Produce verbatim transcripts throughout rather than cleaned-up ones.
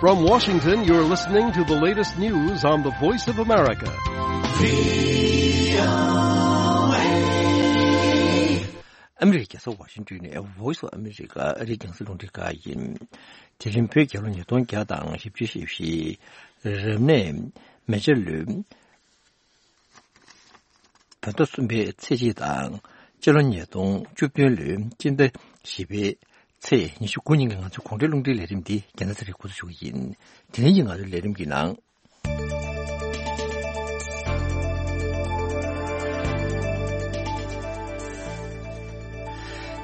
From Washington, you're listening to the latest news on the Voice of America. ཨ་མི་རི་ཀའི་རྒྱལ་ས་ཝ་ཤིང་ཏོན་ནས་Voice of America ཨ་རིའི་རྒྱང་སྲིང་རླུང་འཕྲིན་ཁང་ཡིན། དེ་རིང་བོད་རྒྱལ་ལོ་ཉིས་སྟོང་བརྒྱ་དང་བཞི་བཅུ་ཞེ་བཞི། རབ་གནས་མེ་བྱ་ལོའི་བོད་ཟླ་གསུམ་པའི་ཚེས་གཅིག་དང་། སྤྱི་ལོ་ཉིས་སྟོང་བཅུ་བདུན་ལོའི་སྤྱི་ཟླ་བཞི་པའི་ཚེས་ཉི་ཤུ་དགུ་ཉིན་གྱི་ང་ཚོའི་གོང་འཕེལ་རླུང་འཕྲིན་ལས་རིམ་འདི་རྒྱལ་ན་ཚ་རིག་འགོ་འཛུགས་ཞུ་གི་ཡིན། དེ་རིང་གི་ང་ཚོའི་ལས་རིམ་གྱི་ནང་།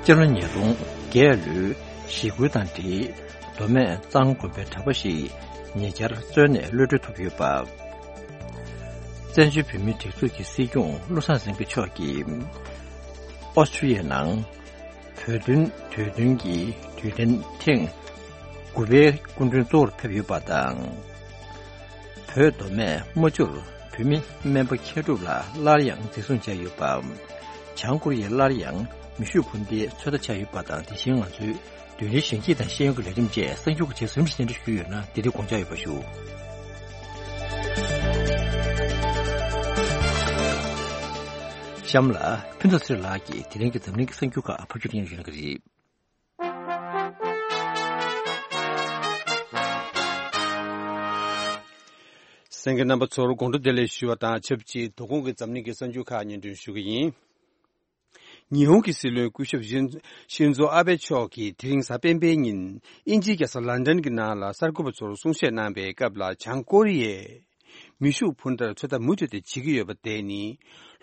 སྤྱི་ལོ་ཉིས་སྟོང་བརྒྱད་ལོའི་ཞི་རྒོལ་དང་འབྲེལ། མདོ་སྨད་གཙང་དགོན་པའི་གྲྭ་པ་ཞིག་ཉེ་ཆར་བཙོན་ནས་གློད་གྲོལ་ཐོབ་ཡོད་པ། བཙན་བྱོལ་བོད་མིའི་སྒྲིག་འཛུགས་ཀྱི་སྲིད་སྐྱོང་བློ་བཟང་སེང་གེ་མཆོག་གིས་ཨོ་སི་ཀྲི་ཡའི་ནང་བོད་དོན་དུས་སྟོན་གྱི་དུས་དྲན་ཐེངས་དགུ་པའི་སྐུ་མགྲོན་གཙོ་བོར་ཕེབས་ཡོད་པ་དང་། བོད་མདོ་སྨད་རྨ་ཆུར་བོད་མི་སྨན་པ་མཁས་གྲུབ་ལགས་སླར་ཡང་འཛིན་བཟུང་བྱས་ཡོད་པ། བྱང་ཀོ་རི་ཡས་སླར་ཡང་མེ་ཤུགས་འཕུར་མདེལ་ཚོད་ལྟ་བྱས་ཡོད་པ་དང་། དེ་བཞིན་ང་ཚོའི་རྡུལ་ཕྲན་ཞིང་སྐྱིད་དང་ཤེས་ཡོན་གྱི་ལས་རིམ་བཅས་གསར་འགྱུར་གྱི་རྗེས་སུ་རིམ་བཞིན་སྙན་སྒྲོན་ཞུས་ཡོད་ན་དེ་རིང་དགོངས་འཇགས་ཡོད་པ་ཞུ། གཤམ་ལ་ཕུན་ཚོགས་ཚེ་རིང་ལགས་ཀྱིས་དེ་རིང་གི་འཛམ་གླིང་གི་གསར་འགྱུར་ཁག་ཕབ་སྒྱུར་སྙན་སྒྲོན་ཞུ་གནང་གི་རེད། གསན་མཁན་རྣམ་པ་ཚོར་དགོང་དྲོ་བདེ་ལེགས་ཞུ་བ་དང་ཆབས་ཅིག་དོ་དགོང་གི་འཛམ་གླིང་གི་གསར་འགྱུར་ཁག་སྙན་སྒྲོན་ཞུ་གི་ཡིན། ཉི་ཧོང་གི་སྲིད་བློན་སྐུ་ཞབས་ཤིན་ཤིན་ཛོ་ཨ་བྷེ་མཆོག་གིས་དེ་རིང་གཟའ་སྤེན་པའི་ཉིན་དབྱིན་ཇིའི་རྒྱལ་ས་ལན་ཌན་གྱི་ནང་ལ་གསར་འགོད་པ་ཚོར་གསུང་བཤད་གནང་བའི་སྐབས་ལ། བྱང་ཀོ་རི་ཡས་མེ་ཤུགས་འཕུར་མདའ་ཚོད་ལྟ་མུ་མཐུད་དེ་བྱེད་ཀྱི་ཡོད་པ་དེ་ནི།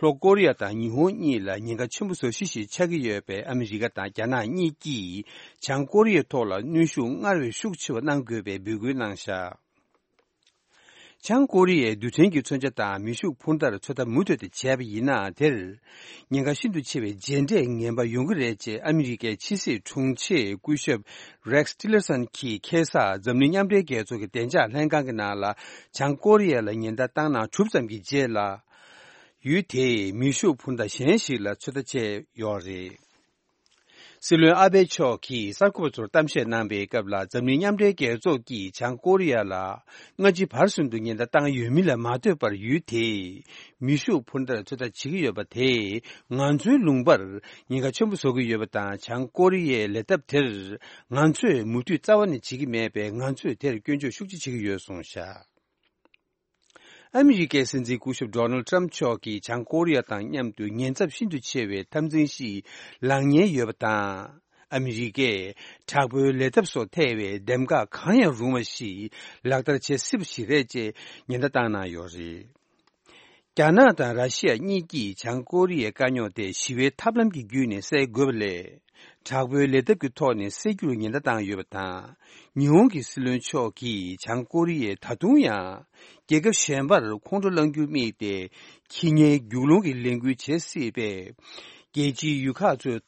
ལྷོ་ཀོ་རི་ཡ་དང་ཉི་ཧོང་གཉིས་ལ་ཉེན་ཁ་ཆེན་པོ་བཟོ་གཞི་ཞིག་ཆགས་ཀྱི་ཡོད་པས། ཨ་མི་རི་ཀ་དང་རྒྱ་ནག་གཉིས་ཀྱིས་བྱང་ཀོ་རི་ཡའི་ཐོག་ལ་གནོན་ཤུགས་སྔར་བས་ཤུགས་ཆེ་བ་གནང་དགོས་པའི་འབོད་སྐུལ་གནང་བཞག་བྱང་ཀོ་རི་ཡས་རྡུལ་ཕྲན་གྱི་མཚོན་ཆ་དང་མེ་ཤུགས་འཕུར་མདའ་ཚོད་ལྟ་མུ་མཐུད་དེ་བྱས་པ་ཡིན་ན། དེར་ཉེན་ཁ་ཤིན་ཏུ་ཆེ་བའི་རྗེས་འབྲས་ངན་པ་ཡོང་གི་རེད་ཅེས་ཨ་མི་རི་ཀའི་ཕྱི་སྲིད་དྲུང་ཆེ་སྐུ་ཞབས་Rex Tillerson གྱིས་ཁ་སང་འཛམ་གླིང་མཉམ་འབྲེལ་རྒྱལ་ཚོགས་ཀྱི་བདེ་འཇགས་ལྷན་ཁང་གི་ནང་ལ། བྱང་ཀོ་རི་ཡ་ལ་ཉེན་བརྡ་བཏང་གནང་གྲུབ་ཙམ་གྱི་རྗེས་ལ། ཡུལ་དེས་མེ་ཤུགས་འཕུར་མདའ་གཞན་ཞིག་ལ་ཚོད་ལྟ་བྱས་ཡོད་རེད། སྲིད་བློན་ཨ་བྷེ་མཆོག་གིས་གསར་འགོད་པ་ཚོར་གཏམ་བཤད་གནང་བའི་སྐབས་ལ། འཛམ་གླིང་མཉམ་འབྲེལ་རྒྱལ་ཚོགས་ཀྱིས་བྱང་ཀོ་རི་ཡ་ལ་སྔ་ཕྱི་བར་གསུམ་དུ་ཉེན་བརྡ་བཏང་ཡོད་མིན་ལ་མ་ལྟོས་པར། ཡུལ་དེས་མེ་ཤུགས་འཕུར་མདའ་ཚོད་ལྟ་བྱེད་ཀྱི་ཡོད་པ་དེས་ང་ཚོའི་ལུང་པར་ཉེན་ཁ་ཆེན་པོ་བཟོ་གི་ཡོད་པ་དང་། བྱང་ཀོ་རི་ཡའི་ལས་ཐབས་དེར་ང་ཚོས་མུ་མཐུད་རྩ་བ་ནས་བྱེད་ཀྱི་མེད་པས། ང་ཚོས་དེར་སྐྱོན་བརྗོད་ཤུགས་ཆེ་བྱེད་ཀྱི་ཡོད་གསུངས་བཞག་ཨ་མི་རི་ཀའི་སྲིད་འཛིན་སྐུ་ཞབས་Donald Trump མཆོག་གིས་བྱང་ཀོ་རི་ཡ་དང་མཉམ་དུ་ཉེན་ཚབས་ཤིན་ཏུ་ཆེ་བའི་འཐབ་འཛིང་ཞིག་ལངས་ཉེན་ཡོད་པ་དང་། ཨ་མི་རི་ཀས་དྲག་པོའི་ལས་ཐབས་སོགས་ཐེ་བའི་འདེམས་ཀ་གང་ཡང་རུང་བ་ཞིག་ལག་བསྟར་བྱེད་སྲིད་པ་ཞིག་རེད་ཅེས་ཉེན་བརྡ་བཏང་གནང་ཡོད་རེད། རྒྱ་ནག་དང་ར་ཤི་ཡ་གཉིས་ཀྱིས་བྱང་ཀོ་རི་ཡའི་དཀའ་རྙོག་དེ་ཞི་བའི་ཐབས་ལམ་གྱི་བརྒྱུད་ནས་སེལ་དགོས་པ་ལས། དྲག་པོའི་ལས་ཐབས་ཀྱི་ཐོག་ནས་སེལ་རྒྱུར་ཉེན་བརྡ་བཏང་ཡོད་པ་དང་། ཉི་ཧོང་གི་སྲིད་བློན་མཆོག་གིས་བྱང་ཀོ་རི་ཡས་ད་དུང་ཡང་རྒྱལ་ཁབ་གཞན་པར་ཁོང་ཁྲོ་སློང་རྒྱུར་དམིགས་ཏེ། ཁྱི་ཉའི་རྒྱུག་ལོང་གི་ལས་འགུལ་བྱེད་སྲིད་པས། རྒྱལ་སྤྱིའི་ཡུལ་ཁག་ཚོས་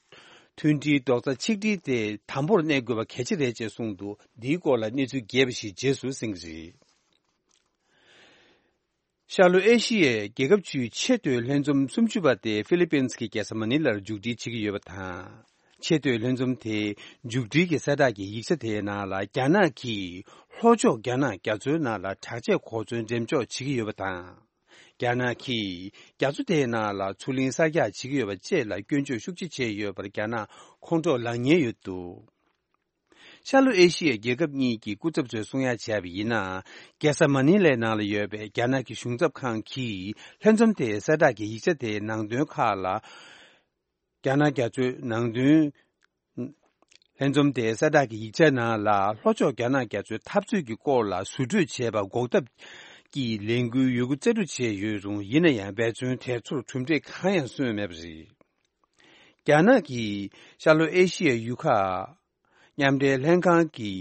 མཐུན་སྒྲིལ་རྡོག་རྩ་ཆིག་སྒྲིལ་དེ་དམ་པོར་གནས་དགོས་པ་གལ་ཆེ་རེད་ཅེས་གསུངས་འདུག་འདིའི་སྐོར་ལ་གནས་ཚུལ་རྒྱས་པ་ཞིག་རྗེས་སུ་གསན་གྱི་རེད། ཤར་ལྷོ་ཨེ་ཤི་ཡའི་རྒྱལ་ཁབ་བཅུའི་ཆེས་མཐོའི་ལྷན་འཛོམས་སུམ་ཅུ་པ་དེ་ཧྥི་ལི་པིན་གྱི་རྒྱལ་ས་མ་ནི་ལར་མཇུག་སྒྲིལ་བྱེད་ཀྱི་ཡོད་པ་དང་། ཆེས་མཐོའི་ལྷན་འཛོམས་དེའི་མཇུག་སྒྲིལ་གྱི་གསལ་བསྒྲགས་ཀྱི་ཡིག་ཆ་དེའི་ནང་ལ། རྒྱ་ནག་གིས་ལྷོ་ཕྱོགས་རྒྱ་ནག་རྒྱ་མཚོའི་ནང་ལ་དྲག་ཆས་གོ་མཚོན་འགྲེམས་འཇོག་བྱེད་ཀྱི་ཡོད་པ་དང་། རྒྱ་ནག་གིས་རྒྱ་མཚོ་དེའི་ནང་ལ་མཚོ་གླིང་གསར་རྒྱག་བྱེད་ཀྱི་ཡོད་པ་བཅས་ལ་སྐྱོན་བརྗོད་ཤུགས་ཆེ་བྱས་ཡོད་པར་རྒྱ་ནག་ཁོང་ཁྲོ་ལངས་ཉེན་ཡོད་འདུག་ཤར་ལྷོ་ཨེ་ཤི་ཡའི་རྒྱལ་ཁབ་གཉིས་ཀྱི་སྐུ་ཚབ་ཚོས་གསུང་ཡ་བྱས་པ་ཡིན་ན། རྒྱལ་ས་མ་ནི་ལའི་ནང་ལ་ཡོད་པའི་རྒྱ་ནག་གི་གཞུང་ཚབ་ཁང་གིས་ལྷན་འཛོམས་དེའི་གསལ་བསྒྲགས་ཀྱི་ཡིག་ཆ་དེའི་ནང་དོན་ཁག་ལ། རྒྱ་ནག་རྒྱ་མཚོའི་ནང་དོན། ལྷན་འཛོམས་དེའི་གསལ་བསྒྲགས་ཀྱི་ཡིག་ཆའི་ནང་ལ། ལྷོ་ཕྱོགས་རྒྱ་ནག་རྒྱ་མཚོའི་འཐབ་རྩོད་ཀྱི་སྐོར་ལ་ཟུར་གྲོས་བྱས་པ་འགོག་ཐབས་ཀྱི་ལས་འགུལ་ཡོད་རྒུ་རྩལ་སྤྲུགས་བྱས་ཡོད་རུང་། ཡིན་ན་ཡང་འབད་བརྩོན་དེ་ཚོར་གྲུབ་འབྲས་གང་ཡང་སོན་མེད་པ་རེད། རྒྱ་ནག་གིས་ཤར་ལྷོ་ཨེ་ཤི་ཡའི་ཡུལ་ཁག་མཉམ་འབྲེལ་ལྷན་ཁང་གི་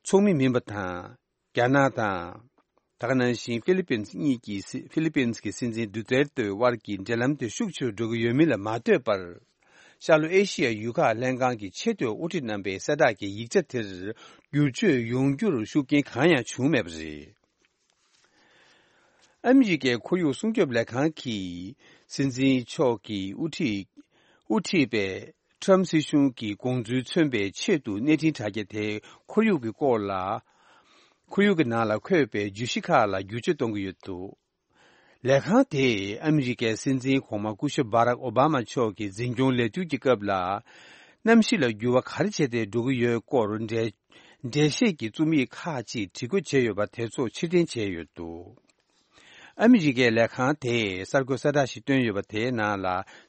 ཚོགས་མི་མིན་པ་དང་། རྒྱ་ནག་དང་། ད་ག་ནང་བཞིན་ཧྥི་ལི་པིན་གཉིས་ཀྱི་སྲི་ཧྥི་ལི་པིན་གྱི་སྲིད་འཛིན་ཌུ་ཏེར་ཏེ་དབར་གྱི་འབྲེལ་ལམ་དེ་ཤུགས་ཆེ་རུ་འགྲོ་གི་ཡོད་མིན་ལ་མ་ལྟོས་པར། ཤར་ལྷོ་ཨེ་ཤི་ཡའི་ཡུལ་ཁག་ལྷན་ཁང་གི་ཆེས་མཐོའི་དབུ་ཁྲིད་རྣམ་པའི་གསལ་བསྒྲགས་ཀྱི་ཡིག་ཆ་དེར་བསྒྱུར་བཅོས་ཡོང་རྒྱུར་ཤུགས་རྐྱེན་གང་ཡང་བྱུང་མེད་པ་རེད། ཨ་མི་རི་ཀའི་ཁོར་ཡུག་སྲུང་སྐྱོབ་ལས་ཁང་གི་སྲིད་འཛིན་མཆོག་གིས་དབུ་ཁྲིད་དབུ་ཁྲིད་པའི་ཊམ་སྲིད་གཞུང་གི་དགོངས་ཚུལ་མཚོན་པའི་ཆེད་དུ་གནས་འཕྲིན་དྲ་རྒྱ་དེའི་ཁོར་ཡུག་གི་སྐོར་ལ་ ཁོར་ཡུག་གི་ནང་ལ་འཁོད་པའི་བརྗོད་གཞི་ཁག་ལ་བསྒྱུར་བཅོས་གཏོང་གི་ཡོད་འདུག་ལས་ཁང་དེས་ཨ་མི་རི་ཀའི་སྲིད་འཛིན་གོང་མ་སྐུ་ཞབས་བྷ་རག་ཨོ་བྷ་མ་མཆོག་གི་འཛིན་སྐྱོང་ལས་དུས་ཀྱི་སྐབས་ལ། གནམ་གཤིས་ལ་འགྱུར་བ་ག་རེ་བྱས་ཏེ་འགྲོ་གི་ཡོད་སྐོར་འགྲེལ་འགྲེལ་བཤད་ཀྱི་རྩོམ་ཡིག་ཁག་ཅིག་བྲིས་བཀོད་བྱས་ཡོད་པ་དེ་ཚོ་ཕྱིར་འཐེན་བྱས་ཡོད་འདུག་ཨ་མི་རི་ཀའི་ལས་ཁང་དེས་གསར་འགོད་གསལ་བསྒྲགས་ཤིག་བཏོན་ཡོད་པ་དེའི་ནང་ལ།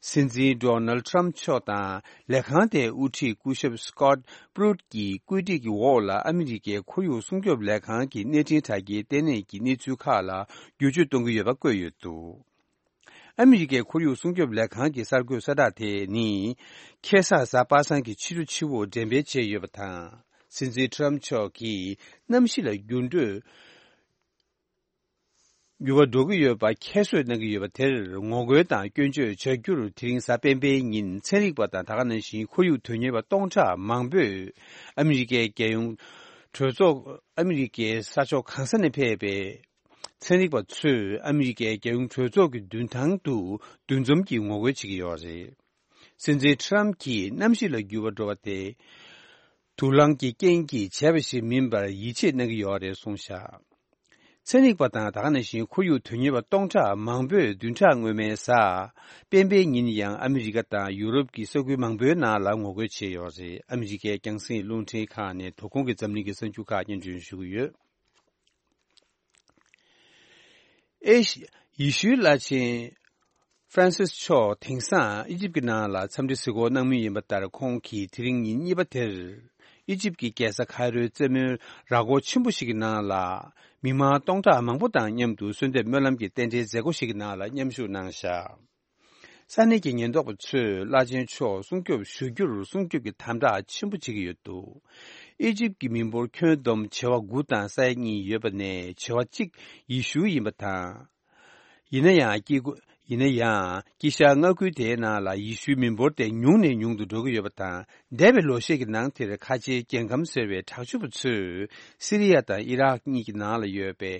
སྲིད་འཛིན་ཌོ་ནལ་ཊམ་མཆོག་དང་ལས་ཁང་དེའི་དབུ་ཁྲིད་སྐུ་ཞབས་སི་ཀོཊ་པུ་རུཊ་ཀྱི་བཀོད་སྒྲིག་གི་འོག་ལ་ཨ་མི་རི་ཀའི་ཁོར་ཡུག་སྲུང་སྐྱོབ་ལས་ཁང་གི་གནས་འཕྲིན་དྲ་རྒྱའི་ལྟེ་གནས་ཀྱི་གནས་ཚུལ་ཁག་ལ་བསྒྱུར་བཅོས་གཏོང་གི་ཡོད་པ་བཀོད་ཡོད་འདུག་ཨ་མི་རི་ཀའི་ཁོར་ཡུག་སྲུང་སྐྱོབ་ལས་ཁང་གི་གསར་འགོད་གསལ་བསྒྲགས་དེ་ནི། ཁེ་ས་གཟའ་པ་སངས་ཀྱི་ཕྱི་དྲོ་ཆུ་བོར་འགྲེམས་སྤེལ་བྱས་ཡོད་པ་དང་། སྲིད་འཛིན་ཊམ་མཆོག་གིས་གནམ་གཤིས་ལ་འགྱུར་འགྲོས། འགྱུར་བ་འགྲོ་གི་ཡོད་པ་ཁྱད་གསོད་གནང་གི་ཡོད་པ་དེར་ངོ་རྒོལ་དང་སྐྱོན་བརྗོད་བྱ་རྒྱུར། དེ་རིང་གཟའ་སྤེན་པའི་ཉིན་ཚན་རིག་པ་དང་ད་ག་ནང་བཞིན་ཁོར་ཡུག་དོན་གཉེར་བ་སྟོང་ཕྲག་མང་པོས་ཨ་མི་རི་ཀའི་རྒྱལ་ཡོངས་གྲོས་ཚོགས། ཨ་མི་རི་ཀའི་ས་ཕྱོགས་གང་ས་ནས་ཕེབས་པའི་ཚན་རིག་པ་ཚོས་ཨ་མི་རི་ཀའི་རྒྱལ་ཡོངས་གྲོས་ཚོགས་ཀྱི་མདུན་ཐང་དུ་འདུ་འཛོམས་ཀྱིས་ངོ་རྒོལ་བྱེད་ཀྱི་ཡོད་རེད། སྲིད་འཛིན་ཊམ་གྱིས་གནམ་གཤིས་ལ་འགྱུར་བ་འགྲོ་བ་དེ། དུག་རླངས་ཀྱི་རྐྱེན་གྱིས་བྱས་པ་ཞིག་མིན་པར་ཡིད་ཆེས་གནང་གི་ཡོད་རེད་གསུངས་བཞག་ཚན་རིག་པ་དང་ད་ག་ནང་བཞིན་ཁོར་ཡུག་དོན་གཉེར་བ་སྟོང་ཕྲག་མང་པོས་བདུན་ཕྲག་སྔོན་མའི་གཟའ་སྤེན་པའི་ཉིན་ཡང་ཨ་མི་རི་ཀ་དང་ཡུ་རོབ་ཀྱི་ས་ཁུལ་མང་པོའི་ནང་ལ་ངོ་རྒོལ་བྱས་ཡོད་རེད། ཨ་མི་རི་ཀའི་རྒྱང་སྲིང་རླུང་འཕྲིན་ཁག་ནས་དོ་དགོང་གི་འཛམ་གླིང་གི་གསར་འགྱུར་ཁག་སྙན་སྒྲོན་ཞུ་གི་ཡོད། ཨེ་ཤི། ཡེ་ཤུའི་བླ་ཆེན་ཧྥ་རན་སིས་མཆོག་དེང་སང་ཨི་ཇིབ་ཀྱི་ནང་ལ་འཚམས་འདྲི་གཟིགས་སྐོར་གནང་མུས་ཡིན་པ་ལྟར། ཁོང་གིས་དེ་རིང་ཉིན་གཉིས་པ་དེར་ཨི་ཇིབ་ཀྱི་རྒྱལ་ས་ཁའི་རོའི་རྩེ་མོའི་ར་སྐོར་ཆེན་པོ་ཞིག་གི་ནང་ལ་མི་མང་སྟོང་ཕྲག་མང་པོ་དང་མཉམ་དུ་གསོལ་འདེབས་སྨོན་ལམ་གྱི་རྟེན་འབྲེལ་མཛད་སྒོ་ཞིག་གི་ནང་ལ་མཉམ་ཞུགས་གནང་བཞག་ས་གནས་ཀྱི་ཉེན་རྟོག་པ་ཚོས་བླ་ཆེན་མཆོག་སྲུང་སྐྱོབ་ཞུ་རྒྱུར་སྲུང་སྐྱོབ་ཀྱི་དམ་དྲག་ཆེན་པོ་བྱེད་ཀྱི་ཡོད་འདུག་ཨི་ཇིབ་ཀྱི་མི་འབོར་ཁྱོན་བསྡོམས་བྱེ་བ་དགུ་དང་ས་ཡ་གཉིས་ཡོད་པ་ནས་བྱེ་བ་གཅིག་ཡེ་ཤུ་ཡིན་པ་དང་། ཡིན་ན་ཡང་དཀྱིལ་སྒོ། ཡིན་ན་ཡང་དཀྱིལ་ཤར་མངའ་ཁུལ་དེའི་ནང་ལ་ཡེ་ཤུའི་མི་འབོར་དེ་ཉུང་ནས་ཉུང་དུ་འགྲོ་གི་ཡོད་པ་དང་། འདས་པའི་ལོ་ཤས་ཀྱི་ནང་དེར་ཁ་ཆེའི་རྒྱལ་ཁམས་ཟེར་བའི་དྲག་སྤྱོད་པ་ཚོས་སི་རི་ཡ་དང་ཨི་རག་གཉིས་ཀྱི་ནང་ལ་ཡོད་པའི་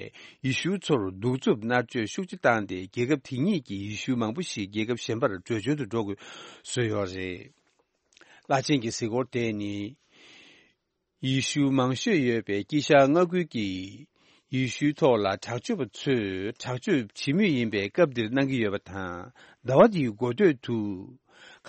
ཡེ་ཤུ་ཚོར་གདུག་རྩུབ་མནར་གཅོད་ཤུགས་ཆེ་བཏང་སྟེ། རྒྱལ་ཁབ་དེ་གཉིས་ཀྱི་ཡེ་ཤུ་མང་པོ་ཞིག་རྒྱལ་ཁབ་གཞན་པར་བྲོས་བྱོལ་དུ་འགྲོ་དགོས་བཟོས་ཡོད་རེད། བླ་ཆེན་གྱི་གཟིགས་སྐོར་དེ་ནི། ཡེ་ཤུ་མང་ཤོས་ཡོད་པའི་དཀྱིལ་ཤར་མངའ་ཁུལ་གྱི་ཡེ་ཤུའི་ཐོག་ལ་དྲག་སྤྱོད་པ་ཚོས་དྲག་སྤྱོད་བྱེད་མུས་ཡིན་པའི་སྐབས་འདིར་གནང་གི་ཡོད་པ་དང་། ཟླ་བ་འདིའི་འགོ་སྟོད་དུ།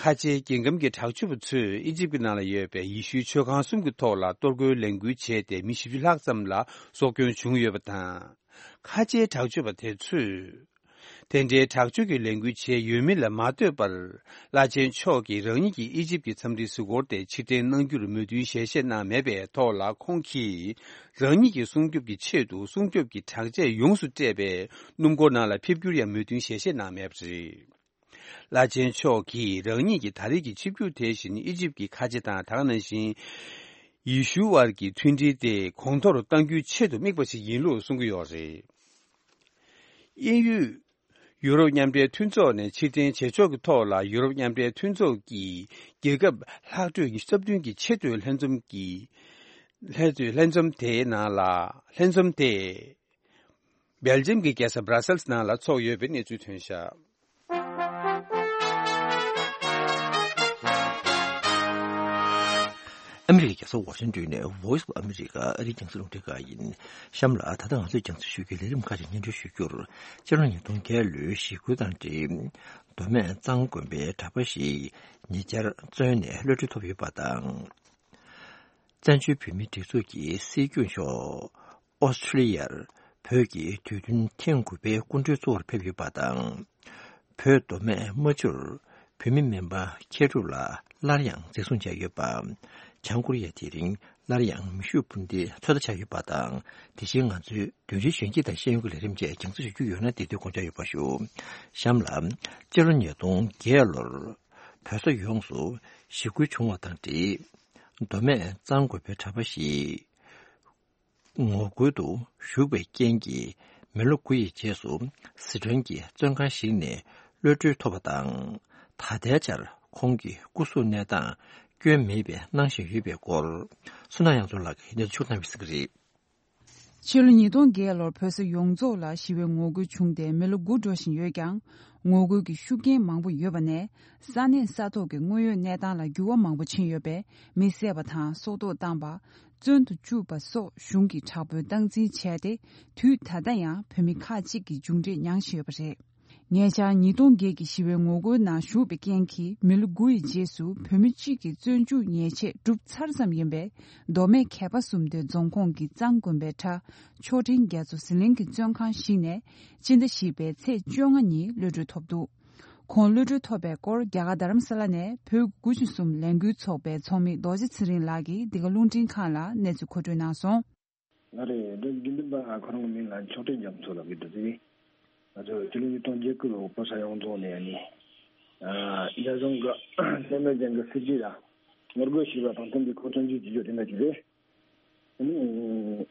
ཁ་ཆེའི་རྒྱལ་ཁམས་ཀྱི་དྲག་སྤྱོད་པ་ཚོས་ཨི་ཇིབ་ཀྱི་ནང་ལ་ཡོད་པའི་ཡེ་ཤུའི་མཆོད་ཁང་གསུམ་གྱི་ཐོག་ལ་གཏོར་རྒོལ་ལས་འགུལ་བྱས་ཏེ། མི་བཞི་བཅུ་ལྷག་ཙམ་ལ་སྲོག་སྐྱོན་བྱུང་ཡོད་པ་དང་། ཁ་ཆེའི་དྲག་སྤྱོད་པ་དེ་ཚོས། དེ་འདྲའི་དྲག་སྤྱོད་ཀྱི་ལས་འགུལ་བྱས་ཡོད་མེད་ལ་མ་ལྟོས་པར། བླ་ཆེན་མཆོག་གིས་རང་ཉིད་ཀྱི་ཨི་ཇིབ་ཀྱི་འཚམས་འདྲིའི་གཟིགས་སྐོར་དེ་ཕྱིར་འཐེན་གནང་རྒྱུར་མོས་མཐུན་ཞལ་བཞེས་གནང་མེད་པའི་ཐོག་ལ། ཁོང་གིས་རང་ཉིད་ཀྱི་སྲུང་སྐྱོབ་ཀྱི་ཆེད་དུ་སྲུང་སྐྱོབ་ཀྱི་དྲག་ཆས་ཡོངས་སུ་སྤྲས་པའི་སྣུམ་འཁོར་ནང་ལ་ཕེབས་རྒྱུར་ཡང་མོས་མཐུན་ཞལ་བཞེས་གནང་མེད་པ་རེད། བླ་ཆེན་མཆོག་གིས་རང་ཉིད་ཀྱི་ད་རེས་ཀྱི་ཆིབས་བསྒྱུར་དེ་བཞིན་ཨི་ཇིབ་ཀྱི་ཁ་ཆེ་དང་། ད་ག་ནང་བཞིན་ཡེ་ཤུའི་དབར་གྱི་མཐུན་སྒྲིལ་དེ་གོང་མཐོར་གཏང་རྒྱུའི་ཆེད་དུ་དམིགས་པ་ཞིག་ཡིན་ལུགས་གསུང་གི་ཡོད་རེད། དབྱིན་ཡུལ། ཡུ་རོབ་མཉམ་འབྲེལ་མཐུན་ཚོགས་ནས་ཕྱིར་འཐེན་བྱེད་ཕྱོགས་ཀྱི་ཐོག་ལ། ཡུ་རོབ་མཉམ་འབྲེལ་མཐུན་ཚོགས་ཀྱི་རྒྱལ་ཁབ་ལྷག་འཕྲོས་ཉི་ཤུ་རྩ་བདུན་གྱི་ཆེས་མཐོའི་ལྷན་འཛོམས་ཀྱི་ལྷན་ཚོགས་ལྷན་འཛོམས་དེའི་ནང་ལ། ལྷན་འཛོམས་དེ་སྦེལ་ཇམ་གྱི་རྒྱལ་ས་སྦྲ་སེལ་སི་ནང་ལ་ཚོགས་ཡོད་པའི་གནས་ཚུལ་ཐོན་བཞག་ཨ་མི་རི་ཀའི་རྒྱལ་ས་ཝ་ཤིང་ཏོན་ནས་Voice of America ཨ་རིའི་རྒྱང་སྲིང་རླུང་འཕྲིན་ཁང་ཡིན། གཤམ་ལ་ད་ལྟ་ང་ཚོས་རྒྱང་སྲིང་ཞུ་རྒྱུའི་ལས་རིམ་ཁག་ཅིག་སྙན་སྒྲོན་ཞུ་རྒྱུར། སྤྱི་ལོ་ཉིས་སྟོང་བརྒྱད་ལོའི་ཞི་རྒོལ་དང་འབྲེལ། མདོ་སྨད་གཙང་དགོན་པའི་གྲྭ་པ་ཞིག་ཉེ་ཆར་བཙོན་ནས་གློད་གྲོལ་ཐོབ་ཡོད་པ་དང་། བཙན་བྱོལ་བོད་མིའི་སྒྲིག་འཛུགས་ཀྱི་སྲིད་སྐྱོང་མཆོག་ཨོ་སི་ཁྲུ་ལི་ཡར་བོད་ཀྱི་དུས་སྟོན་ཐེངས་དགུ་པའི་སྐུ་མགྲོན་གཙོ་བོར་ཕེབས་ཡོད་པ་དང་། བོད་མདོ་སྨད་རྨ་ཆུར་བོད་མི་སྨན་པ་མཁས་གྲུབ་ལགས་སླར་ཡང་འཛིན་བཟུང་བྱས་ཡོད་པ། བྱང་ཀོ་རི་ཡ་དེ་རིང་སླར་ཡང་མེ་ཤུགས་འཕུར་མདེལ་ཚོད་ལྟ་བྱས་ཡོད་པ་དང་། དེ་བཞིན་ང་ཚོའི་བདུན་ཕྲག་གཞོན་སྐྱིད་དང་ཤེས་ཡོན་གྱི་ལས་རིམ་བཅས་རྒྱང་སྲིང་ཞུ་རྒྱུ་ཡོད་ན་དེ་དུས་དགོངས་འཇགས་ཡོད་པ་ཞུ། གཤམ་ལ། སྤྱི་ལོ་ཉིས་སྟོང་བརྒྱད་ལོར་བོད་ས་ཡོངས་སུ་ཞི་རྒོལ་བྱུང་བ་དང་འབྲེལ། མདོ་སྨད་གཙང་དགོན་པའི་གྲྭ་པ་ཞིག་ངོ་རྒོལ་དུ་ཞུགས་པའི་རྐྱེན་གྱིས་མི་ལོ་དགུ་ཡི་རྗེས་སུ་སི་ཁྲོན་གྱི་བཙོན་ཁང་ཞིག་ནས་གློད་གྲོལ་ཐོབ་པ་དང་། ད་ལྟའི་ཆར་ཁོང་གི་སྐུ་གཟུགས་གནས་སྟངས་སྐྱོན་མེད་པའི་གནང་བཞིན་ཡོད་པའི་སྐོར། བསོད་ནམས་དབྱངས་མཚོ་ལགས་ཀྱིས་གནས་ཚུལ་ཕྱོགས་བསྒྲགས་གནང་བ་ཞིག་རེད། ཕྱི་ལོ་ཉིས་སྟོང་བརྒྱད་ལོར་བོད་ས་ཡོངས་རྫོགས་ལ་ཞི་བའི་ངོ་རྒོལ་བྱུང་སྟེ་མི་ལོ་དགུ་འགྲོ་བཞིན་ཡོད་ཀྱང་། ངོ་རྒོལ་གྱི་ཤུགས་རྐྱེན་མང་པོ་ཡོད་པ་ནས། ས་གནས་ས་ཐོག་གི་དངོས་ཡོད་གནས་སྟངས་ལ་འགྱུར་བ་མང་པོ་ཕྱིན་ཡོད་པས། མི་བསད་པ་དང་སྲོག་ཐོག་བཏང་པ། བཙོན་དུ་བཅུག་པ་སོགས་གཞུང་གིས་དྲག་པོའི་སྟངས་འཛིན་བྱས་ཏེ། དུས་ད་ལྟ་ཡང་བོད་མི་ཁག་ཅིག་གིས་མཇུག་འབྲས་མྱངས་བཞིན་ཡོད་པ་རེད། ཉེ་ཆར་ཉིས་སྟོང་བརྒྱད་ཀྱི་ཞི་བའི་ངོ་རྒོལ་ནང་ཞུགས་པའི་རྐྱེན་གྱིས། མི་ལོ་དགུ་ཡི་རྗེས་སུ་བོད་མི་གཅིག་གི་བཙོན་འཇུག་ཉེས་ཆད་གྲུབ་ཚར་ཙམ་ཡིན་པའི། མདོ་སྨད་མཁས་པ་གསུམ་སྡེ་རྫོང་ཁོངས་ཀྱི་གཙང་དགོན་པའི་གྲྭ་མཆོག་སྤྲིན་རྒྱ་མཚོ་ཟི་ལིང་གི་བཙོན་ཁང་ཞིག་ནས། སྤྱི་ཟླ་བཞི་པའི་ཚེས་བཅོ་ལྔ་ཉིན་གློད་གྲོལ་ཐོབ་འདུག་ཁོང་གློད་གྲོལ་ཐོབ་པའི་སྐོར། རྒྱ་གར་རྡ་རམ་ས་ལ་ནས་བོད་དགུ་བཅུ་གསུམ་ལས་འགུལ་ཚོགས་པའི་ཚོགས་མི་རྡོ་རྗེ་ཚེ་རིང་ལགས་ཀྱིས་འདི་ག་རླུང་འཕྲིན་ཁང་ལ་གནས་ཚུལ་མཁོ་སྤྲོད་གནང་སོང་། ང་རེད། འདི་དགེ་འདུན་པ་ཁོ་རང་གི་མིང་ལ་མཆོག་སྤྲིན་རྒྱ་མཚོ་ལབ་ཀྱི་འདུག་ཟེར་གི། ང་ཚོ་སྤྱི་ལོ་ཉིས་སྟོང་བརྒྱད་དགུ་ལོ་བོད་ས་ཡོངས་རྫོགས་ནས་ནི། ཨ། རྒྱ་གཞུང་གི་བཙན་གནོན་ཅན་གྱི་སྲིད་བྱུས་ལ་ངོ་རྒོལ་བྱས་པ་དང་མཐུན་པའི་ཁོ་བཙོན་འཇུག་བྱེད་རྒྱུ་དེ་འདྲ་ཅིག་རེད། ཨ་ནི།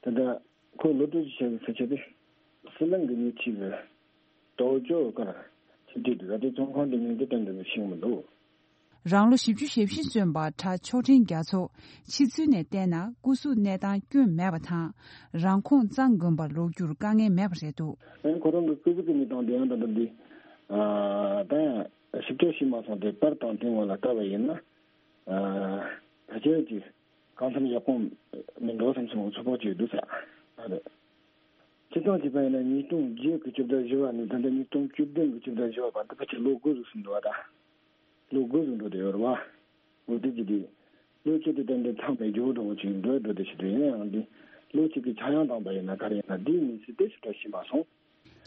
ད་ལྟ་ཁོ་གློད་གྲོལ་བྱས་པའི་ས་ཆ་དེ། ཟི་ལིང་གི་ཉེ་འཁྲིས་ཀྱི་ཏའོ་ཅོ་ཀར་ཆིག་སྒྲིལ་འདུག་ད་ལྟའི་བཙོན་ཁང་དེ་མིང་དེ་ཏན་ཏན་ཤེས་ཀྱི་མི་འདུག་རང་ལོ་བཞི་བཅུ་ཞེ་བཞི་སོན་པ་གྲྭ་མཆོག་སྤྲིན་རྒྱ་མཚོ། ཕྱི་ཚུལ་ནས་བལྟས་ན་སྐུ་གཟུགས་གནས་སྟངས་སྐྱོན་མེད་པ་དང་། རང་ཁོངས་གཙང་དགོན་པར་ལོག་རྒྱུར་དཀའ་ངལ་མེད་པ་རེད་འདུག་ཨ་ནི་ཁོ་རང་གི་སྐུ་གཟུགས་ཀྱི་གནས་སྟངས་དེ་ཡང་ད་ལྟ་འདི། ཨ། ད་ཡང་ཞིབ་ཕྲ་ཤེས་མ་སོང་སྟེ། པར་དང་དེ་སྔོན་ལ་བལྟས་པ་ཡིན་ན། ཨ། ཕལ་ཆེར་གྱི་གང་འཚམ་ཡག་པོ་མི་འདུག་བསམ་སོང་། ཚོད་དཔག་བྱས་འདུག་ས་རེད། སྤྱིར་བཏང་བྱས་པ་ཡིན་ན་ཉིས་སྟོང་བརྒྱད་ཀྱི་བཅུ་ཟླ་བཞི་པ་ནས་ད་ལྟ་ཉིས་སྟོང་བཅུ་བདུན་གྱི་བཅུ་ཟླ་བཞི་པ་བར་དུ་ཕལ་ཆེར་ལོ་དགུ་ཟིག་ཟིན་འགྲོ་བ་དང་། ལོ་དགུ་ཟིག་འགྲོ་བསྡད་ཡོད་རེད་བ། འོ་དེ་ཅི་སྟེ། ལོ་གཅིག་དེ་ཏན་ཏན་ཚང་མས་འགྱོ་འགྲོ་བོ་ཅིག་འགྲོ་འགྲོ་དེ་ཞིག་རེད། ཡིན་ཡང་འདི་ལོ་གཅིག་གི་ཆག་ཡང་བཏང་པ་ཡིན་ན་ག་རེ་ཡིན་ན། འདིའི་གནས་ཚུལ་དེ་ཞིབ་ཕྲ་ཤེས་མ་སོང་།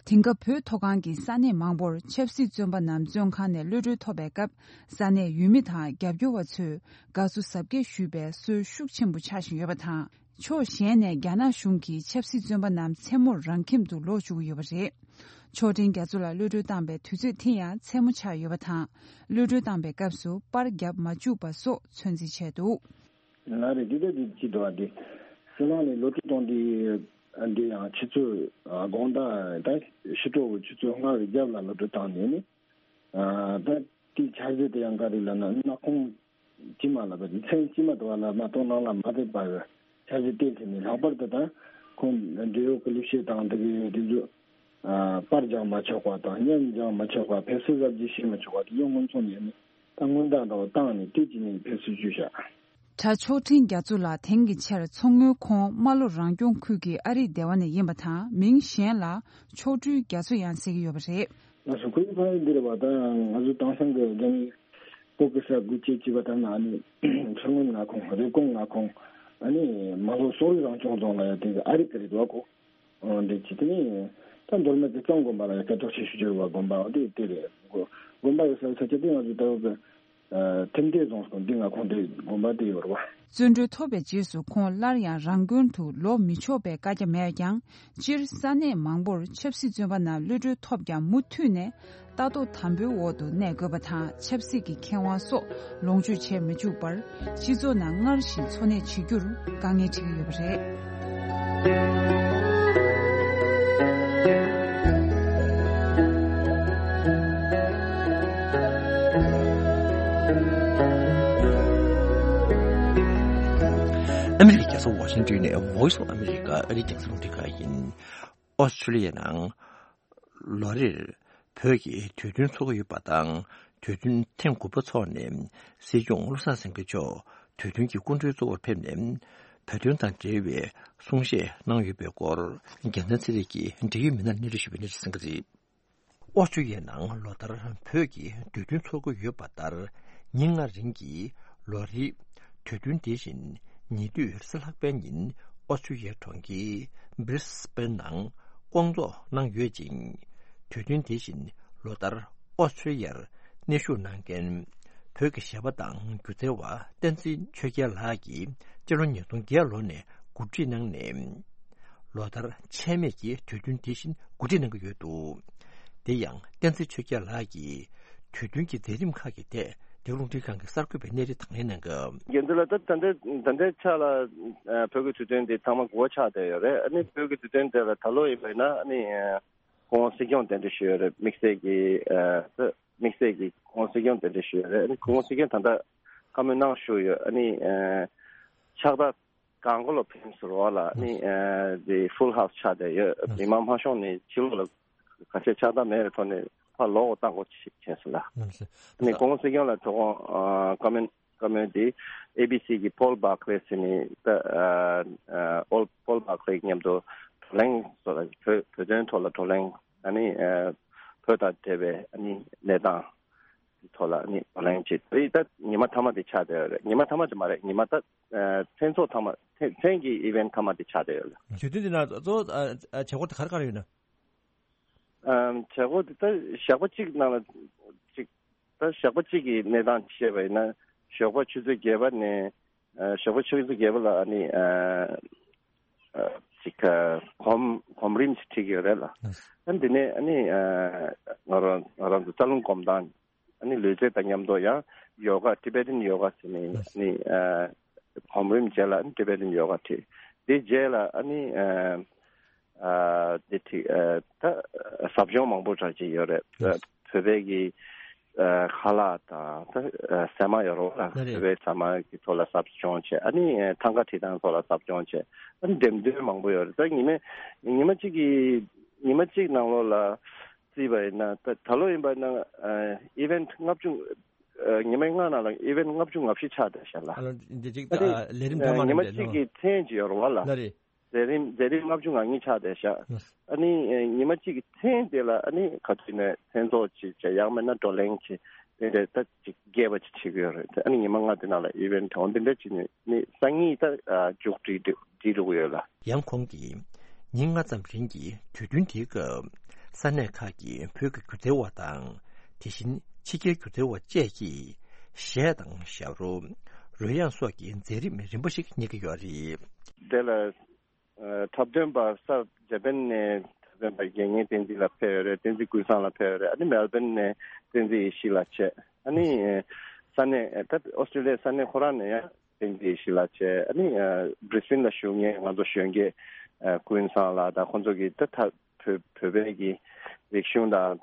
དེང་སྐབས་བོད་མཐོ་སྒང་གི་ས་གནས་མང་པོར་ཆབ་སྲིད་བཙོན་པ་རྣམས་བཙོན་ཁང་ནས་གློད་གྲོལ་ཐོབ་པའི་སྐབས། ས་གནས་ཡུལ་མི་དང་རྒྱབ་སྐྱོར་བ་ཚོས་དགའ་བསུ་གཟབ་རྒྱས་ཞུས་པའི་སྲོལ་ཤུགས་ཆེན་པོ་ཆགས་བཞིན་ཡོད་པ་དང་། ཕྱོགས་གཞན་ནས་རྒྱ་ནག་གཞུང་གིས་ཆབ་སྲིད་བཙོན་པ་རྣམས་མཚན་མོར་རང་ཁྱིམ་དུ་ལོག་བཅུག་གི་ཡོད་པ་རེད། མཆོག་སྤྲིན་རྒྱ་མཚོ་ལགས་གློད་གྲོལ་བཏང་པའི་དུས་ཚོད་དེ་ཡང་མཚན་མོ་ཆགས་ཡོད་པ་དང་། གློད་གྲོལ་བཏང་པའི་སྐབས་སུ་པར་བརྒྱབ་མ་བཅུག་པ་སོགས་ཚོད་འཛིན་བྱས་འདུག་ལ་རེ་འདི་ལྟ་འདི་ཅི་འདུག་ཨ། འདི་ཟི་ལིང་ནས་གློད་གྲོལ་བཏང་དེ། འདི་ཡང་ཆུ་ཚོད་དགོང་དག་ད་ཕྱི་དྲོ་གི་ཆུ་ཚོད་ལྔ་གི་རྒྱབ་ལ་གློད་གྲོལ་བཏང་ནས་ནི། ད་དེའི་འཆར་གཞི་དེ་ཡང་ག་རེ་ལབ་ན། གནམ་ཁོང་དཀྱིལ་མ་ལ་བ། མཚན་དཀྱིལ་མ་དུ་བ་ལ་མ་གཏོགས་ནང་ལ་མ་ཕེབས་པ་གི་འཆར་གཞི་དེ་དེ་ནི། ལྷག་པར་དུ་ད་ཁོང་འབྲེལ་ཡོད་ཀྱི་ལས་བྱེད་དང་དེ་གི་དེ་ཚོ། ཨ། པར་རྒྱག་མ་ཆོག་པ་དང་། མཉམ་རྒྱག་མ་ཆོག་པ། ཕེབས་བསུ་གཟབ་རྒྱས་བྱེད་མ་ཆོག་པ་དེ་ཡང་སྔོན་ཚུད་ནས་ནི་ད་སྔོན་བརྡ་འདྲ་བོ་བཏང་ནས་དེ་གཅིག་ནས་ཕེབས་བསུ་བྱས་བཞག་གྲྭ་མཆོག་སྤྲིན་རྒྱ་མཚོ་ལགས་དེང་གི་ཆར་མཚོ་སྔོན་ཁོངས་རྨ་ལྷོ་རང་སྐྱོང་ཁུལ་གྱི་ཨ་རིག་སྡེ་བ་ནས་ཡིན་པ་དང་། མིང་གཞན་ལ་མཆོག་སྤྲུལ་རྒྱ་མཚོ་ཡང་ཟེར་གྱི་ཡོད་པ་རེད། ལགས་སོ། ཁོའི་ཕ་ཡུལ་འདི་རེད་བ། ད་ང་ཚོ་དེང་སང་གི་རྒྱ་མི་བོད་ཀྱི་ས་དགུ་བཅུ་གཅིག་པ་ལྟར་ན། ཨ་ནི་མཚོ་སྔོན་མངའ་ཁོངས། རེབ་གོང་མངའ་ཁོངས། ཨ་ནི་རྨ་ལྷོ་སོག་རིགས་རང་སྐྱོང་རྫོང་ལ་ཡ་དེ་གི་ཨ་རིག་གི་རེད་བ་ཁོ། འོ་འདི་ཅི་དེ་ནི་ད་མདོ་སྨད་ཀྱི་གཙང་དགོན་པ་ལ་ཡང་སྐད་གྲགས་ཆེ་ཤོས་ཡོད་པ་དགོན་པ་འོ་དེ་དེ་རེད། དགོན་པ་ཡོད་ས་ས་ཆ་དེ་ང་ཚོ་ལྟ་བུ་གི་ཐེམ་སྡེ་རྫོང་སོ་འདི་མངའ་ཁོངས་དེ་དགོན་པ་དེ་ཡོད་རེད་བ། བཙོན་གྲོལ་ཐོབ་པའི་རྗེས་སུ་ཁོང་སླར་ཡང་རང་དགོན་དུ་ལོག་མི་ཆོག་པའི་བཀའ་རྒྱ་མེད་ཀྱང་། སྤྱིར་ས་གནས་མང་པོར་ཆབ་སྲིད་བཙོན་པ་རྣམས་གློད་གྲོལ་ཐོབ་ཀྱང་། མུ་མཐུད་ནས་ལྟ་རྟོག་དམ་པོའི་འོག་ཏུ་གནས་དགོས་པ་དང་། ཆབ་སྲིད་ཀྱི་ཁེ་དབང་སོགས་ལོངས་སྤྱོད་བྱེད་མི་བཅུག་པར། སྤྱི་ཚོགས་ནང་སྔར་བཞིན་འཚོ་གནས་བྱེད་རྒྱུར་དཀའ་ངལ་འཕྲད་ཀྱི་ཡོད་པ་རེད། ཨ་མི་རི་ཀའི་རྒྱལ་ས་ཝ་ཤིང་ཏོན་ནས་Voice of America ཨ་རིའི་རྒྱང་སྲིང་རླུང་འཕྲིན་ཁང་ཡིན། ཨོ་སི་ཁྲུ་ལི་ཡའི་ནང་ལོ་རེར་བོད་ཀྱི་དུས་སྟོན་ཚོགས་ཀྱི་ཡོད་པ་དང་། དུས་སྟོན་ཐེངས་དགུ་པ་འཚོགས་ནས་སྲིད་སྐྱོང་བློ་བཟང་སེང་གེ་མཆོག་དུས་སྟོན་གྱི་སྐུ་མགྲོན་གཙོ་བོར་ཕེབས་ནས་བོད་དོན་དང་འབྲེལ་བའི་གསུང་བཤད་གནང་ཡོད་པའི་སྐོར། རྒྱལ་མཚན་ཚེ་རིང་གིས་འབྲེལ་ཡོད་མི་སྣར་གནས་ཚུལ་ཞུས་པའི་གནས་ཚུལ་གསན་གྱི་རེད། ཨོ་སི་ཁྲུ་ལི་ཡའི་ནང་ལོ་ལྟར་བོད་ཀྱི་དུས་སྟོན་འཚོགས་ཀྱི་ཡོད་པ་ལྟར། ཉིན་ལྔ་རིང་གི་ལོ་རེའི་དུས་སྟོན་དེ་བཞིན་ཉེ་དུས་རེས་གཟའ་ལྷག་པའི་ཉིན་ཨོ་སི་ཁྲུ་ལི་ཡའི་གྲོང་ཁྱེར་Brisbane ནང་སྐོང་ཚོགས་གནང་ཡོད་ཅིང་། དུས་སྟོན་དེ་བཞིན་ལོ་ལྟར་ཨོ་སི་ཁྲུ་ལི་ཡར་གནས་བཞུགས་གནང་མཁན་བོད་ཀྱི་གཞས་པ་དང་སྒྱུ་རྩལ་བ་བསྟན་འཛིན་ཆོས་རྒྱལ་ལགས་ཀྱིས་སྤྱི་ལོ་ཉིས་སྟོང་བརྒྱད་ལོ་ནས་གོ་སྒྲིག་གནང་ནས། ལོ་ལྟར་ཆད་མེད་ཀྱིས་དུས་སྟོན་དེ་བཞིན་གོ་སྒྲིག་གནང་གི་ཡོད་འདུག་དེ་ཡང་བསྟན་འཛིན་ཆོས་རྒྱལ་ལགས་ཀྱིས་དུས་སྟོན་གྱི་མཛད་རིམ་ཁག་གི་ཐད་འདི་རླུང་འཕྲིན་ཁང་གི་གསར་འགོད་པའི་གནས་རིམ་དང་ལེན་གནང་སྐབས། རྒྱུ་མཚན་ལ་ད་ད་ལྟའི་ད་ལྟའི་ཆ་ལ་ཨ་བོད་ཀྱི་དུས་སྟོན་འདི་ཐེངས་མ་དགུ་པ་ཆགས་བསྡད་ཡོད་རེད། ཨ་ནི་བོད་ཀྱི་དུས་སྟོན་དེ་ལ་ད་ལོ་ཡིན་པ་ཡིན་ན། ཨ་ནི་ཨ་སྐུ་ངོ་སྲིད་སྐྱོང་གདན་འདྲེན་ཞུས་ཡོད་རེད། དམིགས་བསལ་གྱི་ཨ་དམིགས་བསལ་གྱི་སྐུ་ངོ་སྲིད་སྐྱོང་གདན་འདྲེན་ཞུས་ཡོད་རེད། ཨ་ནི་སྐུ་ངོ་སྲིད་སྐྱོང་ད་ལྟ་བཀའ་མོལ་གནང་བཞུགས་ཡོད། ཨ་ནི་ཨ་ཕྱག་རྟགས་གང་གོ་ལ་ཕེབས་ཟེར་བ་ལ་ནི་ཨ་དེ་ཧྥུལ་ཧའུ་སི་ཆགས་བསྡད་ཡོད། མི་མང་མ་ཤོང་ནི་ཕྱི་ལོགས་ལ་ ཁ་ཆད་ཆགས་སྡང་མེད་པའི་ཐོག་ནས་ཕར་ལོག་གོ་བཏང་དགོས་བྱས་སོང་ལ། ནི་གོང་སྲིད་སྐྱོང་ལ་དོ་དགོང་བཀའ་མོལ་བཀའ་མོལ་དེ་ཨེ་བི་སི་གི་Paul Barclay ཟེར་ནི་ད་ཨོལ་Paul Barclay མཉམ་དུ་བགྲོ་གླེང་སོགས་ལ་བོད་བོད་དོན་ཐོག་ལ་བགྲོ་གླེང་ཨ་ནི་བོད་དང་འབྲེལ་བའི་ཨ་ནི་གནས་སྟངས་ཀྱི་ཐོག་ལ་ཨ་ནི་བགྲོ་གླེང་བྱས་དེ་ད་ཉི་མ་མཐའ་མ་དེ་ཆགས་བསྡད་ཡོད་རེད། ཉི་མ་མཐའ་མ་དེ་མ་རེད། ཉི་མ་ད་མཚན་ཚོགས་མཐའ་མ་མཚན་མཚན་གྱི་ཨི་ཝེན་མཐའ་མ་དེ་ཆགས་བསྡད་ཡོད་རེད། དུས་སྟོན་དེ་ན་གཙོ་བོ་བྱེད་སྒོ་དེ་ག་རེ་ག་རེ་ཡོད་ན། བྱེད་སྒོ་དེ་ད་ཞག་པོ་གཅིག་ནང་ལ་གཅིག་ད་ཞག་པོ་གཅིག་གི་གནས་སྟངས་བཤད་པ་ཡིན་ན་ཞོགས་པ་ཆུ་ཚོད་བརྒྱད་པ་ནས་ཞོགས་པ་ཆུ་ཚོད་བརྒྱད་པ་ལ་ཨ་ནི་གཅིག་གོམ་གོམ་རིམ་ཞིག་ཁྲིད་ཀྱི་ཡོད་རེད་ལ། ཨ་འདི་ནས་ཨ་ནི་ང་རང་ང་རང་ཚོ་རྩ་རླུང་སྒོམ་སྟངས་ཨ་ནི་ལུས་རྩལ་དང་མཉམ་དུ་ཡང་ཡོ་ག་Tibetan yoga ཟེར་ནས་ཨ་ནི་གོམ་རིམ་རྗེས་ལ་ཨ་ནི་Tibetan yoga ཁྲིད། དེ་རྗེས་ལ་ཨ་ནི་ཨ་དེ་ཁྲིད་ཨ་ད་ཟབ་སྦྱོང་མང་པོ་གྲ་ཅིག་ཡོད་རེད། བོད་པའི་གི་ཨ་ཁ་ལག་དང་ད་ཟ་མ་ཡོད་རེད་བ། ལ་བོད་པའི་ཟ་མ་གི་ཐོག་ལ་ཟབ་སྦྱོང་བྱས། ཨ་ནི་ཐང་ག་ཁྲིད་སྟངས་ཐོག་ལ་ཟབ་སྦྱོང་བྱས། ཨ་ནི་འགྲེམས་སྟོན་མང་པོ་ཡོད་རེད། ད་ཉི་མ་ཉི་མ་གཅིག་གི་ཉི་མ་གཅིག་ནང་ལོགས་ལ་བརྩིས་པ་ཡིན་ན་ད་ད་ལོ་ཡིན་པ་ན་ཨ་event་ལྔ་བཅུ་ཨ་ཉི་མ་ལྔ་ནང་ལ་event་ལྔ་བཅུ་ང་བཞི་ཆགས་བསྡད་ཤག་ལ། ཨ་ལ་འདི་གཅིག་ཨ་ནི་ད་ལས་རིམ་ཐོན་མ་ཉི་མ་རེད་གཅིག་གི་མཚན་ཅིག་ཡོད་རེད་བ་ལ། ལ་རེད། མཛད་རིམ་མཛད་རིམ་ལྔ་བཅུ་ང་གཉིས་ཆགས་བསྡད་ཤག་ཨ་ནི་ཉི་མ་གཅིག་གི་མཚན་དེ་ལ་ཨ་ནི་ག་དུས་ནས་མཚན་ཚོགས་ཅིག་བྱས་ཡང་མིན་ན་བགྲོ་གླེང་ཅིག་དེ་འདྲ་ད་ཅིག་རྒྱས་པ་ཅིག་བྱེད་ཀྱི་ཡོད་རེད། ཨ་ནི་ཉི་མ་ལྔ་དེ་ནང་ལ་event་འོ་འདི་འདྲ་ཅིག་ནས་ནི་སང་ཉིན་ད་མཇུག་སྒྲིལ་སྒྲིལ་འགྲོ་གི་ཡོད་ལ། ཡང་ཁོང་གིས་ཉིན་ལྔ་ཙམ་རིང་གི་དུས་སྟོན་དེའི་སྐབས་ས་གནས་ཁག་གི་བོད་ཀྱི་སྒྱུ་རྩལ་བ་དང་དེ་བཞིན་ཕྱི་རྒྱལ་སྒྱུ་རྩལ་བ་བཅས་ཀྱིས་གཞས་དང་ཞབས་བྲོ། རོལ་དབྱངས་སོགས་ཀྱི་མཛད་རིམ་རིམ་པ་ཞིག་གཉེར་གྱི་ཡོད་རེད། དེ་ལ་འཁྲབ་སྟོན་པ་གསར་འཇར་པན་ནས་འཁྲབ་སྟོན་པ་རྒྱལ་ངེས་བསྟན་འཛིན་ལགས་ཕེབས་ཡོད་རེད། བསྟན་འཛིན་ཀུན་བཟང་ལགས་ཕེབས་ཡོད་རེད། ཨ་ནི་མེལ་བྷན་ནས་བསྟན་འཛིན་ཡེ་ཤེས་ལགས་བྱས། ཨ་ནི་ས་གནས་ད་ཨོ་སི་ཀྲི་ལི་ཡའི་ས་གནས་ཁོ་རང་ནས་ཡང་བསྟན་འཛིན་ཡེ་ཤེས་ལགས་བྱས། ཨ་ནི་བྷི་རི་སི་བྷེན་ལ་བཞུགས་མཁན་ང་ཚོ་གཞོན་སྐྱེས་ཀུན་བཟང་ལགས་དང་ཁོང་ཚོ་གིས་ད་ད་བོད་བོད་པའི་གི་རིག་གཞུང་དང་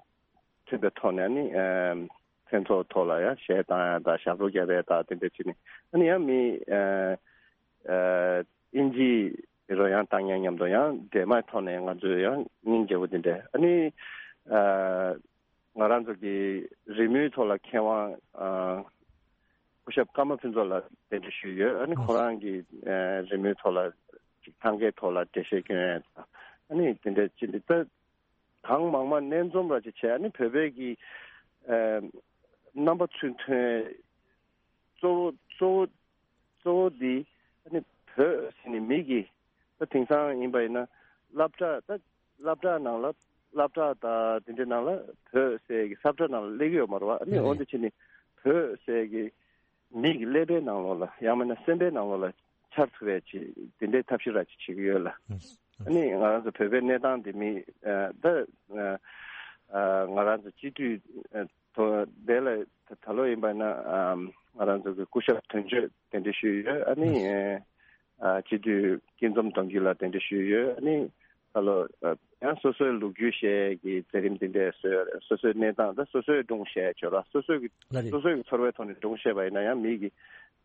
མཐུན་པའི་ཐོག་ནས་ཨ་ནི་མཚན་ཚོགས་ཐོག་ལ་ཡང་གཞས་བཏང་ཡ་དང་ཞབས་བྲོ་རྒྱབ་ཡ་དང་དེ་འདྲ་བྱས་ནས་ཨ་ནི་ཡང་མི་ཨ་ཨ་དབྱིན་ཇིའི་རོལ་དབྱངས་བཏང་མཁན་མཉམ་དུ་ཡང་འདྲེས་མའི་ཐོག་ནས་ང་ཚོས་ཡང་སྙིང་རྗེ་པོ་དེ་འདྲ་ཨ་ནི་ཨ་ང་རང་ཚོ་གི་རི་མོའི་ཐོག་ལ་མཁས་དབང་ཨ་སྐུ་ཞབས་ཀརྨ་ཕུན་ཚོགས་ལགས་གདན་འདྲེན་ཞུས་ཡོད། ཨ་ནི་ཁོ་རང་གི་ཨ་རི་མོའི་ཐོག་ལ་ཅིག་ཐང་གའི་ཐོག་ལ་འགྲེལ་བཤད་སྐྱོན་ཡ་དང་ཨ་ནི་དེ་འདྲ་ཅིག་འདི་ལྟ། གང་མང་མང་སྣེ་འཛོམས་ར་ཅིག་བྱས། ཨ་ནི་བོད་པའི་གི་ཨ་རྣམ་པ་ཚུར་ཐོན་གཙོ་བོ་གཙོ་བོ་གཙོ་བོ་འདི་ཨ་ནི་བོད་ཟེར་ནས་མི་གི་ད་དེང་སང་ཡིན་པ་ཡིན་ན་སློབ་གྲྭ་ད་སློབ་གྲྭ་ནང་ལ་སློབ་གྲྭ་དང་དེ་འདྲའི་ནང་ལ་བོད་ཟེར་གི་ས་ཁྲ་ནང་ལ་སླེབས་ཀྱི་ཡོད་མ་རེད་བ། ཨ་ནི་འོན་ཏེ་ཕྱིན་ནས་བོད་ཟེར་གི་མི་གི་ཀླད་པའི་ནང་ལོགས་ལ་ཡང་མིན་ན་སེམས་པའི་ནང་ལོགས་ལ་འཆར་ཐུབ་པའི་ཅིག་དེ་འདྲའི་ཐབས་ཤེས་ར་ཅིག་བྱེད་ཀྱི་ཡོད་ལ། ཨ་ནི་ང་རང་ཚོ་བོད་པའི་གནས་སྟངས་དེ་མི་ཨ་ད་ཨ་ང་རང་ཚོ་སྤྱི་འཐུས་ཨ་ཐོ་དེ་ལ་ད་ད་ལོ་ཡིན་པ་ན་ཨ་ང་རང་ཚོ་གི་སྐུ་ཞབས་དོན་གཅོད་གདན་འདྲེན་ཞུས་ཡོད། ཨ་ནི་ཨ་སྤྱི་འཐུས་སྐྱིད་འཛོམས་གདོང་རྒྱུད་ལ་གདན་འདྲེན་ཞུས་ཡོད། ཨ་ནི་ད་ལོ་ཡང་སོ་སོའི་ལོ་རྒྱུས་བཤད་ཀྱི་མཛད་རིམ་འདི་འདྲ་བཟོས་ཡོད་རེད། སོ་སོའི་གནས་སྟངས་དང་སོ་སོའི་སྒྲུང་བཤད་ཆོག་ལ་སོ་སོའི་གི་ལ་རེད། སོ་སོའི་གི་ཚོར་བའི་ཐོག་ནས་སྒྲུང་བཤད་པ་ཡིན་ན་ཡང་མི་གི་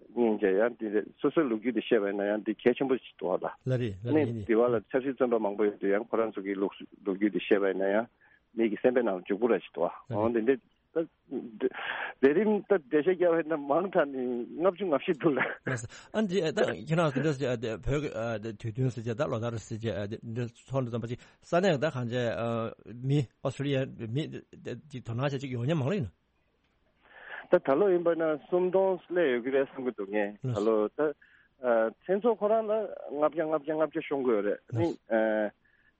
སྙིང་རྗེ་ཡང་འདི་རེད། སོ་སོའི་ལོ་རྒྱུས་འདི་བཤད་པ་ཡིན་ན་ཡང་འདི་གལ་ཆེན་པོ་ཞིག་འདུག་ལ། ལ་རེད་ལ་ནི་རེད་ཡིན་འདི་བ་ལ་ཆབ་སྲིད་བཙོན་པ་མང་པོ་ཡོད་དུས་ཡང་ཁོ་རང་ཚོ་གི་ལོ་ལོ་རྒྱུས་འདི་བཤད་པ་ཡིན་ན་ཡང་མི་གི་སེམས་པའི་ནང་ལ་འཇུག་པོ་ར་ཞིག་འདུག་ལ་འོ་རེད། འདི་འདྲ། ད་མཛད་རིམ་ད་འགྲེལ་བཤད་རྒྱག་པ་ཡིན་ན་མང་དྲགས་ནས་ལྔ་བཅུ་ང་བཞི་འདུག་ལ། ལགས་སོ། ཨ་འདི་ད་ཁྱེད་རང་ཚོ་འདི་བོད་ཀྱི་དུས་སྟོན་ཟེར་བྱས་ད་ལོ་ལྟར་ཟེར་བྱས་འདི་ཚོགས་འདུ་ཙམ་པ་ཅིག་ས་གནས་ད་གང་བྱས་མི་ཨོ་སི་ཀྲི་ལི་ཡ་མི་ཅིག་དོ་སྣང་བྱས་ཅིག་ཡོང་མཁན་མང་ལ་ཡིན་ན། ད་ད་ལོ་ཡིན་པ་ན་སུམ་སྟོང་སླེབས་ཡོད་ཀྱི་རེད་བསམ་གྱི་འདུག་ངས་ད་ལོ་ད་མཚན་ཚོགས་ཁོ་རང་ལ་ལྔ་བརྒྱ་ལྔ་བརྒྱ་ལྔ་བརྒྱ་ཤོང་གི་ཡོད་རེད། ནི་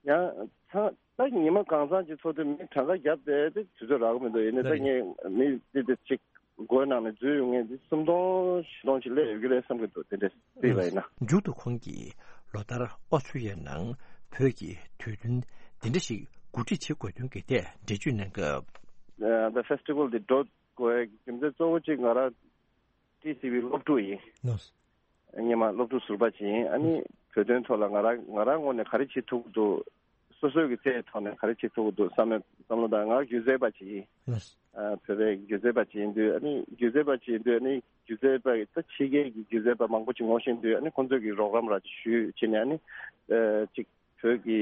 ཡང་ཚང་ད་ཉི་མ་གང་ཚང་གཅིག་ཚོགས་དུས་མི་གྲངས་ཀ་བརྒྱབ་བསྡད་དེ་དུས་ཚོད་རག་གི་མི་འདུག་ཡིན་ནའི་ད་ངས་མི་དེ་དེ་གཅིག་སྒོའི་ནང་ནས་འཛུལ་ཡོང་མཁན་དེ་སུམ་སྟོང་བཞི་སྟོང་ཅིག་སླེབས་ཡོད་ཀྱི་རེད་བསམ་གྱི་འདུག་དེ་འདྲས་བལྟས་པ་ཡིན་ན། མཇུག་ཏུ་ཁོང་གིས་ལོ་ལྟར་ཨོ་སི་ཀྲི་ཡའི་ནང་བོད་ཀྱི་དུས་སྟོན་འདི་འདྲ་ཞིག་གོ་སྒྲིག་བྱེད་དགོས་དོན་གྱི་ཐད་འགྲེལ་བརྗོད་གནང་སྐབས། ད་ཕེ་སི་ཊི་ཝལ་འདི་འགྲོ་དགོས་རྒྱུ་མཚན་གཙོ་བོ་གཅིག་ང་རང་ཊི་སི་ཝི་སློབ་ཕྲུག་ཡིན། སྔོན་མ་སློབ་ཕྲུག་ཟུར་པ་ཅིག་ཡིན། ཨ་ནི་བོད་དོན་ཐོག་ལ་ང་རང་ང་རང་ངོས་ནས་ག་རེ་བྱེད་ཐུབ་ཀྱི་འདུག་སོ་སོའི་གི་རྩལ་ཐོག་ནས་ག་རེ་བྱེད་ཐུབ་ཀྱི་འདུག་བསམ་བློ་བསམ་བློ་དང་ང་སྒྱུ་རྩལ་པ་ཅིག་ཡིན། ཨ་བོད་པའི་སྒྱུ་རྩལ་པ་ཅིག་ཡིན་དུས་ཨ་ནི་སྒྱུ་རྩལ་པ་ཅིག་ཡིན་དུས་ཨ་ནི་སྒྱུ་རྩལ་པ་ད་ཕྱི་རྒྱལ་གྱི་སྒྱུ་རྩལ་པ་མང་པོ་ཅིག་ངོ་ཤེས་དུས་ཨ་ནི་ཁོང་ཚོས་ཀྱི་རོགས་རམ་ར་ཅིག་ཞུས་བྱས་ནས་ཨ་ནི་ཅིག་བོད་ཀྱི་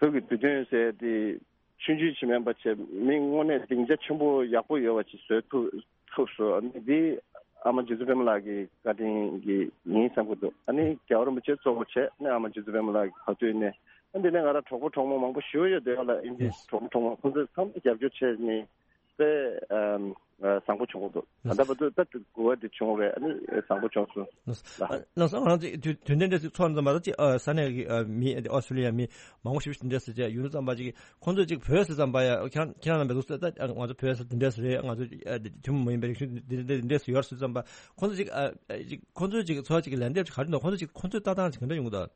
བོད་ཀྱི་དུས་སྟོན་ཟེར་དེ་ ཆུང་ཆུང་ཅིག་མིན་པ་བྱས་མི་དངོས་གནས་སྡིངས་ཆ་ཆེན་པོ་ཡག་པོ་ཡོད་པ་ཅིག་བཟོས་ཐུབ་ཐུབ་སོང་། ཨ་ནི་འདི་ཨ་མ་རྗེ་བཙུན་པད་མ་ལགས་ཀྱི་བཀའ་དྲིན་གྱིས་ཡིན་བསམ་གྱི་འདུག་ཨ་ནི་རྒྱལ་བ་རིན་པོ་ཆེ་གཙོ་བོ་བྱས་ནས་ཨ་མ་རྗེ་བཙུན་པད་མ་ལགས་ཀྱི་བར་དུ་ནས། ཨ་འདི་ནས་ང་རང་གྲོགས་པོ་གྲོགས་མོ་མང་པོ་ཞུ་ཡོད་དེ་ལ། ཨིན་ཇི་གྲོགས་པོ་གྲོགས་མོ་ཁོང་ཚོས་ཚང་མ་རྒྱབ་སྐྱོར་བྱས་ནས་དཔེ་ཨམ་ཨ་བཟང་པོ་བྱུང་འདུག་ད་ལྟ་བར་དུ་ད་དགུ་པ་འདི་བྱུང་བས། ཨ་ནི་བཟང་པོ་བྱུང་སོང་ལ། ལགས་སོ། ང་རང་ཚོ་དུས་དུས་དེ་འདྲ་ཞིག་ཚོར་ཙམ་པ་ད་ཅིག་ཨ་ས་གནས་ཀྱི་ཨ་མི་ཨོ་སི་ཊྲེ་ལི་ཡ་མི་མང་པོ་ཞིག་དེ་འདྲ་ཞིག་བྱས་ཡུལ་ཙམ་པ་ཅིག་ཁོང་ཚོ་ཅིག་བོད་ཟེར་ཙམ་པ་ཡ་ཁྱེད་རང་ཁྱེད་རང་རྣམ་པས་གཟིགས་ད་ང་ཚོ་བོད་ཟེར་དེ་འདྲ་ཞིག་རེད། ང་ཚོ་ཨ་དེ་ཐུན་མོང་མ་ཡིན་པའི་རིག་གཞུང་འདི་འདི་འདྲ་ཞིག་ཡོད་ཟེར་ཙམ་པ་ཁོང་ཚོ་ཅིག་ཨ་ཅིག་ཁོང་ཚོ་ཅིག་ཚོར་བ་ཅིག་ལན་འདེབས་ཅིག་ག་རེ་འདུག་ཁོང་ཚོ་ཅིག་ཁོང་ཚོའི་ལྟ་སྟངས་ཅིག་ག་འདྲ་ཡོང་གི་འདུག་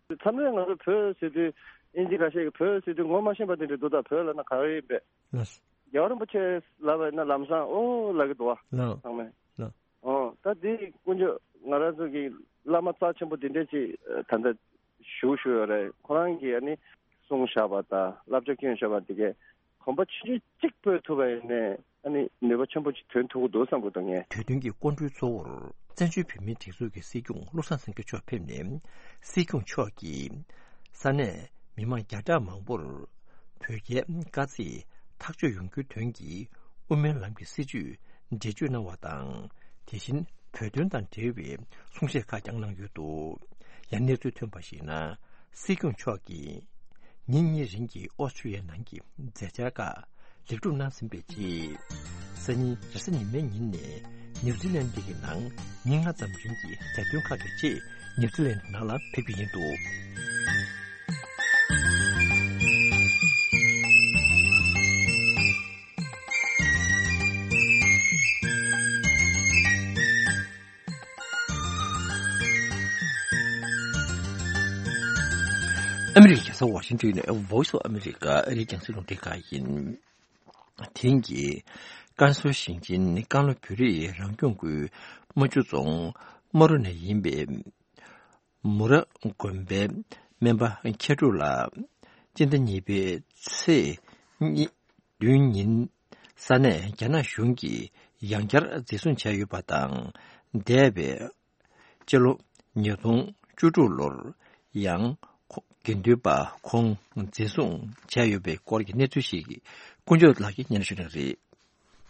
མཚམས་རེ་ང་ཚོ་བོད་ཟེར་དུས་ཨིན་ཇི་ཁ་ཤས་ཀྱིས་བོད་ཟེར་དུས་ངོ་མ་ཤེས་པ་དེ་འདྲ་འདུག་ད་བོད་ལབ་ན་ག་རེ་ཡིན་པས། ལགས། རྒྱལ་བ་རིན་པོ་ཆེ་ལབ་པ་ཡིན་ན་ལམ་སང་ཨོ་ལབ་ཀྱི་འདུག་བ། ལགས། ཚང་མས། ལགས། ཨོ་ད་འདི་དཀོན་མཆོག་ང་རང་ཚོ་གི་བླ་མ་རྩ་ཆེན་པོ་འདི་འདྲས་ཅིག་ད་ལྟ་བཞུགས་བཞུགས་ཡོད་རེད། ཁོ་རང་གིས་ཨ་ནི་གསུངས་བཞག་པ་དང་བསླབ་བྱ་བསྐྱོན་བཞག་པ་འདི་གས་གོམ་པ་ཆུང་ཆུང་གཅིག་སྤོས་ཐུབ་པ་ཡིན་ནའི་ཨ་ནི་ནུས་པ་ཆེན་པོ་ཅིག་ཐོན་ཐུབ་ཀྱི་འདུག་བསམ་གྱི་འདུག་ངས། གྲོས་མཐུན་གྱི་སྐུ་མགྲོན་གཙོ་བོར་བཙན་བྱོལ་བོད་མིའི་སྒྲིག་འཛུགས་ཀྱི་སྲིད་སྐྱོང་བློ་བཟང་སེང་གེ་མཆོག་ཕེབས་ནས། སྲིད་སྐྱོང་མཆོག་གིས་ས་གནས་མི་མང་བརྒྱ་ཕྲག་མང་པོར་བོད་རྒྱའི་དཀའ་ཚེགས་ཐག་གཅོད་ཡོང་རྒྱུའི་དོན་གྱི་དབུ་མའི་ལམ་གྱི་སྲིད་བྱུས་འགྲེལ་བརྗོད་གནང་བ་དང་། དེ་བཞིན་བོད་དོན་དང་འབྲེལ་བའི་གསུང་བཤད་ཁག་ཀྱང་གནང་ཡོད་འདུག་ཡང་གནས་ཚུལ་ཐོན་པར་གཞིགས་ན། སྲིད་སྐྱོང་མཆོག་གིས་ཉིན་གཉིས་རིང་གི་ཨོ་སི་ཀྲི་ཡའི་ནང་གི་མཛད་འཆར་ཁག་ལེགས་གྲུབ་གནང་ཟིན་པའི་རྗེས། སང་ཉིན་རེས་གཟའ་ཉི་མའི་ཉིན་ནས་ནིའུ་ཛི་ལན་ཌི་གི་ནང་ཉིན་ལྔ་ཙམ་རིང་གི་མཛད་དོན་ཁག་གི་ཆེད་ནིའུ་ཛི་ལན་ཌི་ནང་ལ་ཕེབས་ཀྱི་ཡིན་འདུག་ཨ་མི་རི་ཀའི་རྒྱལ་ས་ཝ་ཤིང་ཏོན་ནས་Voice of America ཨ་རིའི་རྒྱང་སྲིང་རླུང་འཕྲིན་ཁང་ཡིན། དེང་གི་ཀན་སུའུ་ཞིང་ཆེན་ཀན་ལྷོ་བོད་རིགས་རང་སྐྱོང་ཁུལ་རྨ་ཆུ་རྫོང་རྨ་རུ་ནས་ཡིན་པའི་མུ་ར་དགོན་པའི་སྨན་པ་མཁས་གྲུབ་ལགས་སྤྱི་ཟླ་གཉིས་པའི་ཚེས་གཉིས་བདུན་ཉིན་ས་གནས་རྒྱ་ནག་གཞུང་གིས་ཡང་བསྐྱར་འཛིན་བཟུང་བྱས་ཡོད་པ་དང་། འདས་པའི་སྤྱི་ལོ་ཉིས་སྟོང་བཅུ་དྲུག་ལོར་ཡང་ཁོ་དགེ་འདུན་པ་ཁོང་འཛིན་བཟུང་བྱས་ཡོད་པའི་སྐོར་གྱི་གནས་ཚུལ་ཞིག་དཀོན་མཆོག་ལགས་ཀྱིས་སྙན་ཞུ་གནང་རེད།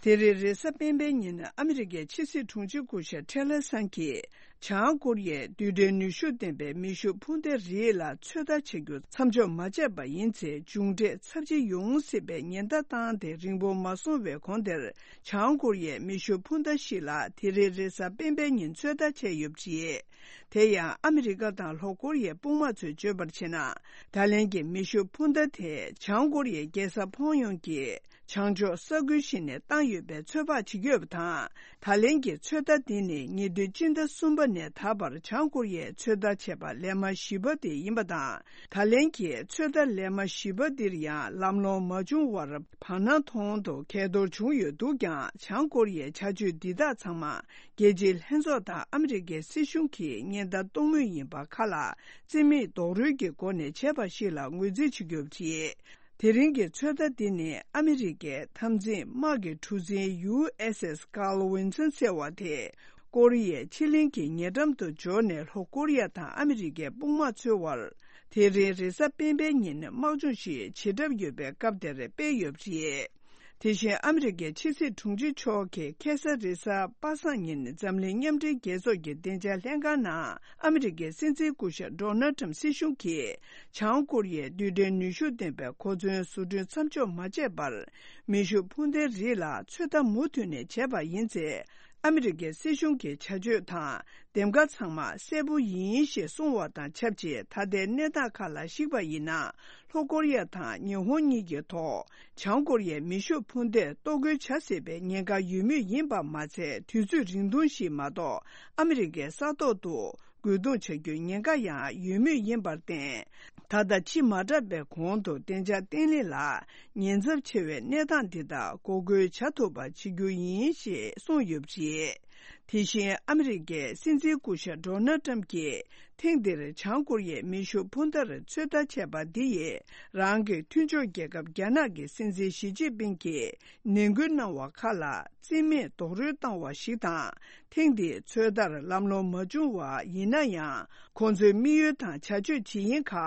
དེ་རིང་རེས་གཟའ་སྤེན་པའི་ཉིན་ཨ་མི་རི་ཀའི་ཕྱི་སྲིད་དྲུང་ཆེ་སྐུ་ཞབས་ཁྲེ་ལེ་སང་གིས་བྱང་ཀོ་རི་ཡའི་རྡུལ་ཕྲན་ནུས་ཤུགས་ལྡན་པའི་མེ་ཤུགས་འཕུར་མདའ་རིགས་ལ་ཚོད་ལྟ་བྱ་རྒྱུ་མཚམས་འཇོག་མ་བྱས་པ་ཡིན་ཚེ་མཇུག་འབྲས་ཚབས་ཆེ་ཡོང་སྲིད་པའི་ཉེན་བརྡ་བཏང་སྟེ་རིང་པོ་མ་སོང་བའི་གོང་དེར། བྱང་ཀོ་རི་ཡས་མེ་ཤུགས་འཕུར་མདའ་ཞིག་ལ་དེ་རིང་རེས་གཟའ་སྤེན་པའི་ཉིན་ཚོད་ལྟ་བྱས་ཡོད་པ་རེད། དེ་ཡང་ཨ་མི་རི་ཀ་དང་ལྷོ་ཀོ་རི་ཡའི་དཔུང་དམག་ཚོས་བརྗོད་པར་བྱས་ན། ད་ལན་གྱི་མེ་ཤུགས་འཕུར་མདའ་དེ་བྱང་ཀོ་རི་ཡའི་རྒྱལ་ས་ཕོང་ཡོང་གི་བྱང་ཕྱོགས་ས་ཁུལ་ཞིག་ནས་བཏང་ཡོད་པའི་ཚོད་དཔག་བྱེད་ཀྱི་ཡོད་པ་དང་། ད་ལན་གྱི་ཚོད་ལྟ་འདི་ནི་ཉེ་དུས་སྤྱི་ཟླ་གསུམ་པ་ནས་ད་བར་བྱང་ཀོ་རི་ཡས་ཚོད་ལྟ་བྱས་པ་ལས་མ་ཞིབ་པ་དེ་ཡིན་པ་དང་། ད་ལན་གྱི་ཚོད་ལྟ་ལས་མ་ཞིབ་པ་འདིར་ཡང་ལམ་ལྷོང་མ་བྱུང་བར་བར་སྣང་མཐོང་དུ་གས་གཏོར་བྱུང་ཡོད་འདུག་ཀྱང་། བྱང་ཀོ་རི་ཡའི་བྱ་སྤྱོད་འདི་དག་ཚང་མ་རྒྱལ་སྤྱིའི་ལྷན་ཚོགས་དང་ཨ་མི་རི་ཀའི་སྲིད་གཞུང་གིས་ཉེན་བརྡ་གཏོང་མུས་ཡིན་པ་ཁག་ལ་རྩིས་མེད་རྡོག་རོལ་གྱི་སྒོ་ནས་བྱས་པ་ཞིག་ལ་ངོས་འཛིན་བྱེད་ཀྱི་ཡོད་པ་རེད། དེ་རིང་གི་ཚོད་ལྟ་འདི་ནི་ཨ་མི་རི་ཀའི་འཐབ་འཛིང་དམག་གི་གྲུ་གཟིངས་ཡུ་ཨེས་ཨེས་Carl Vinson ཟེར་བ་དེ་ཀོ་རི་ཡའི་ཕྱེད་གླིང་གི་ཉེ་འགྲམ་དུ་འབྱོར་ནས་ལྷོ་ཀོ་རི་ཡ་དང་ཨ་མི་རི་ཀའི་དཔུང་དམག་ཚོའི་དབར་དེ་རིང་རེས་གཟའ་སྤེན་པའི་ཉིན་དམག་སྦྱོང་ཞིག་བྱེད་གྲབས་ཡོད་པའི་སྐབས་དེར་སྤེལ་ཡོད་པ་རེད། དེ་བཞིན་ཨ་མི་རི་ཀའི་ཕྱི་སྲིད་དྲུང་ཆེ་མཆོག་གིས་ཁ་སང་རེས་གཟའ་པ་སངས་ཉིན་འཛམ་གླིང་མཉམ་འབྲེལ་རྒྱལ་ཚོགས་ཀྱི་བདེ་འཇགས་ལྷན་ཁང་ནང་ཨ་མི་རི་ཀའི་སྲིད་འཛིན་སྐུ་ཞབས་Donald Trump སྲིད་གཞུང་གིས་བྱང་ཀོ་རི་ཡའི་རྡུལ་ཕྲན་ནུས་ཤུགས་ལྡན་པའི་གོ་མཚོན་བཟོ་སྐྲུན་མཚམས་འཇོག་མ་བྱས་པར་མེ་ཤུགས་འཕུར་མདའི་རིགས་ལ་ཚོད་ལྟ་མུ་མཐུད་ནས་བྱས་པ་ཡིན་ཚེ། ཨ་མི་རི་ཀའི་སྲིད་གཞུང་གི་བྱ་སྤྱོད་དང་འདེམས་ཀ་ཚང་མ་གསལ་པོ་ཡིན་ཞེས་གསུངས་པ་དང་ཆབས་ཅིག་ད་ལྟའི་གནས་སྟངས་ཁག་ལ་གཞིགས་པ་ཡིན་ན། ལྷོ་ཀོ་རི་ཡ་དང་ཉི་ཧོང་གཉིས་ཀྱི་ཐོག་བྱང་ཀོ་རི་ཡའི་མེ་ཤུགས་འཕུར་མདས་གཏོར་རྒོལ་བྱ་སྲིད་པའི་ཉེན་ཁ་ཡོད་མུས་ཡིན་པ་མ་ཚད། དུས་ཚོད་རིང་ཐུང་ཞིག་མ་གཏོགས་ཨ་མི་རི་ཀའི་ས་ཐོག་ཏུ་རྒོལ་རྡུང་བྱ་རྒྱུའི་ཉེན་ཁ་ཡང་ཡོད་མུས་ཡིན་པར་བརྟེན། ད་ལྟ་ཕྱི་མ་དྲགས་པའི་གོང་དུ་བདེ་འཇགས་བརྟན་ལྷིང་ལ་ཉེན་ཚབས་ཆེ་བའི་གནས་སྟངས་འདི་དག་འགོག་རྒོལ་བྱ་ཐུབ་པ་བྱེད་རྒྱུ་ཡིན་ཞེས་གསུངས་ཡོད་པ་རེད། དེ་བཞིན་ཨ་མི་རི་ཀའི་སྲིད་འཛིན་སྐུ་ཞབས་Donald Trump གྱིས་ཐེངས་འདིར་བྱང་ཀོ་རི་ཡའི་མེ་ཤུགས་འཕུར་མདའ་ཚོད་ལྟ་བྱས་པ་འདི་ཡིས་རང་གི་མཐུན་ཕྱོགས་རྒྱལ་ཁབ་རྒྱ་ནག་གི་སྲིད་འཛིན་ཞི་ཅིན་ཕིང་གིས་ནན་སྐུལ་གནང་བ་ཁག་ལ་རྩིས་མེད་རྡོག་རོལ་བཏང་བ་ཞིག་དང་། ཐེངས་འདིའི་ཚོད་ལྟར་ལམ་ལྷོང་མ་བྱུང་བ་ཡིན་ན་ཡང་། ཁོང་ཚོའི་དམིགས་ཡུལ་དང་བྱ་སྤྱོད་ཇི་ཡིན་ཁག་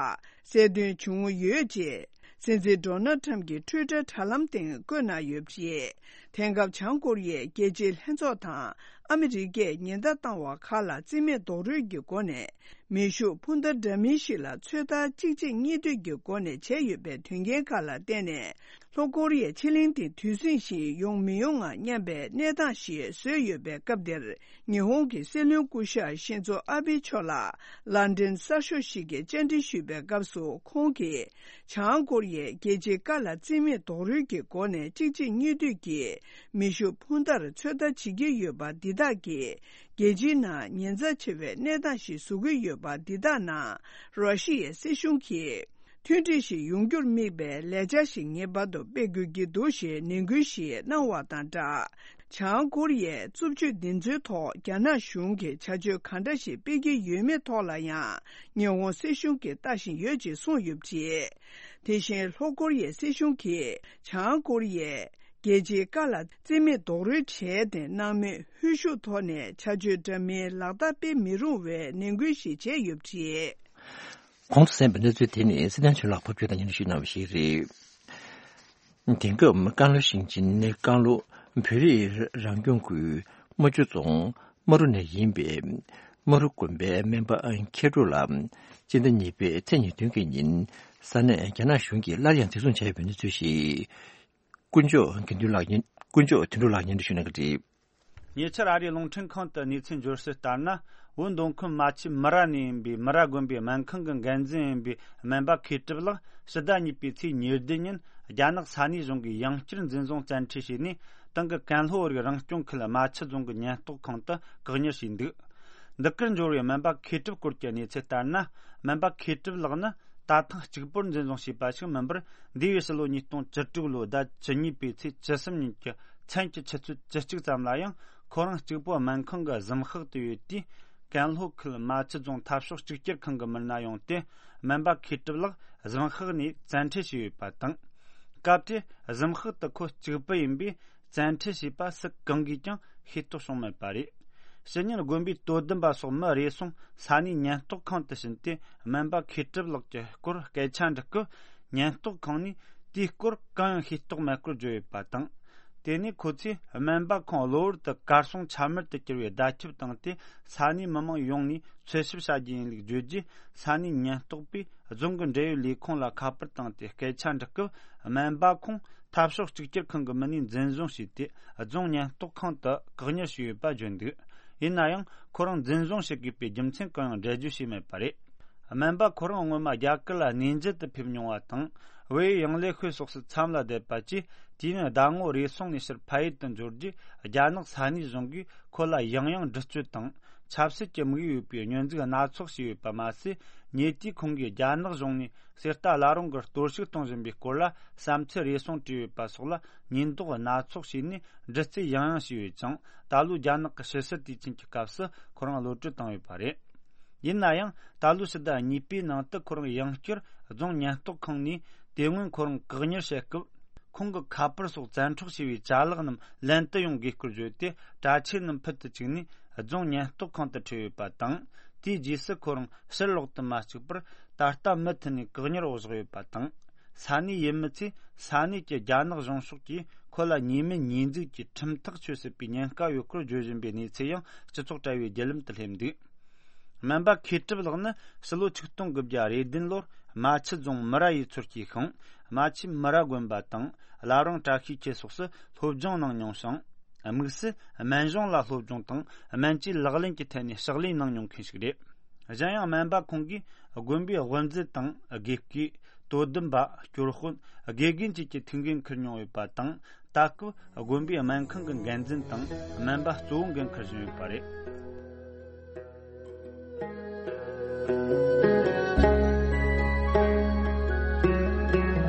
གསལ་སྟོན་བྱུང་ཡོད་ཅེས་ སྲིད་འཛིན་ཌོ་ནལ་ཁྲམ་གྱི་ཊུའི་ཊར་དྲ་ལམ་སྟེང་བཀོད་གནང་ཡོད་པ་རེད། དེང་སྐབས་བྱང་ཀོ་རི་ཡའི་རྒྱལ་སྤྱིའི་ལྷན་ཚོགས་དང་ཨ་མི་རི་ཀས་ཉེན་བརྡ་བཏང་བ་ཁག་ལ་རྩིས་མེད་རྡོག་རོལ་གྱི་སྒོ་ནས་མེ་ཤུགས་འཕུར་མདའ་འདྲ་མིན་ཞིག་ལ་ཚོད་ལྟ་གཅིག་རྗེས་གཉིས་མཐུད་ཀྱི་སྒོ་ནས་བྱས་ཡོད་པའི་དོན་རྐྱེན་ཁག་ལ་བརྟེན་ནས། ལྷོ་ཀོ་རི་ཡའི་ཕྱེད་གླིང་དེ་དུས་ཟིང་ཞིག་ཡོང་མི་ཡོང་ངམ་སྙམ་པའི་གནས་སྟངས་ཤིག་བཟོས་ཡོད་པའི་སྐབས་འདིར། ཉི་ཧོང་གི་སྲིད་བློན་སྐུ་ཞབས་ཤིན་ཛོ་ཨ་བྷེ་མཆོག་ལ་ལན་ཌན་གསར་ཤོག་ཞིག་གིས་བཅར་འདྲི་ཞུས་པའི་སྐབས་སུ། ཁོང་གིས་བྱང་ཀོ་རི་ཡས་རྒྱལ་སྤྱིའི་ཀ་ལ་རྩིས་མེད་རྡོག་རོལ་གྱི་སྒོ་ནས་གཅིག་རྗེས་གཉིས་མཐུད་ཀྱིས་མེ་ཤུགས་འཕུར་མདའ་ཚོད་ལྟ་བྱེད་ཀྱི་ཡོད་པ་འདི་དག་གིས། རྒྱལ་སྤྱིའི་ནང་ཉེན་ཚབས་ཆེ་བའི་གནས་སྟངས་ཤིག་བཟོ་གི་ཡོད་པ་འདི་དག་ནང་ར་ཤི་ཡའི་སྲིད་གཞུང་གིས། མཐུན་སྒྲིལ་ཞིག་ཡོང་རྒྱུར་དམིགས་པའི་ལས་འཆར་ཞིག་ངེས་པར་དུ་སྤེལ་དགོས་ཀྱི་འདུག་ཞེས་ནན་སྐུལ་ཞིག་གནང་བ་དང་སྦྲགས། བྱང་ཀོ་རི་ཡའི་རྩུབ་སྤྱོད་འདི་ཚོའི་ཐོག་རྒྱ་ནག་གཞུང་གིས་བྱ་སྤྱོད་ག་འདྲ་ཞིག་སྤེལ་གྱི་ཡོད་མེད་ཐོག་ལ་ཡང་ཉི་ཧོང་སྲིད་གཞུང་གིས་ལྟ་བཞིན་ཡོད་ཅེས་གསུངས་ཡོད་པ་རེད། དེ་བཞིན་ལྷོ་ཀོ་རི་ཡའི་སྲིད་གཞུང་གིས་བྱང་ཀོ་རི་ཡས་རྒྱལ་སྤྱིའི་ཀ་ལ་རྩིས་མེད་རྡོག་རོལ་བྱས་ཏེ། སྣང་མེད་ཧུར་ཤུགས་ཐོག་ནས་བྱ་སྤྱོད་འདྲ་མིན་ལག་བསྟར་སྤེལ་མི་རུང་བའི་ནན་སྐུལ་ཞིག་བྱས་ཡོད་པ་རེད། གོང་དུ་གསན་པའི་གནས་ཚུལ་དེ་ནི་སྲིད་དོན་ཆོས་ལགས་ཕབ་སྒྱུར་དང་སྙན་སྒྲོན་ཞུས་གནང་བ་ཞིག་རེད། དེང་སྐབས་ཀན་ལྷོ་ཞིང་ཆེན་ནི་ཀན་ལྷོ་བོད་རིགས་རང་སྐྱོང་ཁུལ་རྨ་ཆུ་རྫོང་རྨ་རུ་ནས་ཡིན་པའི་རྨ་རུ་དགོན་པའི་སྨན་པ་མཁས་གྲུབ་ལགས་སྤྱི་ཟླ་གཉིས་པའི་ཚེས་ཉེར་བདུན་གྱི་ཉིན་ས་གནས་རྒྱ་ནག་གཞུང་གིས་སླར་ཡང་འཛིན་བཟུང་བྱས་ཡོད་པའི་གནས་ཚུལ་ཞིག་དཀོན་མཆོག་དགེ་འདུན་ལགས་ཉིན། དཀོན་མཆོག་དོན་གྲུབ་ལགས་ཉིན་དུ་ཞུ་གནང་གི་རེད། ཉེ་ཆར་ཨ་རིའི་རླུང་འཕྲིན་ཁང་དུ་གནས་ཚུལ་འབྱོར་གསལ་ལྟར་ན། བོད་མདོ་ཁམས་རྨ་ཆུ་མི་ར་ནས་ཡིན་པའི་མི་ར་དགོན་པའི་སྨན་ཁང་གི་འགན་འཛིན་ཡིན་པའི་སྨན་པ་མཁས་གྲུབ་ལགས་ཕྱི་ཟླ་གཉིས་པའི་ཚེས་ཉེར་བདུན་ཉིན་རྒྱ་ནག་ས་གནས་གཞུང་གིས་ཡང་བསྐྱར་འཛིན་བཟུང་བཙན་ཁྲིད་བྱས་ནས། ཏང་གི་ཀན་ལྷོ་བོད་རིགས་རང་སྐྱོང་ཁུལ་རྨ་ཆུ་རྫོང་གི་ཉེན་རྟོག་ཁང་དུ་བཀག་ཉར་བྱས་འདུག་འདི་གར་འབྱོར་བའི་སྨན་པ་མཁས་གྲུབ་སྐོར་གྱི་གནས་ཚུལ་ལྟར་ན། སྨན་པ་མཁས་གྲུབ་ལགས་ནི། ད་ཐེངས་གཅིག་པུར་འཛིན་བཟུང་བྱས་པ་ཞིག་མིན་པར། འདས་པའི་ཕྱི་ལོ་ཉིས་སྟོང་བཅུ་དྲུག་ལོའི་ཟླ་བཅུ་གཉིས་པའི་ཚེས་བཅུ་གསུམ་ཉིན་གྱི་མཚན་གྱི་ཆུ་ཚོད་བཅུ་གཅིག་ཙམ་ལ་ཡང་ཁོ་རང་གཅིག་པུ་སྨན་ཁང་གི་གཟིམ་ཤག་ཏུ་ཡོད་དུས། ཀན་ལྷོ་ཁུལ་རྨ་ཆུ་རྫོང་འཐབ་ཕྱོགས་གཅིག་གྱུར་ཁང་གི་མི་སྣ་ཡོང་སྟེ། སྨན་པ་མཁས་གྲུབ་ལགས་གཟིམ་ཤག་ནས་བཙན་ཁྲིད་བྱས་ཡོད་པ་དང་། སྐབས་དེར་གཟིམ་ཤག་ཏུ་ཁོ་གཅིག་པུ་ཡིན་པས། བཙན་ཁྲིད་བྱས་པ་སུ་གང་གིས་ཀྱང་ཤེས་རྟོགས་བྱུང་མེད་པ་རེད། ཕྱི་ཉིན་དགོན་པའི་དོ་དམ་པ་སོགས་མི་རེ་ཟུང་ས་གནས་ཉེན་རྟོག་ཁང་དུ་ཕྱིན་ཏེ། སྨན་པ་མཁས་གྲུབ་ལགས་ཀྱི་སྐོར་སྐད་ཆ་འདྲི་སྐབས། ཉེན་རྟོག་ཁང་ནས་དེའི་སྐོར་གང་ཡང་ཤེས་རྟོགས་མེད་སྐོར་བརྗོད་ཡོད་པ་དང་། དེ་ནས་ཁོ་ཚོས་སྨན་པ་ཁོང་གློ་བུར་དུ་གར་སོང་ཆ་མེད་དུ་གྱུར་བའི་བརྡ་ཁྱབ་བཏང་སྟེ། ས་གནས་མི་མང་ཡོངས་ནས་འཚོལ་ཞིབ་བྱ་རྒྱུ་ཡིན་ལུགས་བརྗོད་རྗེས། ས་གནས་ཉེན་རྟོག་པས་རྫོང་གི་འབྲེལ་ཡོད་ལས་ཁུངས་ལ་ཁ་པར་བཏང་སྟེ་སྐད་ཆ་འདྲི་སྐབས། སྨན་པ་ཁོང་འཐབ་ཕྱོགས་གཅིག་གྱུར་ཁང་གི་མི་སྣས་འཛིན་བཟུང་བྱས་ཏེ། རྫོང་ཉེན་རྟོག་ཁང་དུ་བཀག་ཉར་བྱས་ཡོད་པ་བརྗོད་འདུག་ཡིན་ན་ཡང་། ཁོ་རང་འཛིན་བཟུང་བྱེད་དགོས་པའི་རྒྱུ་མཚན་གང་ཡང་འགྲེལ་བརྗོད་བྱས་མེད་པ་རེད། སྨན་པ་ཁོ་རང་སྔོན་མ་རྒྱ་གར་ལ་གནས་མཇལ་དུ་ཕེབས་མྱོང་བ་དང་། བལ་ཡུལ་ཡང་ལེ་ཤོད་སོགས་སུ་མཚམས་ལ་བསྡད་པ་བཅས། དུས་ཡུན་ཟླ་ངོ་རེ་ཟུང་ནས་ཕྱིར་ཕ་ཡུལ་དུ་འབྱོར་རྗེས། རྒྱ་ནག་ས་གནས་གཞུང་གིས་ཁོ་ལ་ཡང་ཡང་འདྲི་གཅོད་དང་། ཆབ་སྲིད་ཀྱི་དམིགས་ཡུལ་ཡོད་པའི་བསྙོན་འཛུགས་སྣ་ཚོགས་བྱས་ཡོད་པ་མ་ཟད། ཉེ་དུས་ཁོང་གིས་རྒྱ་ནག་གཞུང་ནས་གསེར་རྟ་བླ་རུང་གི་གཏོར་བཤིག་གཏོང་བཞིན་པའི་སྐོར་ལ་བསམ་ཚུལ་རེ་ཟུང་བྲིས་ཡོད་པ་སོགས་ལ་ཉེས་འདོགས་སྣ་ཚོགས་བྱས་ནས་འདྲི་རྩད་ཡང་ཡང་བྱས་ཡོད་ཅིང་། ད་ལོའི་རྒྱ་ནག་གི་ཕྱི་སྲིད་དུས་ཆེན་གྱི་སྐབས་སུ་ཁོ་རང་གློད་གྲོལ་བཏང་ཡོད་པ་རེད། ཡིན་ན་ཡང་། ད་ལོའི་ཕྱི་ཟླ་གཉིས་པའི་ནང་དུ་ཁོ་རང་ཡང་བསྐྱར་རྫོང་ཉེན་རྟོག་ཁང་ནས། དེ་སྔོན་ཁོ་རང་བཀག་ཉར་བྱེད་སྐབས། ཁོང་གི་ཁ་པར་སོགས་བཙན་འཕྲོག་བྱས་པའི་ཅ་ལག་རྣམས་ལེན་དུ་ཡོང་དགོས་སྐོར་བརྗོད་དེ། གྲྭ་ཆས་རྣམས་ཕུད་དུ་བཅུག་ནས་རྫོང་ཉེན་རྟོག་ཁང་དུ་ཁྲིད་ཡོད་པ་དང་། དེའི་རྗེས་སུ་ཁོ་རང་ཕྱིར་ལོག་ཏུ་མ་བཅུག་པར། ད་ལྟ་མུ་མཐུད་ནས་བཀག་ཉར་འོག་བཞག་ཡོད་པ་དང་། ས་གནས་ཡུལ་མི་ཚོས་ས་གནས་ཀྱི་རྒྱ་ནག་གཞུང་ཕྱོགས་ཀྱིས་ཁོ་ལ་ཉེས་མེད་ཉེས་འཛུགས་ཀྱི་ཁྲིམས་ཐག་གཅོད་སྲིད་པའི་ཉེན་ཁ་ཡོད་སྐོར་བརྗོད་བཞིན་པའི་གནས་ཚུལ་ཡང་སྤྱི་ཚོགས་དྲ་བའི་བརྒྱུད་ལམ་དུ་སླེབས་འདུག་སྨན་པ་མཁས་གྲུབ་ལགས་ནི་ཕྱི་ལོ་ཆིག་སྟོང་དགུ་བརྒྱ་རེ་བདུན་ལོར་རྨ་ཆུ་རྫོང་མི་ར་ཡུལ་ཚོར་སྐྱེས་ཤིང་། རྨ་ཆུ་མི་ར་དགོན་པ་དང་བླ་བྲང་བཀྲ་ཤིས་འཁྱིལ་སོགས་སུ་སློབ་སྦྱོང་གནང་མྱོང་ཞིང་། དམིགས་སུ་སྨན་གཞུང་ལ་སློབ་སྦྱོང་དང་སྨན་བཅོས་ལག་ལེན་གྱི་ཐད་ནས་ཕྱག་ལས་གནང་མྱོང་མཁན་ཞིག་རེད། གཞན་ཡང་སྨན་པ་ཁོང་གིས་དགོན་པའི་དབུ་མཛད་དང་དགེ་བསྐོས། དོ་དམ་པ། སྐྱོར་དཔོན། དགེ་རྒན་བཅས་ཀྱི་ཐུགས་འགན་འཁུར་མྱོང་ཡོད་པ་དང་། ད་སྐབས་དགོན་པའི་སྨན་ཁང་གི་འགན་འཛིན་དང་སྨན་པ་གཙོ་བོ་འགན་འཁུར་བཞིན་ཡོད་པ་རེད།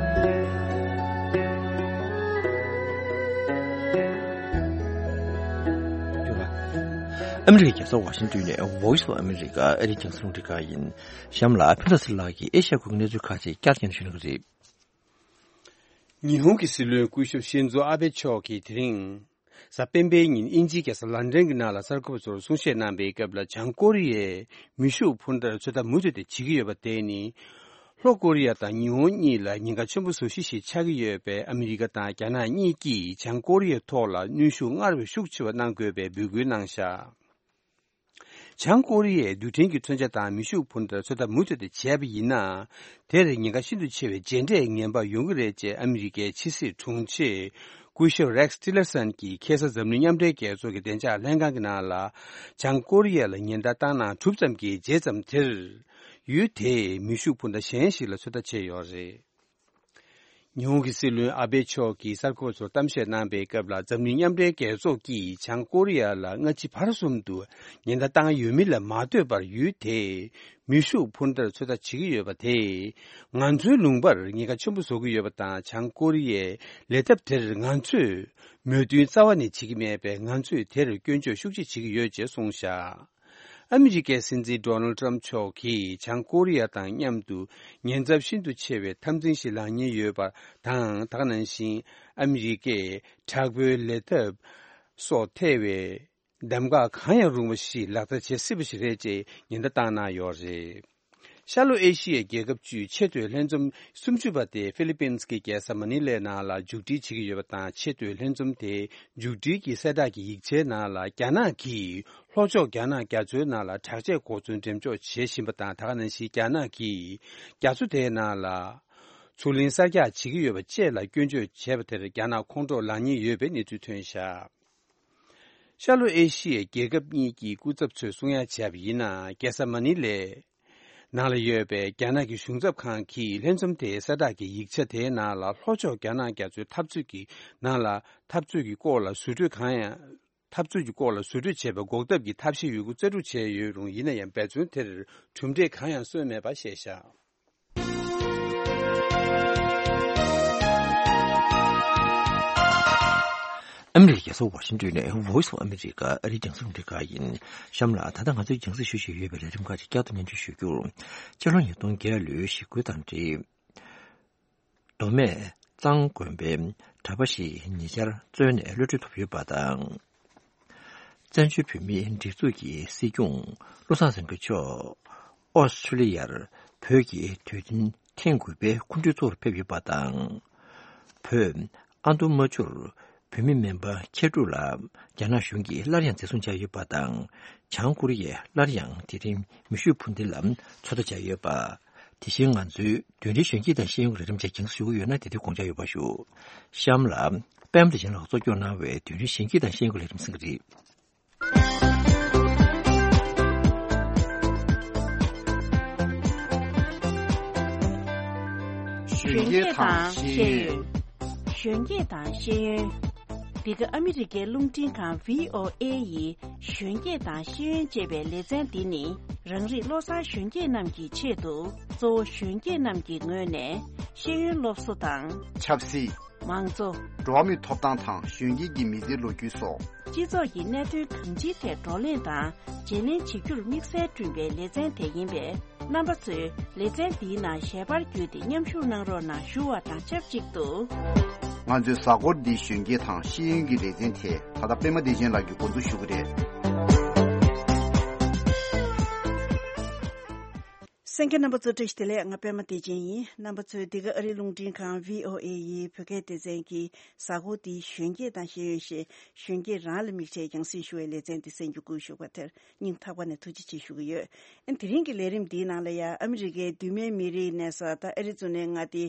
ཨ་མི་རི་ཀའི་རྒྱལ་ས་ཝ་ཤིང་ཏོན་ནས་Voice of America ཨ་རིའི་རྒྱང་སྲིང་རླུང་འཕྲིན་ཁང་ཡིན། གཤམ་ལ་ཕུན་ཚོགས་ཚེ་རིང་ལགས་ཀྱིས་ཨེ་ཤ་ཡ་ཁུལ་གྱི་གནས་ཚུལ་ཁག་ཅིག་བསྐྱར་ཞིབ་ཞུ་གནང་གི་རེད། ཉི་ཧོང་གི་སྲིད་བློན་སྐུ་ཞབས་ཤིན་ཛོ་ཨ་བྷེ་མཆོག་གིས་དེ་རིང་། གཟའ་སྤེན་པའི་ཉིན་དབྱིན་ཇིའི་རྒྱལ་ས་ལན་ཌན་གྱི་ནང་ལ་གསར་འགོད་པ་ཚོར་གསུང་བཤད་གནང་པའི་སྐབས་ལ། བྱང་ཀོ་རི་ཡས་མེ་ཤུགས་འཕུར་མདའ་ཚོད་ལྟ་མུ་མཐུད་དེ་བྱེད་ཀྱི་ཡོད་པ་དེ་ནི། ལྷོ་ཀོ་རི་ཡ་དང་ཉི་ཧོང་གཉིས་ལ་ཉེན་ཁ་ཆེན་པོ་བཟོ་གཞི་ཞིག་ཆགས་ཀྱི་ཡོད་པས། ཨ་མི་རི་ཀ་དང་རྒྱ་ནག་གཉིས་ཀྱིས་བྱང་ཀོ་རི་ཡའི་ཐོག་ལ་གནོན་ཤུགས་སྔར་བས་ཤུགས་ཆེ་བ་གནང་དགོས་པའི་འབོད་སྐུལ་གནང་བཞག་བྱང་ཀོ་རི་ཡས་རྡུལ་ཕྲན་གྱི་མཚོན་ཆ་དང་མེ་ཤུགས་འཕུར་མདའ་ཚོད་ལྟ་མུ་མཐུད་དུ་བྱས་པ་ཡིན་ན། དེར་ཉེན་ཁ་ཤིན་ཏུ་ཆེ་བའི་རྗེས་འབྲས་ངན་པ་ཡོང་གི་རེད་ཅེས་ཨ་མི་རི་ཀའི་ཕྱི་སྲིད་དྲུང་ཆེ་སྐུ་ཞབས་རེག་ཊི་ལར་སན་གྱིས་ཁ་སང་འཛམ་གླིང་མཉམ་འབྲེལ་རྒྱལ་ཚོགས་ཀྱི་བདེ་འཇགས་ལྷན་ཁང་གི་ནང་ལ། བྱང་ཀོ་རི་ཡ་ལ་ཉེན་བརྡ་བཏང་གནང་གྲུབ་ཙམ་གྱི་རྗེས་ཙམ་དེར། ཡུལ་དེས་མེ་ཤུགས་འཕུར་མདའ་གཞན་ཞིག་ལ་ཚོད་ལྟ་བྱས་ཡོད་རེད། ཉི་ཧོང་གི་སྲིད་བློན་ཨ་བྷེ་མཆོག་གིས་གསར་འགོད་པ་ཚོར་གཏམ་བཤད་གནང་པའི་སྐབས་ལ། འཛམ་གླིང་མཉམ་འབྲེལ་རྒྱལ་ཚོགས་ཀྱིས་བྱང་ཀོ་རི་ཡ་ལ་སྔ་ཕྱི་བར་གསུམ་དུ་ཉེན་བརྡ་བཏང་ཡོད་མིན་ལ་མ་ལྟོས་པར། ཡུལ་དེས་མེ་ཤུགས་འཕུར་མདའ་ཚོད་ལྟ་བྱེད་ཀྱི་ཡོད་པ་དེས་ང་ཚོའི་ལུང་པར་ཉེན་ཁ་ཆེན་པོ་བཟོ་གི་ཡོད་པ་དང་། བྱང་ཀོ་རི་ཡའི་ལས་ཐབས་དེར་ང་ཚོས་མོས་མཐུན་རྩ་བ་ནས་བྱེད་ཀྱི་མེད་པས། ང་ཚོས་དེར་སྐྱོན་བརྗོད་ཤུགས་ཆེ་བྱེད་ཀྱི་ཡོད་ཅེས་གསུངས་བཞག་ཨ་མི་རི་ཀའི་སྲིད་འཛིན་ཌོ་ནལ་ཊམ་མཆོག་གིས་བྱང་ཀོ་རི་ཡ་དང་མཉམ་དུ་ཉེན་ཚབས་ཤིན་ཏུ་ཆེ་བའི་འཐབ་འཛིང་ཞིག་ལངས་ཉེན་ཡོད་པ་དང་། དེ་ག་ནང་བཞིན་ཨ་མི་རི་ཀས་དྲག་པོའི་ལས་ཐབས་སོགས་ཐེ་བའི་གདམ་ག་གང་ཡང་རུང་བ་ཞིག་ལག་བསྟར་བྱེད་སྲིད་པ་ཞིག་རེད་ཅེས་ཉེན་བརྡ་བཏང་གནང་ཡོད་རེད། ཤར་ལྷོ་ཨེ་ཤི་ཡའི་རྒྱལ་ཁབ་བཅུའི་ཆེས་མཐོའི་ལྷན་འཛོམས་སུམ་ཅུ་པ་དེ་ཧྥི་ལི་པིན་གྱི་རྒྱལ་ས་མ་ནི་ལའི་ནང་ལ་མཇུག་སྒྲིལ་བྱེད་ཀྱི་ཡོད་པ་དང་། ཆེས་མཐོའི་ལྷན་འཛོམས་དེའི་མཇུག་སྒྲིལ་གྱི་གསལ་བསྒྲགས་ཀྱི་ཡིག་ཆའི་ནང་ལ། རྒྱ་ནག་གིས་ལྷོ་ཕྱོགས་རྒྱ་ནག་རྒྱ་མཚོའི་ནང་ལ་དྲག་ཆས་གོ་མཚོན་འགྲེམས་འཇོག་བྱེད་བཞིན་པ་དང་། དེ་ག་ནང་བཞིན་རྒྱ་ནག་གིས་རྒྱ་མཚོ་དེའི་ནང་ལ་མཚོ་གླིང་གསར་རྒྱག་བྱེད་ཀྱི་ཡོད་པ་བཅས་ལ་སྐྱོན་བརྗོད་བྱས་པ་དེར་རྒྱ་ནག་ཁོང་ཁྲོ་ལངས་ཉེན་ཡོད་པའི་གནས་ཚུལ་ཐོན་བཞག་ཤར་ལྷོ་ཨེ་ཤི་ཡའི་རྒྱལ་ཁབ་གཉིས་ཀྱི་སྐུ་ཚབ་ཚོས་གསུང་ཡ་བྱས་པ་ཡིན་ན། རྒྱལ་ས་མ་ནི་ལའི་ནང་ལ་ཡོད་པའི་རྒྱ་ནག་གི་གཞུང་ཚབ་ཁང་གིས་ལྷན་འཛོམས་དེའི་གསལ་བསྒྲགས་ཀྱི་ཡིག་ཆ་དེའི་ནང་ལ། ལྷོ་ཕྱོགས་རྒྱ་ནག་རྒྱ་མཚོའི་འཐབ་རྩོད་ཀྱི་ནང་ལ་འཐབ་རྩོད་ཀྱི་སྐོར་ལ་ཟུར་གྲོས་གང་ཡང་། འཐབ་རྩོད་ཀྱི་སྐོར་ལ་ཟུར་གྲོས་བྱེད་པའི་འགོག་ཐབས་ཀྱི་ཐབས་ཤེས་ཡོད་རྒུ་རྩལ་སྤྲུགས་བྱས་ཡོད་རུང་། ཡིན་ན་ཡང་འབད་བརྩོན་དེར་གྲུབ་འབྲས་གང་ཡང་སོན་མེད་པ་བཤད་བཞག་ཨ་མི་རི་ཀའི་རྒྱལ་ས་ཝ་ཤིང་ཏོན་ནས་Voice of America ཨ་རིའི་རྒྱང་སྲིང་རླུང་འཕྲིན་ཁང་ཡིན། གཤམ་ལ་ད་ལྟ་ང་ཚོའི་རྒྱང་སྲིང་ཞུ་བཞིན་ཡོད་པའི་ལས་རིམ་ཁག་ཅིག་བསྐྱར་དུ་སྙན་སྒྲོན་ཞུ་རྒྱུར། སྤྱི་ལོ་ཉིས་སྟོང་བརྒྱད་ལོའི་ཞི་རྒོལ་དང་འབྲེལ། མདོ་སྨད་གཙང་དགོན་པའི་གྲྭ་པ་ཞིག་ཉེ་ཆར་བཙོན་ནས་གློད་གྲོལ་ཐོབ་ཡོད་པ་དང་། བཙན་བྱོལ་བོད་མིའི་སྒྲིག་འཛུགས་ཀྱི་སྲིད་སྐྱོང་བློ་བཟང་སེང་གེ་མཆོག་ཨོ་སི་ཁྲུ་ལི་ཡར་བོད་ཀྱི་དུས་སྟོན་ཐེངས་དགུ་པའི་སྐུ་མགྲོན་གཙོ་བོར་ཕེབས་ཡོད་པ་དང་། བོད་ཨ་མདོ་རྨ་ཆུར་བོད་མི་སྨན་པ་མཁས་གྲུབ་ལགས་རྒྱ་ནག་གཞུང་གིས་སླར་ཡང་འཛིན་བཟུང་བྱས་ཡོད་པ་དང་། བྱང་ཀོ་རི་ཡས་སླར་ཡང་དེ་རིང་མེ་ཤུགས་འཕུར་མདེལ་ལ་ཚོད་ལྟ་བྱས་ཡོད་པ། དེ་བཞིན་ང་ཚོའི་བདུན་རེའི་གཞོན་སྐྱེས་དང་ཤེས་ཡོན་གྱི་ལས་རིམ་བཅས་རྒྱང་སྲིང་ཞུ་གི་ཡོད་ན། དེ་དུས་དགོངས་འཇགས་ཡོད་པ་ཞུ། གཤམ་ལ་པད་མ་བདེ་ཆེན་ལགས་གཙོ་སྐྱོང་གནང་བའི་བདུན་རེའི་གཞོན་སྐྱེས་དང་ཤེས་ཡོན་གྱི་ལས་རིམ་གསན་གྱི་རེད། གཞོན་སྐྱེས་དང་ཤེས་ཡོན། གཞོན་སྐྱེས་དང་ཤེས་ཡོན། འདི་ག་ཨ་མི་རི་ཀའི་རླུང་འཕྲིན་ཁང་བྷི་ཨོ་ཨེ་ཡི་གཞོན་སྐྱེས་དང་ཤེས་ཡོན་ཅེས་པའི་ལེ་ཚན་འདི་ནི། རང་རིགས་བློ་བཟང་གཞོན་སྐྱེས་རྣམས་ཀྱི་ཆེད་དུ། གཙོ་བོ་གཞོན་སྐྱེས་རྣམས་ཀྱི་ངོས་ནས་ཤེས་ཡོན་སློབ་གསོ་དང་། ཆབ་སྲིད། མང་གཙོ། འགྲོ་བ་མིའི་ཐོབ་ཐང་དང་གཞོན་སྐྱེས་ཀྱི་མི་ཚེའི་ལོ་རྒྱུས་སོགས། སྤྱི་ཚོགས་ཀྱི་གནད་དོན་གང་ཅིའི་ཐད་བགྲོ་གླེང་དང་བརྗེ་ལེན་བྱེད་རྒྱུར་དམིགས་བསལ་བསྐྲུན་པའི་ལེ་ཚན་དེ་ཡིན་པས། རྣམ་པ་ཚོས་ལེ་ཚན་འདིའི་ནང་ཞལ་པར་བརྒྱུད་དེ་མཉམ་ཞུགས་གནང་རོགས་གནང་ཞུ་བ་དང་ཆབས་ཅིག་ཏུ། ང་ཚོའི་གཟའ་འཁོར་འདིའི་གཞོན་སྐྱེས་དང་ཤེས་ཡོན་གྱི་ལེ་ཚན་དེ་ད་ལྟ་པད་མ་བདེ་ཆེན་ལགས་ཀྱིས་འགོ་འཛུགས་ཞུ་གི་རེད། གསན་མཁན་རྣམ་པ་ཚོ་བཀྲ་ཤིས་བདེ་ལེགས། ང་པད་མ་བདེ་ཆེན་ཡིན། རྣམ་པ་ཚོས་འདི་ག་ཨ་རིའི་རླུང་འཕྲིན་ཁང་བྷི་ཨོ་ཨེ་ཡི་བོད་སྐད་སྡེ་ཚན་གྱི་གཟའ་འཁོར་འདིའི་གཞོན་སྐྱེས་དང་ཤེས་ཡོན་ཞེས་གཞོན་སྐྱེས་རང་ལ་དམིགས་བྱས་རྒྱང་སྲིང་ཞུ་བའི་ལེ་ཚན་འདི་གསན་རྒྱུ་བསྐུལ་ཞུ་བ་དེར་སྙིང་ཐག་པ་ནས་ཐུགས་རྗེ་ཆེ་ཞུ་གི་ཡོད། ཨ་ནི་དེ་རིང་གི་ལས་རིམ་འདིའི་ནང་ལ་ཡང་ཨ་མི་རི་ཀའི་མདོ་སྨད་མི་རིགས་གནས་ས་ད་ཨེ་རི་ཛོ་ནའི་མངའ་སྡེ་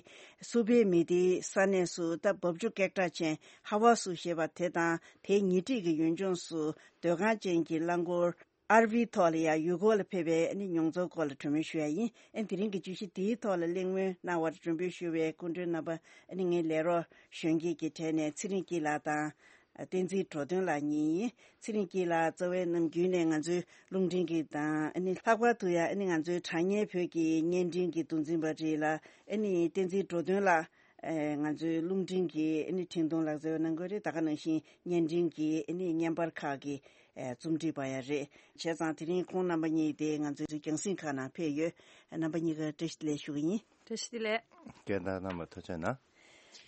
སུ་པའི་མི་སྡེའི་ས་གནས་སུ་ད་འབབ་ཆུ་ཀེག་ཊ་ཅན་ཧ་ཝ་སུ་ཞེས་པ་དེ་དང་དེའི་ཉེ་འཁྲིས་ཀྱི་ཡུལ་ལྗོངས་སུ་སྡོད་ཁང་ཅན་གྱི་རླངས་འཁོར་ཨར་ཝི་ཐོག་ལ་ཡང་ཡུལ་སྐོར་ལ་ཕེབས་པའི་ཨ་ནི་མྱོང་ཚོར་སྐོར་ལ་གྲོས་མོལ་ཞུ་ཡ་ཡིན། ཨ་ནི་དེ་རིང་གི་བརྗོད་གཞི་འདིའི་ཐོག་ལ་གླེང་མོལ་གནང་བར་མགྲོན་འབོད་ཞུ་བའི་སྐུ་མགྲོན་རྣམ་པ་ཨ་ནི་ངའི་ལས་རོགས་གཞོན་སྐྱེས་ཀྱི་གྲས་ནས་ཚེ་རིང་སྐྱིད་ལགས་དང་། བསྟན་འཛིན་འགྲོ་དོན་ལགས་གཉིས་ཡིན། ཚེ་རིང་སྐྱིད་ལགས་རྩ་བའི་ནམ་རྒྱུན་ནས་ང་ཚོའི་རླུང་འཕྲིན་གྱི་དང་ཨ་ནི་ལྷག་པར་དུ་ཡང་ཨ་ནི་ང་ཚོའི་དྲ་བརྙན་བོད་ཀྱི་བརྙན་འཕྲིན་གྱི་མདོ་འཛིན་པ་རེད་ལ། ཨ་ནི་བསྟན་འཛིན་འགྲོ་དོན་ལགས་ཨེ་ང་ཚོའི་རླུང་འཕྲིན་གྱི་ཨ་ནི་འཕྲིན་གཏོང་ལག་རྩལ་གནང་དགོས་རེད། ད་ག་ནང་བཞིན་བརྙན་འཕྲིན་གྱི་ཨ་ནི་བརྙན་པར་ཁག་གི་ཨེ་རྩོམ་སྒྲིག་པ་ཡང་རེད། བྱས་ཙང་དེ་རིང་ཁོང་རྣམ་པ་གཉིས་དེ་ང་ཚོའི་རྒྱང་སྲིང་ཁག་ནང་ཕེབས་ཡོད། རྣམ་པ་གཉིས་ཀ་བཀྲ་ཤིས་བདེ་ལེགས་ཞུ་གི་ཡིན། བཀྲ་ཤིས་བདེ་ལེགས། སྐད་བརྡ་རྣམ་པ་ཐུགས་རྗེ་གནང་།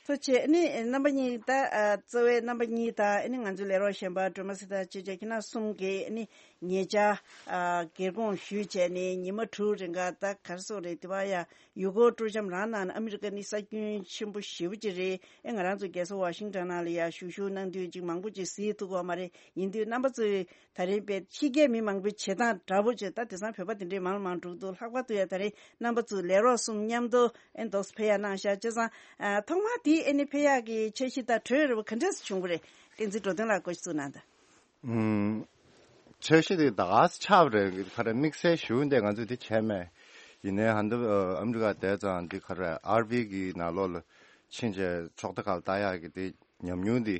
ཐུགས་རྗེ་ཆེ། ཨ་ནི་རྣམ་པ་གཉིས་ད་ཨ་གཙོ་བའི་རྣམ་པ་གཉིས་དང་ཨ་ནི་ང་ཚོའི་ལས་རོགས་གཞན་པ་སྒྲོལ་མ་སྲས་དང་ཅེ་ཅེ་ཁྱེད་རྣམ་གསུམ་གྱིས་ཨ་ནི་ཉེ་ཆར་ཨ་སྒེར་དགོངས་ཞུས་བྱས་ནས་ཉི་མ་དྲུག་རིང་ག་ད་ག་རེ་ཟེར་དགོས་རེད། དེ་བ་ཡ་ཡུལ་སྐོར་སྤྲོ་འཆམ་རང་གནང་ནས་ཨ་མི་རི་ཀ་ནི་ས་ཁྱོན་ཆེན་པོ་ཞེ་པོ་ཅིག་རེད། ཨེ་ང་རང་ཚོ་རྒྱལ་ས་ཝ་ཤིང་ཊོན་ནང་ལ་ཡ་བཞུགས་བཞུགས་གནང་དུས་ཅིག་མང་པོ་ཅིག་གཟིགས་ཐུབ་ཀྱི་ཡོད་མ་རེད། ཡིན་དུས་རྣམ་པ་ཚོས་ད་རིང་དཔེ་ཕྱི་རྒྱལ་མི་མང་པོའི་བྱེད་སྟངས་འདྲ་པོ་བྱས། ད་དེང་སང་བོད་པ་དེ་འདྲའི་མང་ལ་མང་འགྲོ་གི་འདུག་ལྷག་པར་དུ་ཡ་ད་རིང་རྣམ་པ་ཚོ་ལས་རོགས་གསུམ་མཉམ་དུ་ཨེ་འདུག་སེ་ཕེབས་ཡ་གནང་ཤག་བྱས་ཙང་ཨ་ཐོག་མར་དེའི་ཨེ་ནི་ཕེབས་ཡག་གི་འཆར་གཞི་དང་གྲོས་རེ་བ་ག་འདྲས་སེ་བྱུང་བ་རེད། བསྟན་འཛིན་འགྲོ་དོན་ལགས་སྐུ་གཟུགས་གནང་དང་། ཨུམ། འཆར་གཞི་དེ་ད་ག་སེ་ཆགས་པ་རེད། ག་རེ་དམིགས་བསལ་ཞུ་འདི་ང་ཚོས་དེ་བྱས་མེད། ཡིན་ནའི་ཧན་དུ་ཨ་མི་རི་ཀ་བསྡད་ཙང་འདི་ག་རེ་ཨར་ཝི་གི་ནང་ལོགས་ལ་ཕྱིན་བྱས་ཚོགས་སྡེ་ཁག་ལ་ལྟ་ཡག་གི་དེ་ཉམས་མྱོང་འདི་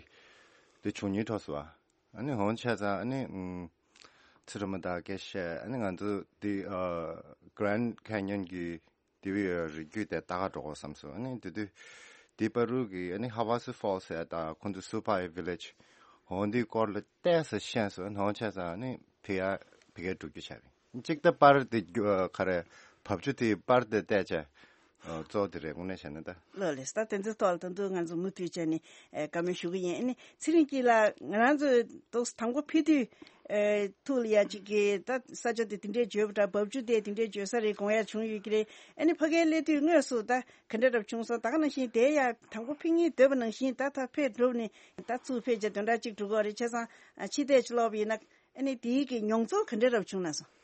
དེ་བྱུང་ཉིན་ཐོག་སོ། ཨ་ནི་འོང་བྱས་ཙང་ཨ་ནི་ཨུམ། ཚེ་རིང་མ་དང་སྐད་བཤད། ཨ་ནི་ང་ཚོ་འདི་ཨ་Grand Canyon གི་དེ་བའི་རི་རྒྱུད་དེ་ལྟ་ག་འགྲོ་དགོས་བསམ་སོང་། ཨ་ནི་དེ་དུས་དེ་པ་རུ་གི་ཨ་ནི་Havasu Falls ཟེར་དང་ཁོང་ཚོ་Supai Village འོ་འདི་སྐོར་ལ་ཏོག་ཙམ་ཤེས་སོང་། ཨ་ནི་འོང་བྱས་ཙང་ཨ་ནི་ཕི་ཡ་ཕི་གའི་འགྲོ་རྒྱུ་བྱས་པ་ཡིན། གཅིག་ད་པར་དེ་རྒྱུ་ག་རེ་བབ་ཆུ་དེ་པར་དེ་བལྟས་བྱས་གཙོ་བོ་དེ་རེད། དངོས་གནས་བྱས་ན་ད། ལགས་ལགས། ད་དེ་ཚོའི་ཐོག་ལ་ད་དུང་ང་ཚོ་མུ་མཐུད་བྱས་ནས་ཨེ་བཀའ་མོལ་ཞུ་གི་ཡིན། ཨ་ནི་ཚེ་རིང་སྐྱིད་ལགས། ང་རང་ཚོས་ཏོག་ཙམ་དང་པོ་ཕེབས་དུས་ཨེ་ཐུགས་ལ་ཡ་གཅིག་གི་ད་ས་ཆ་དེ་དེ་འདྲའི་བརྗོད་པ་འདྲ། བབ་ཆུ་དེ་དེ་འདྲའི་བརྗོད་ས་རེད་དགོངས་ཡ་བྱུང་ཡོད་ཀྱི་རེད། ཨ་ནི་ཕ་གིར་སླེབས་དུས་དངོས་སུ་ད་ག་འདྲ་འདྲ་བྱུང་སོང་། ད་ག་ནང་བཞིན་དེ་ཡ་དང་པོ་ཕེབས་སྙིང་འདོད་པ་ནང་བཞིན་ད་ད་ཕེབས་གྲུབ་ནས་ད་ཚུར་ཕེབས་བྱས་དོན་དག་གཅིག་འགྲོ་གི་རེད། བྱས་ཙང་ཕྱི་བལྟས་ཅིག་ལོག་པ་ཡིན་ན་ཨ་ནི་དེའི་གི་མྱོང་ཚོར་ག་འདྲ་འདྲ་བྱུང་ན་སོང་།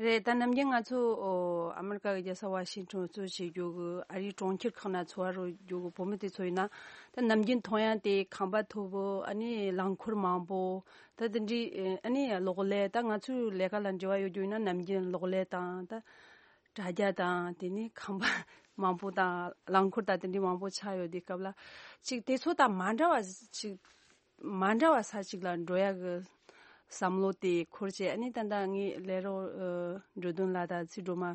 རེད། ད་ནམ་རྒྱུན་ང་ཚོ་ཨོ་ཨ་མི་རི་ཀ་གི་རྒྱལ་ས་ཝ་ཤིང་ཊོན་གཙོ་བྱེད་རྒྱུ་གི་ཨ་རིའི་གྲོང་ཁྱེར་ཁག་ན་འཚོ་བ་རོལ་རྒྱུ་གི་བོད་མི་དེ་ཚོ་ཡིན་ན། ད་ནམ་རྒྱུན་མཐོང་ཡ་དེ་ཁང་པ་མཐོ་པོ། ཨ་ནི་རླངས་འཁོར་མང་པོ། ད་དེ་འདྲའི་ཨ་ནི་གློག་ཀླད། ད་ང་ཚོའི་ལས་ཀ་ལ་འབྲེལ་བ་ཡོད་རྒྱུ་ཡིན་ན་ནམ་རྒྱུན་གློག་ཀླད་དང་ད་དྲ་རྒྱ་དང་དེ་ནས་ཁང་པ་མང་པོ་དང་རླངས་འཁོར་དང་དེ་འདྲའི་མང་པོ་ཆགས་ཡོད་དུས་སྐབས་ལ་ཅིག་དེ་ཚོ་དང་མ་འདྲ་བ་ཅིག་མ་འདྲ་བ་ས་ཅིག་ལ་འགྲོ་ཡག་གི་བསམ་བློ་དེ་འཁོར་བྱས། ཨ་ནི་ད་ལྟ་ངའི་ལས་རོགས་ཨ་འགྲོ་དོན་ལགས་དང་ཚེ་སྒྲོལ་མ་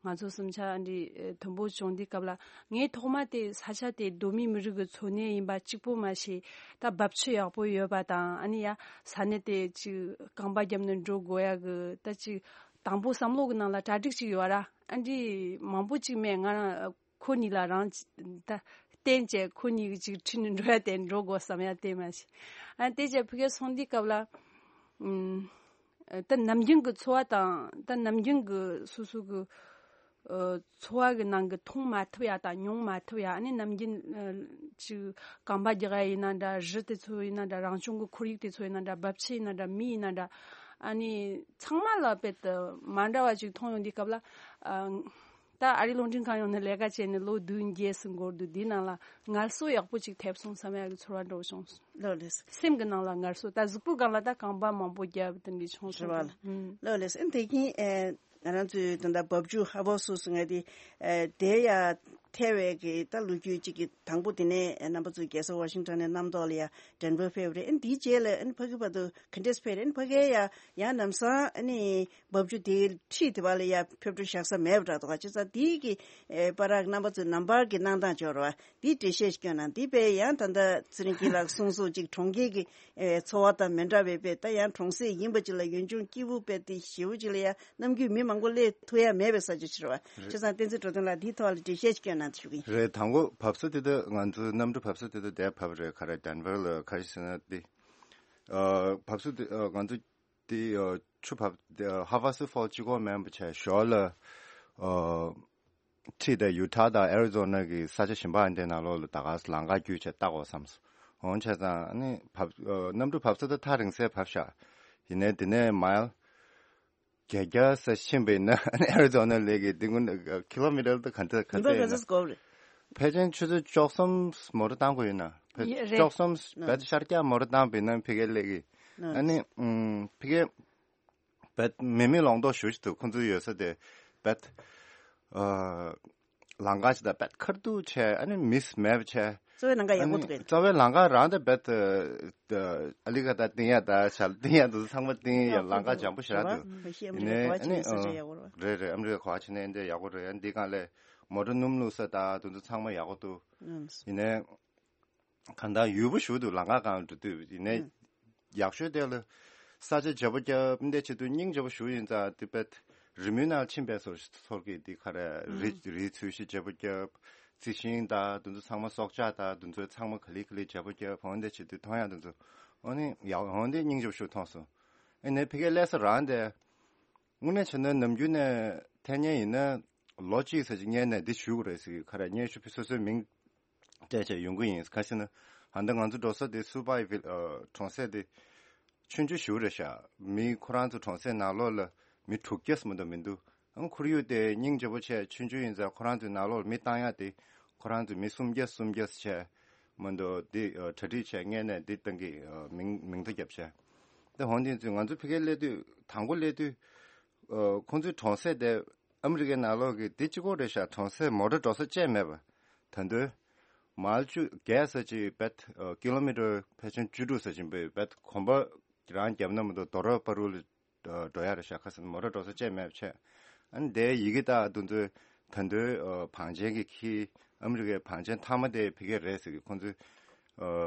ང་ཚོ་གསུམ་ཆ་འདི་ཨ་མཐུན་པོ་བྱུང་དུས་སྐབས་ལ། ངས་ཐོག་མ་དེ་ས་ཆ་དེ་གདོད་མའི་མི་རིགས་ཀྱི་འཚོ་གནས་ཡིན་པ་གཅིག་པོ་མ་ཟད། ད་འབབ་ཆུ་ཡག་པོ་ཡོད་པ་དང་། ཨ་ནི་ཡ་ས་གནས་དེ་ཅིག་རྐང་པ་བརྒྱབ་ནས་འགྲོ་དགོས་ཡག་གི་ད་ཅིག་དང་པོ་བསམ་བློ་གི་ནང་ལ་གྲ་སྒྲིག་ཅིག་ཡོད་ར། ཨ་འདྲི་མང་པོ་ཅིག་མེད། ང་རང་ཁོ་གཉིས་ལ་རང་ད་བརྟེན་བྱས་ཁོ་གཉིས་ཀྱི་ཅིག་ཁྲིད་ནས་འགྲོ་ཡ་དེ་འགྲོ་དགོས་བསམ་ཡ་དེ་མ་ཤེས། ཨ་དེ་བྱས་ཕ་གིར་སོང་དུས་སྐབས་ལ་ཨུམ། ད་ནམ་རྒྱུན་གྱི་འཚོ་བ་དང་ད་ནམ་རྒྱུན་གྱི་སོ་སོ་གི་ཨ་འཚོ་བ་གི་ནང་གི་མཐོང་མ་ཐུབ་ཡ་དང་མྱོང་མ་ཐུབ་ཡ། ཨ་ནི་ནམ་རྒྱུན་ཨ་ཅིག་རྐང་པ་རྒྱག་ཡ་ཡིན་ན་འདྲ། རི་དེ་ཚོ་ཡིན་ན་འདྲ། རང་བྱུང་གི་ཁོར་ཡུག་དེ་ཚོ་ཡིན་ན་འདྲ། འབབ་ཆུ་ཡིན་ན་འདྲ། མི་ཡིན་ན་འདྲ། ཨ་ནི་ཚང་མ་ལ་དཔེ་ད་མ་འདྲ་བ་ཅིག་མཐོང་ཡོང་དུས་སྐབས་ལ་ཨ། ད་ཨ་རིའི་རླུང་འཕྲིན་ཁང་ཡོང་ནས་ལས་ཀ་བྱས་ནས་ལོ་བདུན་བརྒྱད་ཙམ་འགོར་འདུག་འདིའི་ནང་ལ་ངལ་གསོ་ཡག་པོ་ཅིག་ཐེབས་སོང་བསམ་ཡག་གི་ཚོར་བ་འདྲ་བོ་བྱུང་སོང་། ལགས་ལགས། སེམས་ཀྱི་ནང་ལ་ངལ་གསོ། ད་གཟུགས་པོའི་སྒང་ལ་ད་རྐང་པ་མང་པོ་བརྒྱབ་དེ་འདྲ་བྱུང་སོང་། རེད་བ། ཨུམ། ལགས་ལགས། ཨ་ནི་དེ་གིན་ཨེ་ང་རང་ཚོའི་ད་ལྟ་བབ་ཆུ་ཧ་བོ་སུ་སུ་ང་དེ་ཨེ་དེ་ཡ་ཐལ་བའི་གི་ད་ལོ་རྒྱུས་ཅིག་གི་དང་པོ་དེ་ནས་རྣམ་པ་ཚོའི་རྒྱལ་ས་ཝ་ཤིང་ཊོན་ནས་གནམ་ཐོག་ལ་ཡ་ཌེན་ཝར་ཕེབས་རེད། ཨ་ནི་དེའི་རྗེས་ལ་ཨ་ནི་ཕ་གི་བར་དུ་ག་འདྲས་ཕེབས་རེད། ཨ་ནི་ཕ་གིའི་ཡ་ཡང་ལམ་སང་ཨ་ནི་བབ་ཆུ་དེའི་འཁྲིས་དེ་བ་ལ་ཡ་ཕེབས་འགྲོ་བཞག་ས་མེད་པ་འདྲ་འདུག་ག་བྱས་ཙང་དེའི་གི་ཨེ་བར་ར་རྣམ་པ་ཚོའི་ནམ་བར་གི་གནང་སྟངས་སྦྱོར་བ་དེའི་འགྲེལ་བཤད་ཞིག་སྐྱོན་གནང་། དེ་དཔེ་ཡང་ད་ལྟ་ཚེ་རིང་སྐྱིད་ལགས་གསུངས་སོགས་ཅིག་གྲོང་ཁྱེར་གི་ཨེ་འཚོ་བ་དང་མི་འདྲ་བའི་དཔེ་ད་ཡང་གྲོང་གསེབ་ཡིན་པ་ཅིག་ལ་ཡུལ་ལྗོངས་སྐྱིད་པོ་དཔེ་དེ་ཞེ་པོ་ཅིག་ལ་ཡ་ནམ་རྒྱུན་མི་མང་པོ་སླེབས་ཐུབ་ཡ་མེད་པའི་ས་ཆ་ཅིག་རེད་བ། རེད། བྱས་ཙང་བསྟན་འཛིན་འགྲོ་དོན་ལགས་དེའི་ཐོག་ལ་འགྲེལ་བཤད་ཅིག་སྐྱོན་གནང་དེ་ཞུ་གི་ཡིན། རེད། དང་པོ་བབས་ས་དེ་ད་ང་ཚོའི་གནམ་གྲུ་བབས་ས་དེ་ད་དེ་བབས་རེད། ག་རེ་ཌེན་ཝར་ལ་ག་རེ་ཟེར་ན་དེ་ཨ་བབས་ས་དེ་ཨ་ང་ཚོ་དེ་ཨ་ཆུ་བབས་དེ་ཨ་ཧ་ཝ་སུ་ཕོལ་གཅིག་པོ་མིན་པ་བྱས་ཞོར་ལ་ཨ་འཁྲིས་དེ་ཡུ་ཊ་དང་ཨེ་རི་ཛོ་ན་གི་ས་ཆ་གཞན་པ་འདི་ནང་ལོགས་ལ་ད་ག་ལམ་ཁ་བརྒྱུད་བྱས་ལྟ་དགོས་བསམ་སོང་། འོང་བྱས་ཙང་ཨ་ནི་བབས་ཨ་གནམ་གྲུ་བབས་ས་དེ་ཐག་རིང་སའི་བབས་ཤག་ཡིན་ནའི་དེ་ནས་མའིལ་བརྒྱད་བརྒྱ་ཙམ་ཕྱིན་པ་ཡིན་ན་ཨ་ནི་ཨེ་རི་ཛོ་ན་སླེབས་ཀྱི། འདི་ཀུན་ཨ་ཁི་ལོ་མི་ཊར་དེ་ག་ཚོད་ག་ཉིན་པ་ཚོད་ག་ཡིན་ན། ཚོད་འགོར་རེད། ཕལ་ཆེར་ཆུ་ཚོད་བཅུ་གསུམ་མོ་ཊ་བཏང་དགོས་ཡོད་ན། ཕལ་ཡ་རེད། བཅུ་གསུམ་ཨ་བད་ཤར་རྒྱག་མོ་ཊ་བཏང་པ་ཡིན་ན་ཕ་གིར་སླེབས་ཀྱི། ཨ་ནི་ཨུམ་ཕ་གིར་བད་མེ་མེ་ལོང་རྡོག་ཞུ་ཞིག་འདུག་ཁོང་ཚོའི་ཡོད་ས་དེ་བད་ཨ་ལམ་ཁ་ཞིག་དང་བད་ཁར་ཐུག་བྱས། ཨ་ནི་མིས་མེད་པ་བྱས། གཙོ་བོའི་ལམ་ཁ་ཡག་པོ་འདུག་གས། གཙོ་བོའི་ལམ་ཁ་རང་དེ་བད་ཨ་ལི་ཀ་ད་བཏིང་ཡ་ད་ཞལ་བཏིང་ཡ་འདུག་ཚང་མ་བཏིང་ཡ་ལམ་ཁ་འཇམ་པོ་ཞེ་དྲག་འདུག་ཡིན་ནའི་ཨ་ནི་ཨ་རེད་རེད། ཨ་མི་རི་ཀ་ག་བ་ཕྱིན་ནའི་འདི་ཡག་པོ་རེད། ཨ་ནི་འདི་སྒང་ལ་མོ་ཊ་སྣུམ་བླུགས་ས་ད་དེ་ཚོ་ཚང་མ་ཡག་པོ་འདུག་ཡིན་ནའི་གང་ལྟར་ཡུལ་པོ་ཞིག་འདུག་ལམ་ཁ་སྒང་འགྲོ་དུས་ཡིན་ནའི་ཡག་ཤོས་དེ་ལ་ས་ཆ་བརྗེ་པོ་བརྒྱབ། འདི་བྱེད་དུས་སྙིང་རྗེ་པོ་ཞིག་ཡིན་ཙང་དེ་བད་རི་མོའི་ནང་ཕྱིན་པའི་ཚོར་ཚོར་གྱི་འདི་ག་རེ་རི་རི་ཚོས་གཞི་བརྗེ་པོ་བརྒྱབ། རྩི་ཤིང་དང་དེ་ཚོ་ཚང་མ་སྲོག་ཆགས་དང་དེ་ཚོ་ཚང་མ་ག་ལེ་ག་ལེ་བྱེད་པོ་རྒྱབ་འོན་ཏེ་བྱེད་དུས་མཐོང་ཡག་དེ་ཚོ་འོ་ནི་ཡག་འོན་ཏེ་སྙིང་རྗེ་པོ་ཞིག་མཐོང་སོང་། ཨ་ནི་ཕ་གིའི་ལས་ས་རང་དེ་དངོས་གནས་བྱས་ན་ནམ་རྒྱུན་ནས་འཐེན་མཁན་ཡིན་ན་ལོ་གཅིག་ཙམ་ཅིག་སྔོན་ནས་འདི་ཞུ་དགོས་རེད་ཟེར་གི་ཁ་ར་སྙན་ཞུ་ཕུལ་སོ་སོའི་མིང་སྤྲད་བྱས་ཡོང་གི་ཡིན། ག་ཟེར་ན་ཧ་འདི་ང་ཚོ་འགྲོ་ས་དེ་སུ་པའི་ཝིལ་གྲོང་གསེབ་དེ་ཆུང་ཆུང་ཞིག་རེད་ཤག་མི་ཁོ་རང་ཚོ་གྲོང་གསེབ་ནང་ལོགས་ལ་མི་དྲུག་བརྒྱ་ཙམ་མ་གཏོགས་མི་འདུག་ཨང་ཁོར་ཡུག་དེ་སྙིང་རྗེ་པོ་བྱས་ཆུང་ཆུང་ཡིན་ཙང་ཁོ་རང་ཚོའི་ནང་ལོགས་ལ་མི་བཏང་ཡག་དེ་ཁོ་རང་ཚོའི་མི་སུམ་བརྒྱ་སུམ་བརྒྱ་བྱས་མ་གཏོགས་དེ་གྲ་སྒྲིག་བྱས་སྔོན་ནས་འདི་བཏང་གི་མིང་མིང་ཐོ་བརྒྱབ་བྱས། དེ་འོན་ཏེ་ཚོས་ང་ཚོ་ཕ་གིར་སླེབས་དུས་དང་པོ་སླེབས་དུས་ཁོང་ཚོའི་གྲོང་གསེབ་དེ་ཨ་མི་རི་ཀའི་ནང་ལོགས་ཀྱི་དེ་གཅིག་པོ་རེད་ཤག་གྲོང་གསེབ་མོ་ཊ་འགྲོ་ས་ཅིག་མེད་པ། ད་དུང་མལ་བཅུ་བརྒལ་ས་ཅིག་བེད་ཀི་ལོ་མི་ཊར་ཕལ་ཆེར་བཅུ་དྲུག་ཙམ་ཅིག་འབད་བེད་གོམ་པ་རང་བརྒྱབ་ན་མ་གཏོགས་རྡོ་ར་པ་རུ་ལ་འགྲོ་ཡག་རེད་ཤག་ཁ་སང་མོ་ཊ་འགྲོ་ས་ཅིག་མེད་པ་བྱས། ཨ་ནི་དེ་ཡི་གེ་དག་དེ་ཚོ་ད་དུང་བང་ཆེན་གྱི་ཁྱི་ཨ་མི་རི་ཀའི་བང་ཆེན་མཐའ་མ་དེ་ཕ་གི་རེད་ཟེར་གི་ཁོང་ཚོས།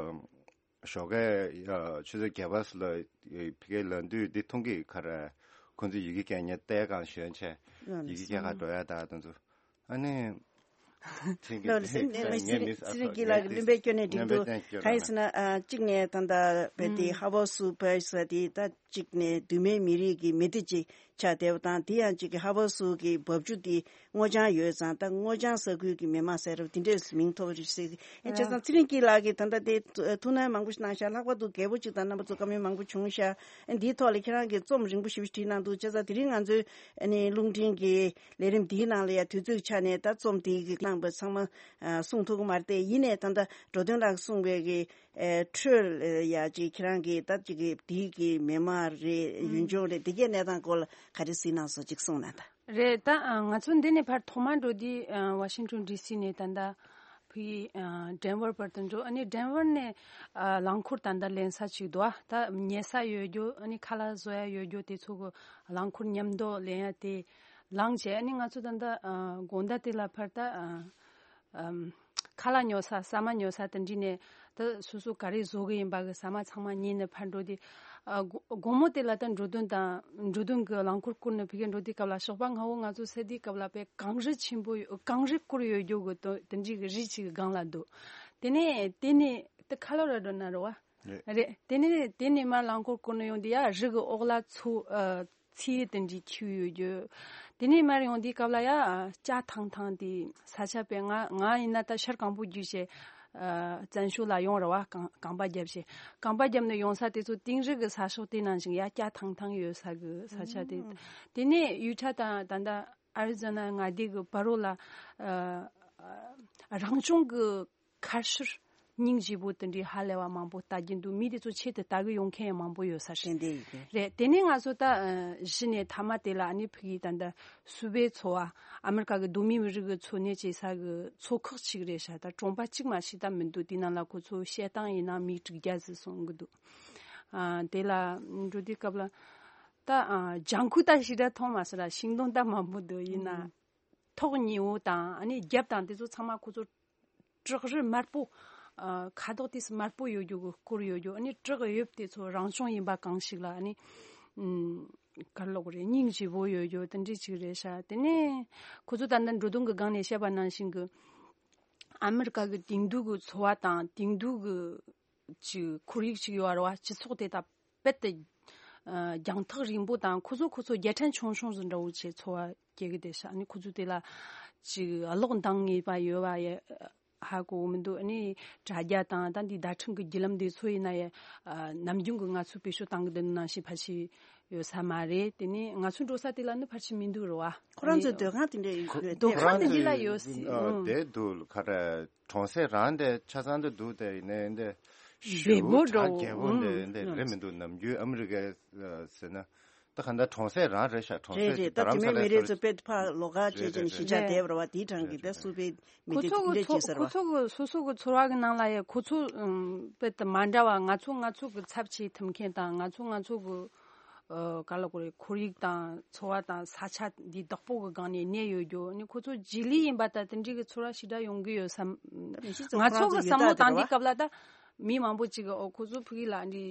ཞོགས་ཀས་ཆུ་ཚོད་བརྒྱད་པ་ལ་ཕ་གིར་ལ་འདུས་འདི་མཐོང་གི་ཁར་ཁོང་ཚོས་ཡི་གེ་སྐད་ཉན་ལྟས་གང་ཞོན་བྱས་ཡི་གེ་སྐད་ཁ་འགྲོ་ཡ་ད་དེ་ཚོ་ཨ་ནི། ཚེ་རིང་སྐྱིད་ལགས་ཀྱི་བློན་པོའི་སྐྱོན་ནས་འགྲིག་འདུག་གང་ཡིན་ཟེར་ན་གཅིག་ནས་ད་ལྟ་བས་དེ་ཧ་བོ་སུ་བོས་ཟེར་དེ་ད་གཅིག་ནས་གདོད་མའི་མི་རིགས་ཀྱི་མི་སྡེ་གཅིག་ཆགས་བསྡད་པ་དང་དེ་ཡང་གཅིག་གི་ཧ་བོ་སུ་གི་འབབ་ཆུ་དེ། སྔོ་ལྗང་ཡོད་ཙང་ད་སྔོ་ལྗང་ས་ཁུལ་གྱི་མི་མང་ཟེར་རབས་དེ་འདྲས་མིང་ཐོབ་རེད་ཟེར་གི་ཨེ་བྱས་ཙང་ཚེ་རིང་སྐྱིད་ལགས་ཀྱིས་ད་ལྟ་དེ་ཐུགས་སྣང་མང་པོ་ཞིག་གནང་ཤག་ལྷག་པར་དུ་རྒད་པོ་གཅིག་དང་རྣམ་པ་ཚོ་བཀའ་མོལ་མང་པོ་བྱུང་ཤག་ཨེ་འདིའི་ཐོག་ལ་ཁྱེད་རང་གིས་རྩོམ་རིང་པོ་ཞེ་པོ་བྲིས་གནང་འདུག་བྱས་ཙང་དེ་རིང་ང་ཚོའི་ཨ་ནི་རླུང་འཕྲིན་གྱི་ལས་རིམ་འདིའི་ནང་ལ་ཡང་དུས་ཚོད་ཆ་ནས་ད་རྩོམ་དེའི་གི་གནང་བ་ཚང་མ་གསུང་ཐུབ་ཀྱི་མ་རེད་དེ་ཡིན་ནའི་ད་ལྟ་འགྲོ་དོན་ལགས་གསུངས་པའི་གི་ཨེ་འཕྲོས་ཡ་ཅིག་ཁྱེད་རང་གིས་ད་ཅིག་གི་དེའི་གི་མི་མང་རེད་ཡུལ་ལྗོངས་རེད་དེ་གའི་གནས་སྟངས་སྐོར་ལ་ག་རེ་གཟིགས་གནང་སོང་ཅིག་གསུངས་གནང་དང་། རེད་ད། ང་ཚོ་འདི་ནས་ཕར་ཐོག་མར་འགྲོ་དུས་ཝ་ཤིང་ཊོན་ཌི་སི་ནས་ད་ལྟ་ཕི་ཌེན་ཝར་བར་དུ་འགྲོ། ཨ་ནི་ཌེན་ཝར་ནས་རླངས་འཁོར་ད་ལྟ་ལེན་ས་ཅིག་འདུག་ད་ཉལ་ས་ཡོད་རྒྱུ་ཨ་ནི་ཁ་ལག་བཟོ་ཡ་ཡོད་རྒྱུ་དེ་ཚོ་གི་རླངས་འཁོར་མཉམ་དུ་ལེན་ཡ་དེ་ལངས་བྱས། ཨ་ནི་ང་ཚོ་ད་ལྟ་དགོང་དག་དེ་ལ་ཕར་ད། ཨམ། ཁ་ལག་ཉོ་ས་ཟ་མ་ཉོ་ས་དེ་འདྲ་ནས་ད་སོ་སོ་ག་རེ་བཟོ་གི་ཡིན་པ་གི་ཟ་མ་ཚང་མ་ཉོས་ནས་ཕར་འགྲོ་དུས། ཨ་དགོང་དགོང་མོ་དེ་ལ་ད་འགྲོ་དོན་དང་འགྲོ་དོན་གི་རླངས་འཁོར་བསྐོར་ནས་ཕ་གིར་འགྲོ་དུས་སྐབས་ལ་ཞོགས་པ་སྔ་བོ་ང་ཚོ་སད་དུས་སྐབས་ལ་དཔེ་གངས་རི་ཆེན་པོ་ཡོད་གངས་རི་བསྐོར་ཡོད་རྒྱུ་གི་དོ་དེ་འདྲའི་གི་རི་ཅིག་གི་སྒང་ལ་འདུག་དེ་ནས་དེ་ནས་ད་ཁ་ལོ་ར་འགྲོ་ན་རེད་བ། རེད། དེ་ནས་དེ་ནས་མར་རླངས་འཁོར་བསྐོར་ནས་ཡོང་དུས་ཡ་རི་གི་འོག་ལ་མཚོ་ཨ། ཚི་དེ་འདྲའི་ཁྱེར་ཡོད་རྒྱུ། དེ་ནས་མར་ཡོང་དུས་སྐབས་ལ་ཡ་ལྕགས་ཐང་ཐང་དེ་ས་ཆ་དཔེ་ང་ང་ཡིན་ན་ད་ཤར་གང་པོ་བརྒྱུད་བྱས་བཙན་བྱོལ་ལ་ཡོང་ར་བ་རྐང་རྐང་པ་བརྒྱབ་བྱས་རྐང་པ་བརྒྱབ་ནས་ཡོང་ས་དེ་ཚོ་དིང་རི་གི་ས་ཕྱོགས་དེ་ནང་བཞིན་ཡ་ལྕགས་ཐང་ཐང་ཡོད་ས་གི་ས་ཆ་དེ། དེ་ནས་ཡུ་ཊ་དང་ད་ལྟ་ཨ་རི་ཛོ་ན་མངའ་སྡེ་གི་བར་རོ་ལ་རང་བྱུང་གི་ཁ་ཤུར་སྙིང་རྗེ་པོ་དེ་འདྲའི་ཧ་ལས་པ་མང་པོ་ལྟ་རྒྱུ་འདུག་མི་དེ་ཚོ་ཆེད་དུ་ལྟ་གི་ཡོང་མཁན་ཡང་མང་པོ་ཡོད་ས་རེད། དེ་འདྲ་ཡིན་གི། རེད། དེ་ནས་ང་ཚོ་ད་ཨ་གཞི་ནས་མཐའ་མ་དེ་ལ་ཨ་ནི་ཕ་གིའི་ད་ལྟ་སུ་པའི་ཚོ་བ་ཨ་མི་རི་ཀ་གི་གདོད་མའི་མི་རིགས་ཀྱི་འཚོ་གནས་བྱེད་ས་གི་ཚོ་ཁག་ཅིག་རེད་ཤག་ད་གྲོང་པ་གཅིག་མ་ཞིག་ད་མི་འདུག་དེ་ནང་ལ་ཁོ་ཚོ་བཤད་སྟངས་ཡིན་ན་མི་དྲུག་བརྒྱ་ཟིག་སོང་གི་འདུག་ཨ་དེ་ལ་འགྲོ་དུས་སྐབས་ལ་ད་ཨ་ལྗང་ཁུ་ད་ཞེ་དྲག་མཐོང་མ་སོང་ར། ཤིང་སྡོང་ད་མང་པོ་འདུག་ཡིན་ན་ཐོག་ཉེ་བོ་དང་ཨ་ནི་རྒྱབ་དང་དེ་ཚོ་ཚང་མ་ཁོ་ཚོ་བྲག་རི་དམར་པོ། ཨ་ཁ་དོག་དེ་དམར་པོ་ཡོད་རྒྱུ་གི་སྐོར་ཡོད་རྒྱུ། ཨ་ནི་བྲག་གཡབ་དེ་ཚོ་རང་བྱུང་ཡིན་པ་གང་ཞིག་ལ་ཨ་ནི་ཨམ་ག་རེ་ལབ་དགོས་རེད། སྙིང་རྗེ་བོ་ཡོད་རྒྱུ་དེ་འདྲ་ཅིག་རེད་ཤག་དེ་ནས་ཁོ་ཚོ་ད་ལྟ་འགྲོ་དོན་གི་སྒང་ནས་བཤད་པ་ནང་བཞིན་གི་ཨ་མི་རི་ཀ་གི་དེང་དུས་གི་འཚོ་བ་དང་དེང་དུས་གི་ཅིག་ཁོར་ཡུག་ཅིག་ཡོད་རེད་བ། སྤྱི་ཚོགས་དེ་དག་རྦད་དེ་ཨ་རྒྱང་ཐག་རིང་པོ་དང་ཁོ་ཚོ་ཁོ་ཚོ་རྒྱལ་ཕྲན་ཆུང་ཆུང་ཟིག་འདྲ་བོ་བྱས་འཚོ་བ་སྐྱེལ་གི་བསྡད་ཤག་ཨ་ནི་ཁོ་ཚོ་དེ་ལ་ཅིག་གློག་འདང་ངེས་པ་ཡོད་པ་ཡ་ཧ་གོ་མི་འདུག་ཨ་ནི་དྲ་རྒྱ་དང་ད་འདི་བརྡ་འཕྲིན་གི་བརྒྱུད་ལམ་དེ་ཚོ་ཡིན་ན་ཡ་ཨ་ནམ་རྒྱུན་གི་ང་ཚོས་བེད་སྤྱོད་བཏང་གི་འདུག་ནང་བཞིན་ཕལ་ཆེར་ཡོད་ས་མ་རེད། དེ་ནས་ང་ཚོ་འགྲོ་ས་དེ་ལ་ནི་ཕལ་ཆེར་མི་འདུག་རེད་བ། ཁོ་རང་ཚོའི་སྡོད་ཁང་དེ་འདྲ་ཡོད་རེད། སྡོད་ཁང་དེ་འདི་ལ་ཡོད་སྲིད། ཨ་ཨང་། དེ་འདུག་ག་རེ། གྲོང་གསེབ་རང་དེ་ཆ་ཚང་དུ་འདུག་དེ་ཡིན་ནའི་འདི་བདེ་པོ་འདྲ་བོ། རྒྱལ་པོ་འདི་འདི་རེད་མི་འདུག་ནམ་རྒྱུན་ཨ་མི་རི་ཀའི་ཟེར་ན་ད་ག་འདྲ་གྲོང་གསེབ་རང་རེད་ཤག་གྲོང་གསེབ་རེད་རེད། ད་དེ་མིན་མི་རེ་ཚོ་དཔེ་ཕར་ལོགས་ཀ་བྱས་བྱས་ནས་གཞིས་ཆགས་བསྡད་པ་རེད་བ། དེའི་གྲས་ཀྱི་ད་སུ་པའི་མི་ཁོ་སྡེ་ཚོ་དེ་འདྲས་གི་བྱས་ཚོ་ཟེར་ཁོ་བ། ཚོ་གི་སོ་སོ་གི་ཚོར་བ་གི་ནང་ལ་ཡ་ཁོ་ཚོ་ཨམ་དཔེ་དེ་མ་འདྲ་བ། ང་ཚོ་ང་ཚོ་གི་ཚབ་བྱེད་ཐུབ་མཁན་དང་ང་ཚོ་ང་ཚོ་གི་ཨ་ག་ལ་གོ་རེ་ཁོར་ཡུག་དང་འཚོ་བ་དང་ས་ཆ་འདི་བདག་པོ་གི་སྒང་ནས་གནས་ཡོད་རྒྱུ་ནི་ཁོ་ཚོ་རྗེས་ལུས་ཡིན་པ་ད་དེ་འདྲའི་གི་ཚོར་བ་ཞེ་དྲག་ཡོང་གི་ཡོད་བསམ། ད་ནི་ཤི་ཚོ་ང་ཁོ་རང་ཚོ་ཚོ་གི་ཡོད་བསམ་བློ་ད་དེ་བཏང་རེད་དུས་བ། སྐབས་ལ་ད་ མི་མང་པོ་ཅིག་ཨོ་ཁོ་ཚོ་ཕ་གི་ལ་འདི་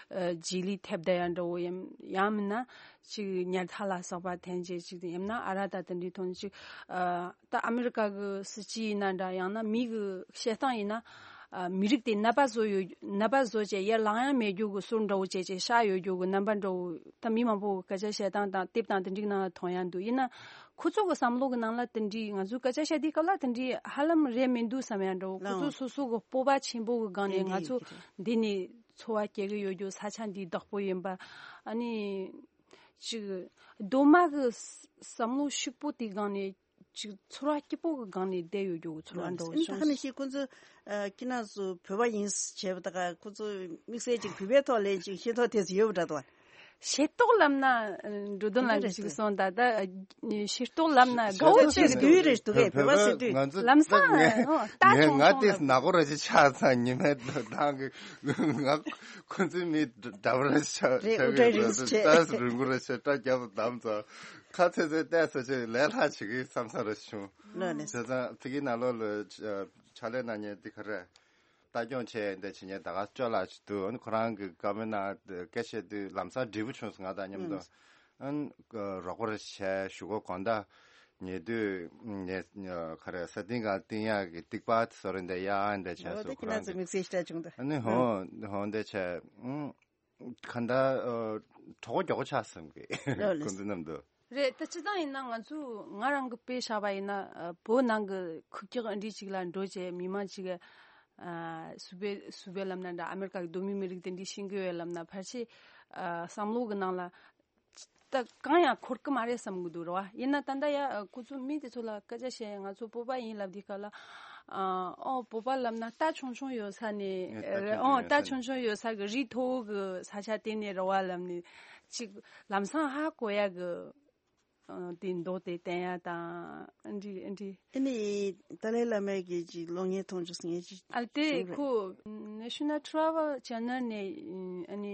ཨ་རྗེས་ལུས་ཐེབས་བསྡད་ཡ་འདྲ་བོ་ཡིན་ཡང་མིན་ན་ཅིག་ཉལ་ཐ་ལ་སོགས་པ་འཐེན་བྱས་ཅིག་ཡིན་ན་ཨ་ར་ད་དེ་འདྲའི་ཐོག་ནས་ཅིག་ཨ་ད་ཨ་མི་རི་ཀ་གི་སྲིད་སྤྱི་ཡིན་ན་འདྲ་ཡང་ན་མི་གི་བཤད་སྟངས་ཡིན་ན་ཨ་མི་རིགས་དེ་ནད་པ་བཟོ་ཡོད་ནད་པ་བཟོ་བྱས་ཡར་ལངས་ཡ་མེད་རྒྱུ་གི་སོར་འདྲ་བོ་བྱས་བྱས་ཤ་ཡོད་རྒྱུ་གི་རྣམ་པ་འདྲ་བོ་ད་མི་མང་པོ་གི་སྐད་ཆ་བཤད་སྟངས་དང་དེབ་དང་དེ་འདྲའི་ནང་ལ་མཐོང་ཡ་འདུག་ཡིན་ན། ཁོ་ཚོ་གི་བསམ་བློ་གི་ནང་ལ་དེ་འདྲའི་ང་ཚོའི་སྐད་ཆ་བཤད་དུས་སྐབས་ལ་དེ་འདྲའི་ཧ་ལམ་རེད་མི་འདུག་བསམ་ཡ་འདྲ་བོ། ཁོ་ཚོ་ལའང་སོ་སོ་གི་སྤོབས་པ་ཆེན་པོ་གི་སྒང་ནས་ང་ཚོ་འདི་ནས་འཚོ་བ་སྐྱེལ་གི་ཡོད་རྒྱུ་ས་ཆ་འདི་བདག་པོ་ཡིན་པ། ཨ་ནི་ཅིག་གདོད་མ་གི་བསམ་བློ་ཕྱུག་པོ་དེའི་སྒང་ནས་ཅིག་ཚོར་བ་སྐྱིད་པོ་གི་སྒང་ནས་བསྡད་ཡོད་རྒྱུ་གི་ཚོར་བ་འདྲ་བོ་ཨ་ནི་ད་བྱུང་། ནི་ཤི་ཁོ་ཚོ་ཨ་ཁྱེད་རང་ཚོ་བོད་པ་ཡིན་བྱས་པ་ད་ག་ཁོ་ཚོ་དམིགས་བསལ་ཅིག་བོད་པའི་ཐོག་ལ་ཅིག་ཤེས་རྟོགས་དེ་ཚོ་ཡོད་པ་འདྲ་འདུག་བ། ཤེས་རྟོགས་ལབ་ན་འགྲོ་དོན་ལ་འདི་ཞིག་སོང་ད་ད་ཤེས་རྟོགས་ལབ་ན་དགའ་བོ་ཆེ་གི་དུས་རེ་འདུག་གས་བོད་པ་ཟེར་དུས་ང་ཚོ་ལམ་སང་ད་ངས་ང་ཆུང་ཆུང་དེ་ལ་ནག་པོ་ར་ཅིག་ཆགས་ཚར་ཉི་མའི་ད་གི་ང་ཁོ་ཚོའི་མི་འདྲ་པོ་ར་ཆགས་རེད། ཆགས་ཨུ་ཏྲ་གི་རིང་རེད་ཆེ་ད་རིང་པོ་ར་ཆེ་སྐྲ་རྒྱབ་དམ་ཚ་ཁ་ཚེ་ཚེ་བལྟས་ས་ཆེ་ལས་སླ་བྱེད་གི་བསམ་ས་ར་བྱུང་། ལོས་ནས་བྱས་ཙང་ཕ་གི་ནང་ལོགས་ལ་ཕྱག་ལས་གནང་མཁན་འདི་ག་རེ། ལྟ་སྐྱོང་བྱས་འདི་བྱེད་མཁན་ད་ག་སྤྱོད་ལགས་ཅིག་འདུག་ཨ་ནི་ཁོ་རང་གི་བཀའ་མོལ་ནང་སྐད་བཤད་དུས་ལམ་སང་འབྲས་བུ་བྱུང་སོང་ང་དང་མཉམ་དུ། ཨ་ནི་རོགས་པ་རེ་བྱས་གཞུག་གུ་དགོང་དག་ཉལ་དུས་ཉལ་ག་རེ་ས་སྟེང་ག་བཏིང་ཡག་གི་རྟིག་པ་དེ་ཚོ་རེ་འདི་གཡར་འདི་བྱས་སོང་ཁོ་རང་གི། དམིགས་བསལ་ཞིག་བྱུང་འདུག་ཨ་ནི་ཧོ་ཧོ་འདི་བྱས་ཨུ། གང་ལྟར་གྲོགས་པོ་མགྱོགས་པོ་ཆགས་སོང་གི་ལོས་ལོས། ཁོང་ཚོ་མཉམ་དུ། རེད། ད་སྤྱིར་བཏང་ཡིན་ན་ང་ཚོ་ང་རང་གི་དཔེ་བཞག་པ་ཡིན་ན་བོད་ནང་གི་ཁུག་ཀྱོག་འདི་ཅིག་ལ་འགྲོ་བྱས་མི་མང་ཅིག་གི་སུ་བེ་སུ་བེ་ལབ་ན་འདྲ་ཨ་མེ་རི་ཀ་གི་གདོད་མའི་མི་རིགས་དེ་འདྲའི་ཤེས་ཀྱི་ཡོད་ལབ་ན་ཕལ་ཆེར་བསམ་བློ་གི་ནང་ལ་ད་གང་ཡང་འཁོར་གི་མ་རེད་བསམ་གི་འདུག་རེད་བ། ཡིན་ན་ད་ལྟ་ཡ་ཁོ་ཚོ་མི་དེ་ཚོ་ལ་སྐད་ཆ་བཤད་ང་ཚོ་བོད་པ་ཡིན་ལབ་དུས་སྐབས་ལ་ཨོ་བོད་པ་ལབ་ན་རྟ་ཆུང་ཆུང་ཡོད་ས་ནས་ཨོ་རྟ་ཆུང་ཆུང་ཡོད་ས་གི་རི་མཐོ་བོ་གི་ས་ཆ་དེ་ནས་རེད་བ་ལབ་ནས་ཅིག་ལམ་སང་ཧ་གོ་ཡ་གི་དེ་མདོག་དེ་བསྟན་ཡ་དང་འདི་འདི། ཨ་ནི་ཏཱ་ལའི་བླ་མའི་གི་ཅིག་གློག་བརྙན་མཐོང་བྱུང་ངས་ཅིག་ཨ་དེ་ཁོ་National Travel Channel ནས་ཨ་ནི།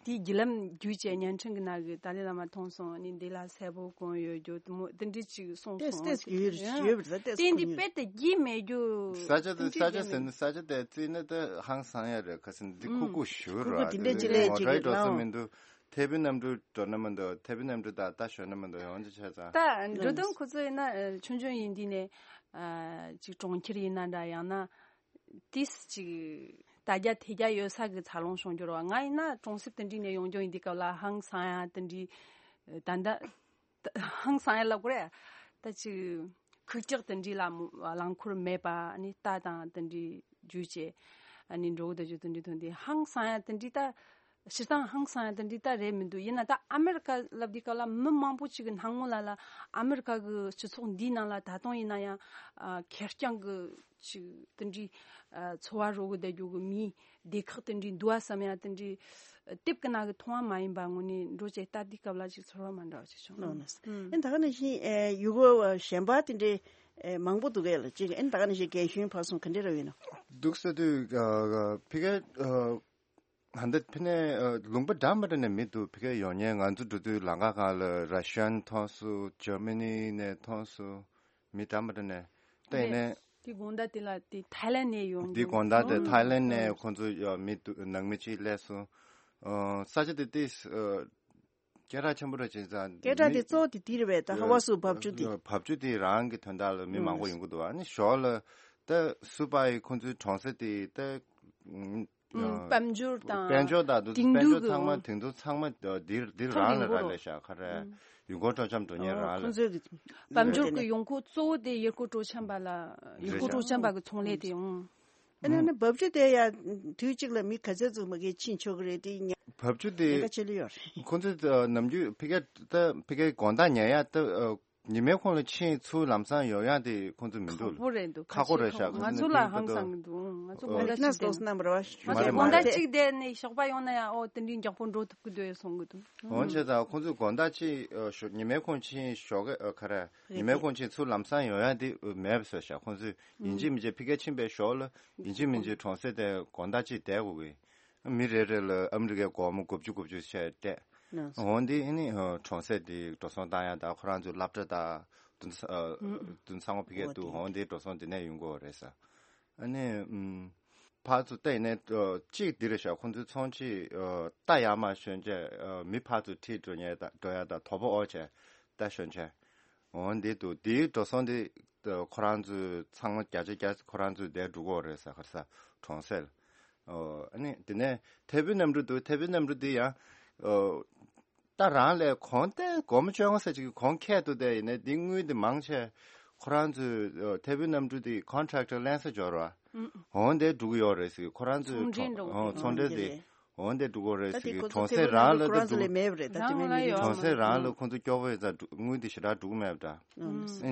དེའི་བརྒྱུད་ལམ་བརྒྱུད་བྱས་བརྙན་འཕྲིན་གྱི་ནང་གི་ཏཱ་ལའི་བླ་མ་མཐོང་སོང་ནི་འདི་ལ་གསལ་པོ་གང་ཡོད་རྒྱུ་དེ་མོ་དེ་འདྲི་ཅིག་གསུངས་ཏེས་སོང་ཏེས་ཡོད་ཡོད་པ་རེད་ཏེས་དེ་འདི་ཁུ་དཔེ་དེ་རྒྱུས་མེད་རྒྱུ་ས་ཆ་དེ་ས་ཆ་ཟེར་ན་ས་ཆ་དེ་བརྩིས་ན་དེ་ཧང་སང་ཡ་རེད། ཁ་སང་འདི་ཁུག་ཁུག་ཞུ་ར་ཁུག་ཁུག་དེ་འདྲ་ཅིག་ལས་ཅིག་ངོ་རེད་འགྲོ་ས་ལ་མི་འདུག་ཐེ་བི་གནམ་གྲུ་འགྲོ་ན་མི་འདུག་ཐེ་བི་གནམ་གྲུ་དང་ད་ཞོན་ན་མི་འདུག་ཡོང་ཅི་བྱས་ཙང་། ད་འགྲོ་དོན་ཁོ་ཚོ་ཡིན་ན་ཆུང་ཆུང་ཡིན་དུས་ནས་ཅིག་གྲོང་ཁྱེར་ཡིན་ན་འདྲ་ཡང་ན། ཏིས་ཅིག་ད་རྒྱ་ཐེ་རྒྱ་ཡོད་ས་གི་འཚར་ལོངས་བྱུང་རྒྱུ་རེད་བ། ང་ཡིན་ན་གྲོང་གསེབ་དེ་འདྲི་ནས་ཡོང་རྒྱུ་ཡིན་དུས་སྐབས་ལ་ཧང་སང་ཡ་དེ་འདྲི་ད་ད་ཧང་སང་ཡ་ལབ་དགོས་རེད། ད་ཅིག་ཁུག་ཀྱག་དེ་འདྲི་ལ་རླངས་འཁོར་མེད་པ་ནི་རྟ་དང་དེ་འདྲི་རྒྱུ་བྱས་ནི་འགྲོ་གི་ད་རྒྱུ་དེ་འདྲི་ཐོན་དུས་ཧང་སང་ཡ་དེ་འདྲི་ད། སྤྱིར་བཏང་ཧང་སང་ཡ་དེ་འདྲི་ད་རེད་མི་འདུག་ཡིན་ན་ད་ཨ་མེ་རི་ཀ་ལབ་དུས་སྐབས་ལ་མི་མང་པོ་ཅིག་གི་སྣང་ངོ་ལ་ལ་ཨ་མེ་རི་ཀ་གི་སྤྱི་ཚོགས་འདིའི་ནང་ལ་ད་དུང་ཡིན་ན་ཡང་ཨ་ཁེར་རྐྱང་གི་ཅིག་དེ་འདྲི་ཨ་འཚོ་བ་རོལ་གི་བསྡད་རྒྱུ་གི་མིའི་སྡེ་ཁག་དེ་འདྲི་འདུག་ཨ་བསམ་ཡ་དེ་འདྲི་དེབ་ཀྱི་ནང་གི་མཐོང་བ་མ་ཡིན་པ་དངོས་གནས་འགྲོ་བྱས་ལྟ་དུས་སྐབས་ལ་ཅིག་ཚོར་བ་མ་འདྲ་བ་ཅིག་བྱུང་། ལགས་ལགས། ཨེ་ད་ག་ནང་བཞིན་ཨེ་ཡུལ་སྐོར་བ་གཞན་པ་དེ་འདྲའི་ཨེ་མང་པོ་འདུག་གས་ལ་ཅིག་ཨེ་ད་ག་ནང་བཞིན་རྒན་གཞོན་བར་གསུམ་ག་འདྲ་ར་ཡོད་ན། འདུག་ཟེར་དུས་ཨ་ཕི་གེ་ཨ། ད་ལྟ་ཕི་ནས་ལུང་པ་འདྲ་མི་འདྲ་ནས་མི་འདུག་ཕི་གེ་ཡོང་མཁན་ང་ཚོ་འགྲོ་དུས་ལམ་ཁ་སྒང་ལ་ར་ཤན་མཐོང་སོང་། ཇར་མ་ནི་ནས་མཐོང་སོང་། མི་འདྲ་མི་འདྲ་ནས་ལྟ་ཡིན་ནས། དེ་དགོང་དག་དེ་ལ་དེ་ཐའི་ལན་ནས་ཡོང་དེ་དགོང་དག་དེ་ཐའི་ལན་ནས་ཁོང་ཚོ་ཡོད་མི་འདུག་ནང་མི་གཅིག་སླེབས་སོང་། ས་ཆ་དེ་ཏིས་སྐད་གྲགས་ཆེན་པོ་རེད་བྱས་ཙང་། སྐད་གྲགས་དེ་གཙོ་བོ་དེ་དེ་རེད་པས། ད་ཧ་བ་སུ་བབ་ཅུ་དེ། བབ་ཅུ་དེ་རང་གི་དོན་དག་ལ་མི་མང་པོ་ཡོང་གི་འདུག་ཨ་ནི་ཞོར་ལ་ད་སུ་པ་ཡི་ཁོང་ཚོའི་གྲོང་གསེབ་དེ་ད། དཔལ་འབྱོར་དང་དཔལ་འབྱོར་དང་དེང་དུས་ཀྱི་དཔལ་འབྱོར་ཚང་མ་དེང་དུས་ཚང་མ་འདིར་འདིར་རང་ལ་རག་ལས་ཤག་ག་རེ། ཡུལ་སྐོར་སྤྲོ་འཆམ་འགྲོ་མཁན་རང་ལ། ཁོང་ཚོའི་དཔལ་འབྱོར་གྱི་ཡོང་ཁུངས་གཙོ་བོ་དེ་ཡུལ་སྐོར་སྤྲོ་འཆམ་པ་ལ་ཡུལ་སྐོར་སྤྲོ་འཆམ་པ་གི་ཚོང་ལས་དེ་ཡོང་། ཨ་ནི་ཨ་ནི་བབ་ཅུ་དེ་ཡ་དུས་གཅིག་ལ་མི་ག་ཚད་ཙམ་མ་གིས་ཕྱིན་ཆོག་གི་རེད་དེ་ཉ། བབ་ཅུ་དེ་ཉེན་ཁ་ཆེ་ལོས་ཡོད་རེད། ཁོང་ཚོས་ནམ་རྒྱུན་ཕི་གེ་ད་ཕི་གེ་དགོང་དག་ཉལ་ཡ་ད་ཉི་མའི་ཁོངས་ལ་ཕྱིན་ཚུར་ལམ་སང་ཡོང་ཡ་དེ་ཁོང་ཚོ་མི་འདུག་ཁག་པོ་རེད་འདུག་ཁག་པོ་རེད་ཤག་ང་ཚོ་ལ་ཧང་སང་གི་འདུག་ང་ཚོ་དགོང་དག་གཅིག་བསྡད་ན་ང་ཚོ་དགོང་དག་གཅིག་བསྡད་ནས་ཞོགས་པ་ཡོང་ན་ཡང་ཨོ་དེ་འདྲའི་མགྱོགས་པོ་འགྲོ་ཐུབ་ཀྱི་འདུག་གསུང་གི་འདུག་འོན་ཆེ་ད་ཁོང་ཚོས་དགོང་དག་གཅིག་ཉི་མའི་ཁོངས་ཕྱིན་ཞོགས་ཀ་ཁ་ར་ཉི་མའི་ཁོངས་ཕྱིན་ཚུར་ལམ་སང་ཡོང་ཡ་དེ་མེད་པ་བཟོས་ཤག་ཁོང་ཚོས་ཡིན་གཅིག་མིན་གཅིག་ཕི་གེ་ཕྱིན་པའི་ཞོར་ལ་ཡིན་གཅིག་མིན་གཅིག་གྲོང་གསེབ་དེ་དགོང་དག་གཅིག་བསྡད་དགོས་གི། མི་རེ་རེ་ལ་ཨ་མི་རི་ཀའི་སྒོར་མོ་དགུ་བཅུ་དགུ་བཅུ་བྱས་སྤྲད། འོང་དེ་ཨ་ནི་གྲོང་གསེབ་དེ་འགྲོ་སོང་བཏང་ཡ་དང་ཁོ་རང་ཚོའི་སློབ་གྲྭ་དང་དུ་དུ་ཚང་མ་ཕི་གེ་འདུག་འོང་དེ་འགྲོ་སོང་དེ་ནས་ཡོང་དགོས་རེད་ས། ཨ་ནི་ཨུམ། ཕར་ཚུར་བལྟས་ནས་ཨ་གཅིག་འདི་རེད་ཤག་ཁོང་ཚོའི་ཚོང་ཆེན་ཨ་རྟ་ཡར་མར་ཞོན་བྱས་ཨ་མི་ཕར་ཚུར་ཁྲིད་འགྲོ་ཉེན་ད་འགྲོ་ཡ་ད་དོ་པོ་ཨོ་བྱས་རྟ་ཞོན་བྱས། འོ་འདི་འདུག་འདིའི་འགྲོ་སོང་འདི་ཨ་ཁོ་རང་ཚོའི་ཚང་མ་བརྒྱ་ཆ་བརྒྱ་ཁོ་རང་ཚོའི་བསྡད་འགྲོ་གི་ཡོད་རེད་ཟེར། ག་རེ་ཟེར། གྲོང་གསེབ། ཨོ་ཨ་ནི་དེ་ནས་ཐེ་བོད་གནམ་གྲུ་འདུག་ཐེ་བོད་གནམ་གྲུ་འདི་ཡང་ཨོ། ད་རང་ལས་གོང་ཏེ་སྒོར་མོ་བཅོ་ལྔ་ཙམ་ཅིག་གོང་ཁེ་འདུག་དེ་ཡིན་ནའི་འདི་དངུལ་འདི་མང་ཆེ་ཁོ་རང་ཚོའི་ཨ་ཐེ་བོད་གནམ་གྲུ་འདི་ཀོན་ཊེག་ཊར་ལེན་ས་འབྱོར་བ། འོང་དེ་འགྲོ་གི་ཡོད་རེད་ཟེར། ཁོ་རང་ཚོའི་ཚོང་འབྲེལ་འགྲོ་གི་ཨོ་ཚོང་འབྲེལ་འདི་འོང་དེ་འགྲོ་གི་རེད་ཟེར། གི་གྲོང་གསེབ་རང་ལ་ད་འགྲོ་ལས་མེད་པ་རེད། ད་ཅི་མེད་མེད་གྲོང་གསེབ་རང་ལ་ཁོང་ཚོ་སྐྱོ་པོ་ཡོད་ཙང་དངུལ་འདི་ཞེ་དྲག་འགྲོ་གི་མེད་པ་འདྲ།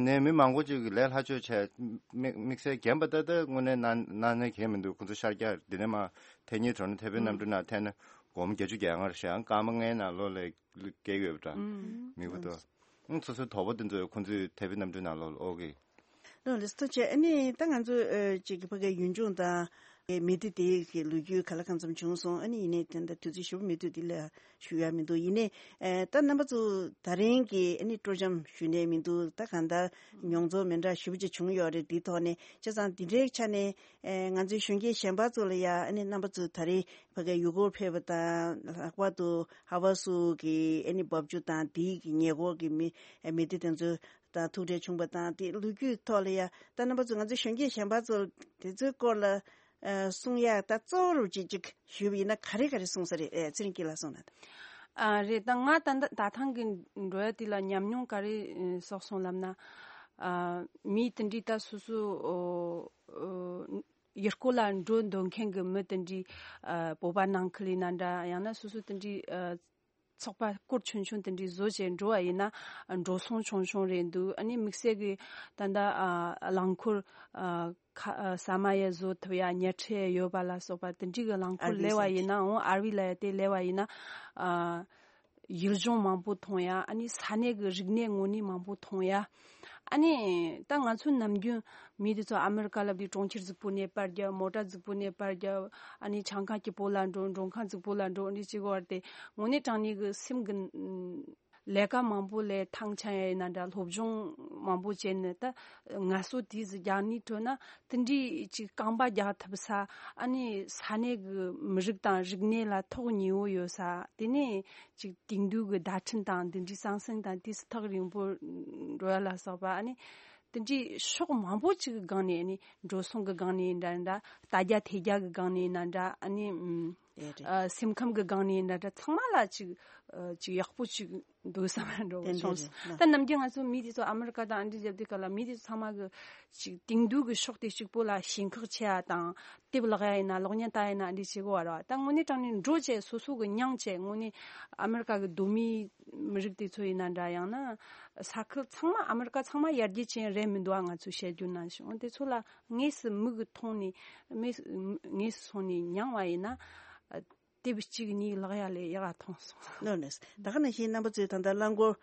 ནས་མི་མང་པོ་ཅིག་གི་ལས་སླ་བཅོས་བྱས་དམིགས་དམིགས་བསལ་རྒན་པ་ད་ལྟ་དངོས་གནས་གནང་གནང་ནས་གལ་མི་འདུག་ཁོང་ཚོ་ཤར་རྒྱག་འདི་ནས་མ་ཐེངས་གཉིས་འགྲོ་ན་ཐེ་བོད་གནམ་གྲུ་ནང་ཐེན་ན་སྒོར་མོ་བརྒྱད་ཅུ་གྱ་ལྔ་རེ་བཞག་སྐར་མ་ལྔའི་ནང་ལོགས་ལ་སྐྱེལ་ཡོད་པ་འདྲ། མི་བུ་དོ། ཨང་སོ་སོའི་དོ་པོ་དེ་ཚོས་ཁོང་ཚོའི་ཐེ་བོད་གནམ་གྲུ་ནང་ལོགས་ལ་ཨོ་གི། ལོ་ལེ་སྟོ་ཆེ། ཨ་ནི་ད་ང་ཚོ་ཨ་ཅིག་གི་ཕ་གའི་ཡུལ་ལྗོངས་དང་མི་སྡེ་དེ་གི་ལོ་རྒྱུས་ག་ལ་གང་འཚམ་བྱུང་སོང་། ཨ་ནི་ཡིན་ནའི་དེ་འདྲ་དུས་ཚོད་ཞེ་པོ་མི་འདུག་འདི་ལ་ཞུ་ཡ་མི་འདུག་ཡིན་ནའི་ཨ་ད་རྣམ་པ་ཚོ་ད་རིང་གི་ཨ་ནི་སྤྲོ་འཆམ་ཞུ་ནས་མི་འདུག་ད་གང་ལྟར་མྱོང་ཚོར་མི་འདྲ་ཞེ་པོ་ཅིག་བྱུང་ཡོད་རེད། འདིའི་ཐོག་ནས་བྱས་ཙང་འདི་འདྲའི་ཆ་ནས་ཨ་ང་ཚོའི་གཞོན་སྐྱེས་གཞན་པ་ཚོ་ལ་ཡ་ཨ་ནི་རྣམ་པ་ཚོ་ད་རེས་ཕ་གའི་ཡུལ་སྐོར་ཕེབས་པ་དང་ལྷག་པར་དུ་ཧ་ཝ་སུ་གི་ཨ་ནི་འབབ་རྒྱུད་དང་འདིའི་གི་ཉེ་འཁོར་གི་མི་མི་སྡེ་དེ་ཚོ་དང་ཐུག་འཕྲད་བྱུང་བ་དང་དེ་ལོ་རྒྱུས་ཐོག་ལ་ཡ་ད་རྣམ་པ་ཚོ་ང་ཚོ་གཞོན་སྐྱེས་གཞན་པ་ཚོ་དེ་ཚོའི་སྐོར་ལ་ཨ་གསུང་ཡ་ད་གཙོ་བོ་རུ་ཅིག་ཅིག་ཞུས་པ་ཡིན་ན་ག་རེ་ག་རེ་གསུང་ས་རེད། ཨེ་ཚེ་རིང་སྐྱིད་ལགས་གསུང་ན་ད། ཨ་རེད། ད་ང་ད་ད་ད་ཐེངས་ཀྱི་འགྲོ་ཡ་དེ་ལ་ཉམས་མྱོང་ག་རེ་ཨ་བསགས་སོང་ལབ་ན། ཨ་མི་དེ་འདྲའི་ད་སོ་སོ་ཨོ་ཨོ་ཡུལ་སྐོར་ལ་འགྲོ་འདོད་མཁན་གྱི་མི་དེ་འདྲའི་ཨ་བོད་པ་ནང་ཁུལ་ཡིན་ན་འདྲ། ཡང་ན་སོ་སོ་དེ་འདྲའི་ཨ་ཚོགས་པ་སྐོར་ཆུང་ཆུང་དེ་འདྲའི་བཟོ་བྱས་འགྲོ་བ་ཡིན་ན་འགྲོ་སོང་ཆུང་ཆུང་རེད་འདུག་ཨ་ནི་དམིགས་བསལ་གྱི་ད་ལྟ་ཨ་རླངས་འཁོར་ཨ་ཁ་ཨ་ཟ་མ་ཡ་བཟོ་ཐུབ་ཡ་ཉལ་ཁྲི་ཡོད་པ་ལ་སོགས་པ་དེ་འདྲའི་གི་རླངས་འཁོར་ཨར་ཝི་ལས་པ་ཡིན་ན་འོང་ཨར་ཝི་ལ་ཡ་དེ་ལས་པ་ཡིན་ན་ཨ་ཡུལ་ལྗོངས་མང་པོ་མཐོང་ཡ། ཨ་ནི་ས་གནས་གི་རིག་གནས་དངོས་གནས་མང་པོ་མཐོང་ཡ། ཨ་ནི་ད་ང་ཚོ་ནམ་རྒྱུན་མི་དེ་ཚོ་ཨ་མི་རི་ཀ་ལ་བསྡད་གྲོང་ཁྱེར་རྫིག་པོ་ནས་པར་རྒྱབ། མོ་ཊ་རྫིག་པོ་ནས་པར་རྒྱབ། ཨ་ནི་ཆང་ཁང་སྐྱིད་པོ་ལ་འགྲོ། མགྲོན་ཁང་རྫིག་པོ་ལ་འགྲོ། འདི་བྱེད་དགོས་པ་དེ་དངོས་གནས་དྲང་གནས་གི་སེམས་གི་ལས་ཀ་མང་པོ་ལས་ཐང་ཆད་ཡ་ཡིན་ན་འདྲ། སློབ་སྦྱོང་མང་པོ་བྱས་ནས་ད་ངལ་གསོ་དེ་ཟིག་རྒྱག་ནི་འདྲ་ན་དེ་འདྲའི་ཅིག་རྐང་པ་རྒྱག་ཐུབ་ས། ཨ་ནི་ས་གནས་གི་མི་རིགས་དང་རིག་གནས་ལ་ཐོག་ཉེ་བོ་ཡོད་ས། དེ་ནས་ཅིག་དེང་དུས་ཀྱི་བརྡ་འཕྲིན་དང་འདི་འདྲའི་ཟང་ཟིང་དང་དུས་སུ་ཐག་རིང་པོ་འགྲོ་ཡ་ལ་སོགས་པ། ཨ་ནི་དེ་འདྲའི་ཕྱོགས་མང་པོ་ཅིག་གི་སྒང་ནས། ཨ་ནི་འགྲོ་སོང་གི་སྒང་ནས་ཡིན་ན་འདྲ། ལྟ་རྒྱ་ཐེ་རྒྱ་གི་སྒང་ནས་ཡིན་ན་འདྲ། ཨ་ནི་ཨེ་རེད། ཨ་སེམས་ཁམས་ཀྱི་སྒང་ནས་ཡིན་ན་འདྲ། ཚང་མ་ལ་ཅིག་ཨ་ཅིག་ཡག་པོ་ཅིག་འདུག་བསམ་འགྲོ་དེ་འདྲ་བྱུང་རེད་སོང་། ན། ད་ནམ་རྒྱུན་ང་ཚོ་མི་དེ་ཚོ་ཨ་མི་རི་ཀ་དང་ཨ་འདྲ་རྒྱབ་དུས་སྐབས་ལ་མི་དེ་ཚོ་ཚང་མ་གི་ཅིག་དེང་དུས་ཀྱི་ཕྱོགས་དེ་གཅིག་པོ་ལ་ཞེན་ཁག་ཆེ་ཡ་དང་། དེབ་ཀློག་ཡ་ཡིན་ན་གློག་བརྙན་ལྟ་ཡ་ཡིན་ན་འདི་བྱེད་དགོས་པ་རེད་བ། ད་དངོས་གནས་དྲང་གནས་འགྲོ་བྱས་སོ་སོ་གི་མྱངས་བྱས་དངོས་གནས་ཨ་མི་རི་ཀ་གི་གདོད་མའི་མི་རིགས་དེ་ཚོ་ཡིན་ན་འདྲ། ཡང་ན་ས་ཁུལ་ཚང་མ་ཨ་མི་རི་ཀ་ཚང་མ་ཡར་རྒྱས་ཅན་རེད་མི་འདུག་ཨ། ང་ཚོས་བཤད་རྒྱུ་ན་ཞིག་འོ་དེ་ཚོ་ལ་དངོས་སུ་མིག་གིས་མཐོང་ནས་དངོས་སུ་སོང་ནས་མྱངས་པ་ཡིན་ན། དེབ་གཅིག་གཉིས་ཀློག་ཡ་ལས་ཡག་ག་མཐོང་སོང་། ལོ་ནས་ད་ག་ནང་བཞིན་རྣམ་པ་ཚོས་ད་ལྟ་རླངས་འཁོར་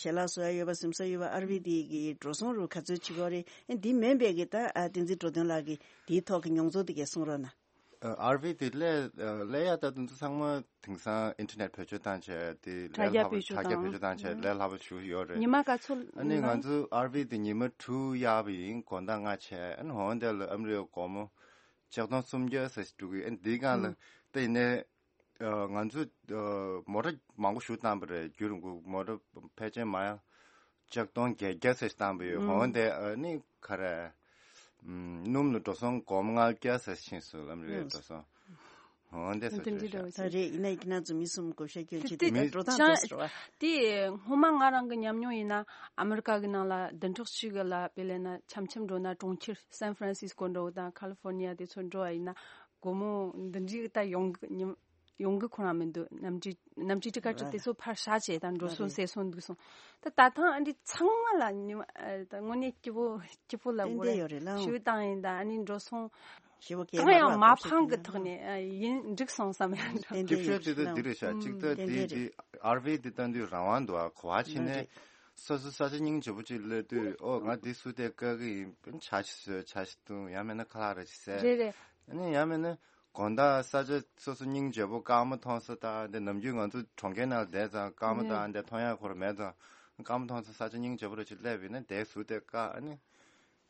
ཞལ་ལག་བཟོ་ཡ་ཡོད་པ་གཟིམ་ས་ཡོད་པ་ཨར་ཝི་དེ་གི་འགྲོ་སོང་རུ་ག་ཚོད་བྱེད་དགོས་རེད། ཨེ་འདི་མིན་པའི་གི་ད་ཨ་བསྟན་འཛིན་འགྲོ་དོན་ལགས་ཀྱིས་དེའི་ཐོག་གི་མྱོང་ཚོར་དེ་གས་གསུང་རོགས་གནང་། ཨར་ཝི་དེ་ལས་ལས་ཡ་ད་དུང་ཚང་མ་དེང་སང་ཨིན་ཊར་ནེཊ་བེད་སྤྱོད་བཏང་བྱས་དེ་ལས་སླ་པོ། དྲ་རྒྱ་བེད་སྤྱོད་བཏང་། ལས་སླ་པོ་ཞུ་ཡོད་རེད། ཉི་མ་ག་ཚོད། ཨ་ནི་ང་ཚོ་ཨར་ཝི་དེ་ཉི་མ་དྲུག་གཡར་བ་ཡིན། དགོང་དག་ལྔ་བྱས། ཨ་ནི་འོང་དེ་ལ་ཨ་མི་རི་ཀའི་སྒོར་མོ་ཆིག་སྟོང་སུམ་བརྒྱ་ཙམ་ཞིག་འགྲོ་གི། ཨ་ནི་དེའི་སྒང་ལ་ད་ཡིན་ནའི་ང་ཚོས་མོ་ཊ་མང་པོ་ཞིག་བཏང་བ་རེད། རྒྱུན་རིང་པོ་མོ་ཊ་ཕལ་ཆེར་མ་ཡ་ཆིག་སྟོང་བརྒྱད་བརྒྱ་ཙམ་ཞིག་བཏང་བ་ཡོད། འོང་དེ་ཨ་ནི་ག་རེ། སྣུམ་ལ་འགྲོ་སོང་སྒོར་མོ་ལྔ་བརྒྱ་ཙམ་ཕྱིན་སོང་ལབ་རེད། འགྲོ་སོང་། འོ་འདི་སོ་འདི་འདྲ་རེད། ད་རེད། ཡིན་ན་ཡིན་ན་ཚོ་མི་གསུམ་བགོ་བཤའ་སྐྱོན་བྱེད་དེ་དེ་འགྲོ་སྟངས་ཅང་བཟོས་རེད་བ། དེ་སྔོན་མ་ང་རང་གི་ཉམས་མྱོང་ཡིན་ན་ཨ་མི་རི་ཀ་གི་ནང་ལ་བདུན་ཕྲག་གཅིག་གི་ལ་དཔེ་ལེན་ན་འཆམ་འཆམ་འགྲོ་ན་གྲོང་ཁྱེར་སན་ཧྥ་རན་སིས་ཀོ་འགྲོ་དང་ཁ་ལི་ཧྥོར་ནི་ཡ་དེ་ཚོ་འགྲོ་བ་ཡིན་ན་སྒོར་མོ་འདི་འདྲའི་ད་ཡོང་གི་ཉམས་ཡོང་གི་ཁོ་རང་མི་འདུག་གནམ་གྲུ་གནམ་གྲུ་ཊི་ཀེ་ཊི་དེ་ཚོ་ཕར་བཞག་བྱས་དང་འགྲོ་སོང་ཟད་སོང་འདུག་སོང་། ད་ད་ཐེངས་ཨ་འདི་ཚང་མ་ལ་ཉི་མ་ཨ་ད་དངོས་གནས་སྐྱིད་པོ་སྐྱིད་པོ་ལ་ཏན་སྒོ་ཏན་ར་ཡོད་རེད་ལ། ཞུ་བཏང་ཡིན། ད་ཨ་ནི་འགྲོ་སོང་ཞེ་པོ་གང་ཡང་མ་ཕངས་གི་ཐོག་ནས་ཨ་ཡིན་འགྲིག་སོང་བསམ་ཡང་འདྲ། ཏན་ཏན་སྐྱིད་ཤོས་དེ་ད་འདི་རེད་ཤག་ཨུམ། གཅིག་ད་ཏན་འདི་ཏན་འདི་རེད། ཨར་ཝི་འདི་ད་འདི་རང་དབང་འདུག་ཨ། གོ་བ་ཕྱིན་ནས་སོ་སོ་ས་ཆ་སྙིང་རྗེ་པོ་ཅིག་སླེབས་དུས་ཨོ་ང་འདི་སུ་དེ་བཀག་གི་ཡིན། ཇ་ཞིག་བཟོས། ཇ་ཞིག་བཏུང་། ཡང་མིན་ན་ཁ་ལག་རེ་ཞིག་བཟས། རེད་རེད། ཨ་ནི་ཡང་མིན་ན། དགོང་དག་ས་ཆ་སོ་སོ་སྙིང་རྗེ་པོ་སྐར་མ་མཐོང་ས་དང་འདི་ནམ་རྒྱུན་ང་ཚོ་གྲོང་ཁྱེར་ནང་བསྡད་ཙང་སྐར་མ་དང་འདི་མཐོང་ཡག་ཁོ་ར་མེད་ཙང་སྐར་མ་མཐོང་ས་ས་ཆ་སྙིང་རྗེ་པོ་རེ་ཅིག་སླེབས་ཡིན་ན་དེ་ཟུར་དེ་བཀག་ཨ་ནི་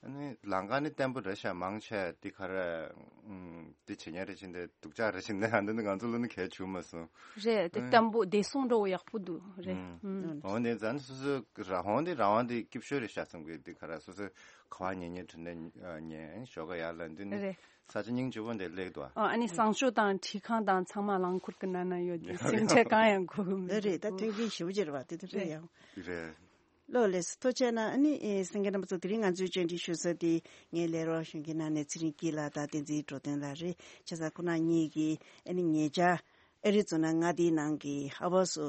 ཨ་ནི་ལམ་ཁ་ནི་བརྟན་པོ་རེད་ཤག་མང་ཆེ་འདི་ག་རེ། ཨུམ། འདི་བྱེད་མཁན་རེད་བཞིན་དེ་སྡུག་ཅག་རེད་བཞིན་དེ་ཨ་འདི་ནི་ང་ཚོ་ལ་ནི་གལ་བྱུང་མ་སོང་། རེད་དེ། ཨ། བརྟན་པོ་བདེ་སྲུང་འགྲོ་ཡག་པོ་འདུག་རེད། ཨུམ། ཨུམ། འོན་ཏེ་ཛན་སོ་སོ་ར་ཧོང་འདི་ར་ཝང་འདི་སྐྱིད་ཤོས་རེད་ཤག་བསམ་གི། འདི་ག་རེ་སོ་སོ་ག་བ་ཉན་ཉན་དྲིན་ལན་ཉན་ཞོག་ག་ཡར་ལ་འདི་ནི་རེད། ས་ཆ་སྙིང་རྗེ་པོ་འདི་སླེབས་འདུག་ཨ། ཨ་ནི་བཟང་སྤྱོད་དང་འཁྲིས་ཁང་དང་ཚང་མ་རླངས་འཁོར་གི་ནང་ན་ཡོད་དེ་སེམས་ཁྲལ་གང་ཡང་དགོས་གི་མི་འདུག་འདི་རེད། ད་མཐུན་རྐྱེན་ཞེ་པོ་ཅིག་རེད་བ། དེ་དུས་རེད། ཡང་། རེད། ལོ་ལེགས་སོ། ཐུགས་རྗེ་གནང་། ཨ་ནི་ཨེ་གསན་མཁན་རྣམ་པ་ཚོ། དེ་རིང་ང་ཚོའི་བཅར་འདྲི་ཞུ་ས་དེ་ངའི་ལས་རོགས་གཞོན་སྐྱེས་ནང་ནས་ཚེ་རིང་སྐྱིད་ལགས་དང་བསྟན་འཛིན་འགྲོ་དོན་ལགས་རེད། བྱས་ཙང་ཁོ་རང་གཉིས་ཀྱིས་ཨ་ནི་ཉེ་ཆར་ཨ་རི་ཛོ་ན་མངའ་སྡེའི་ནང་གི་ཧ་བ་སུ་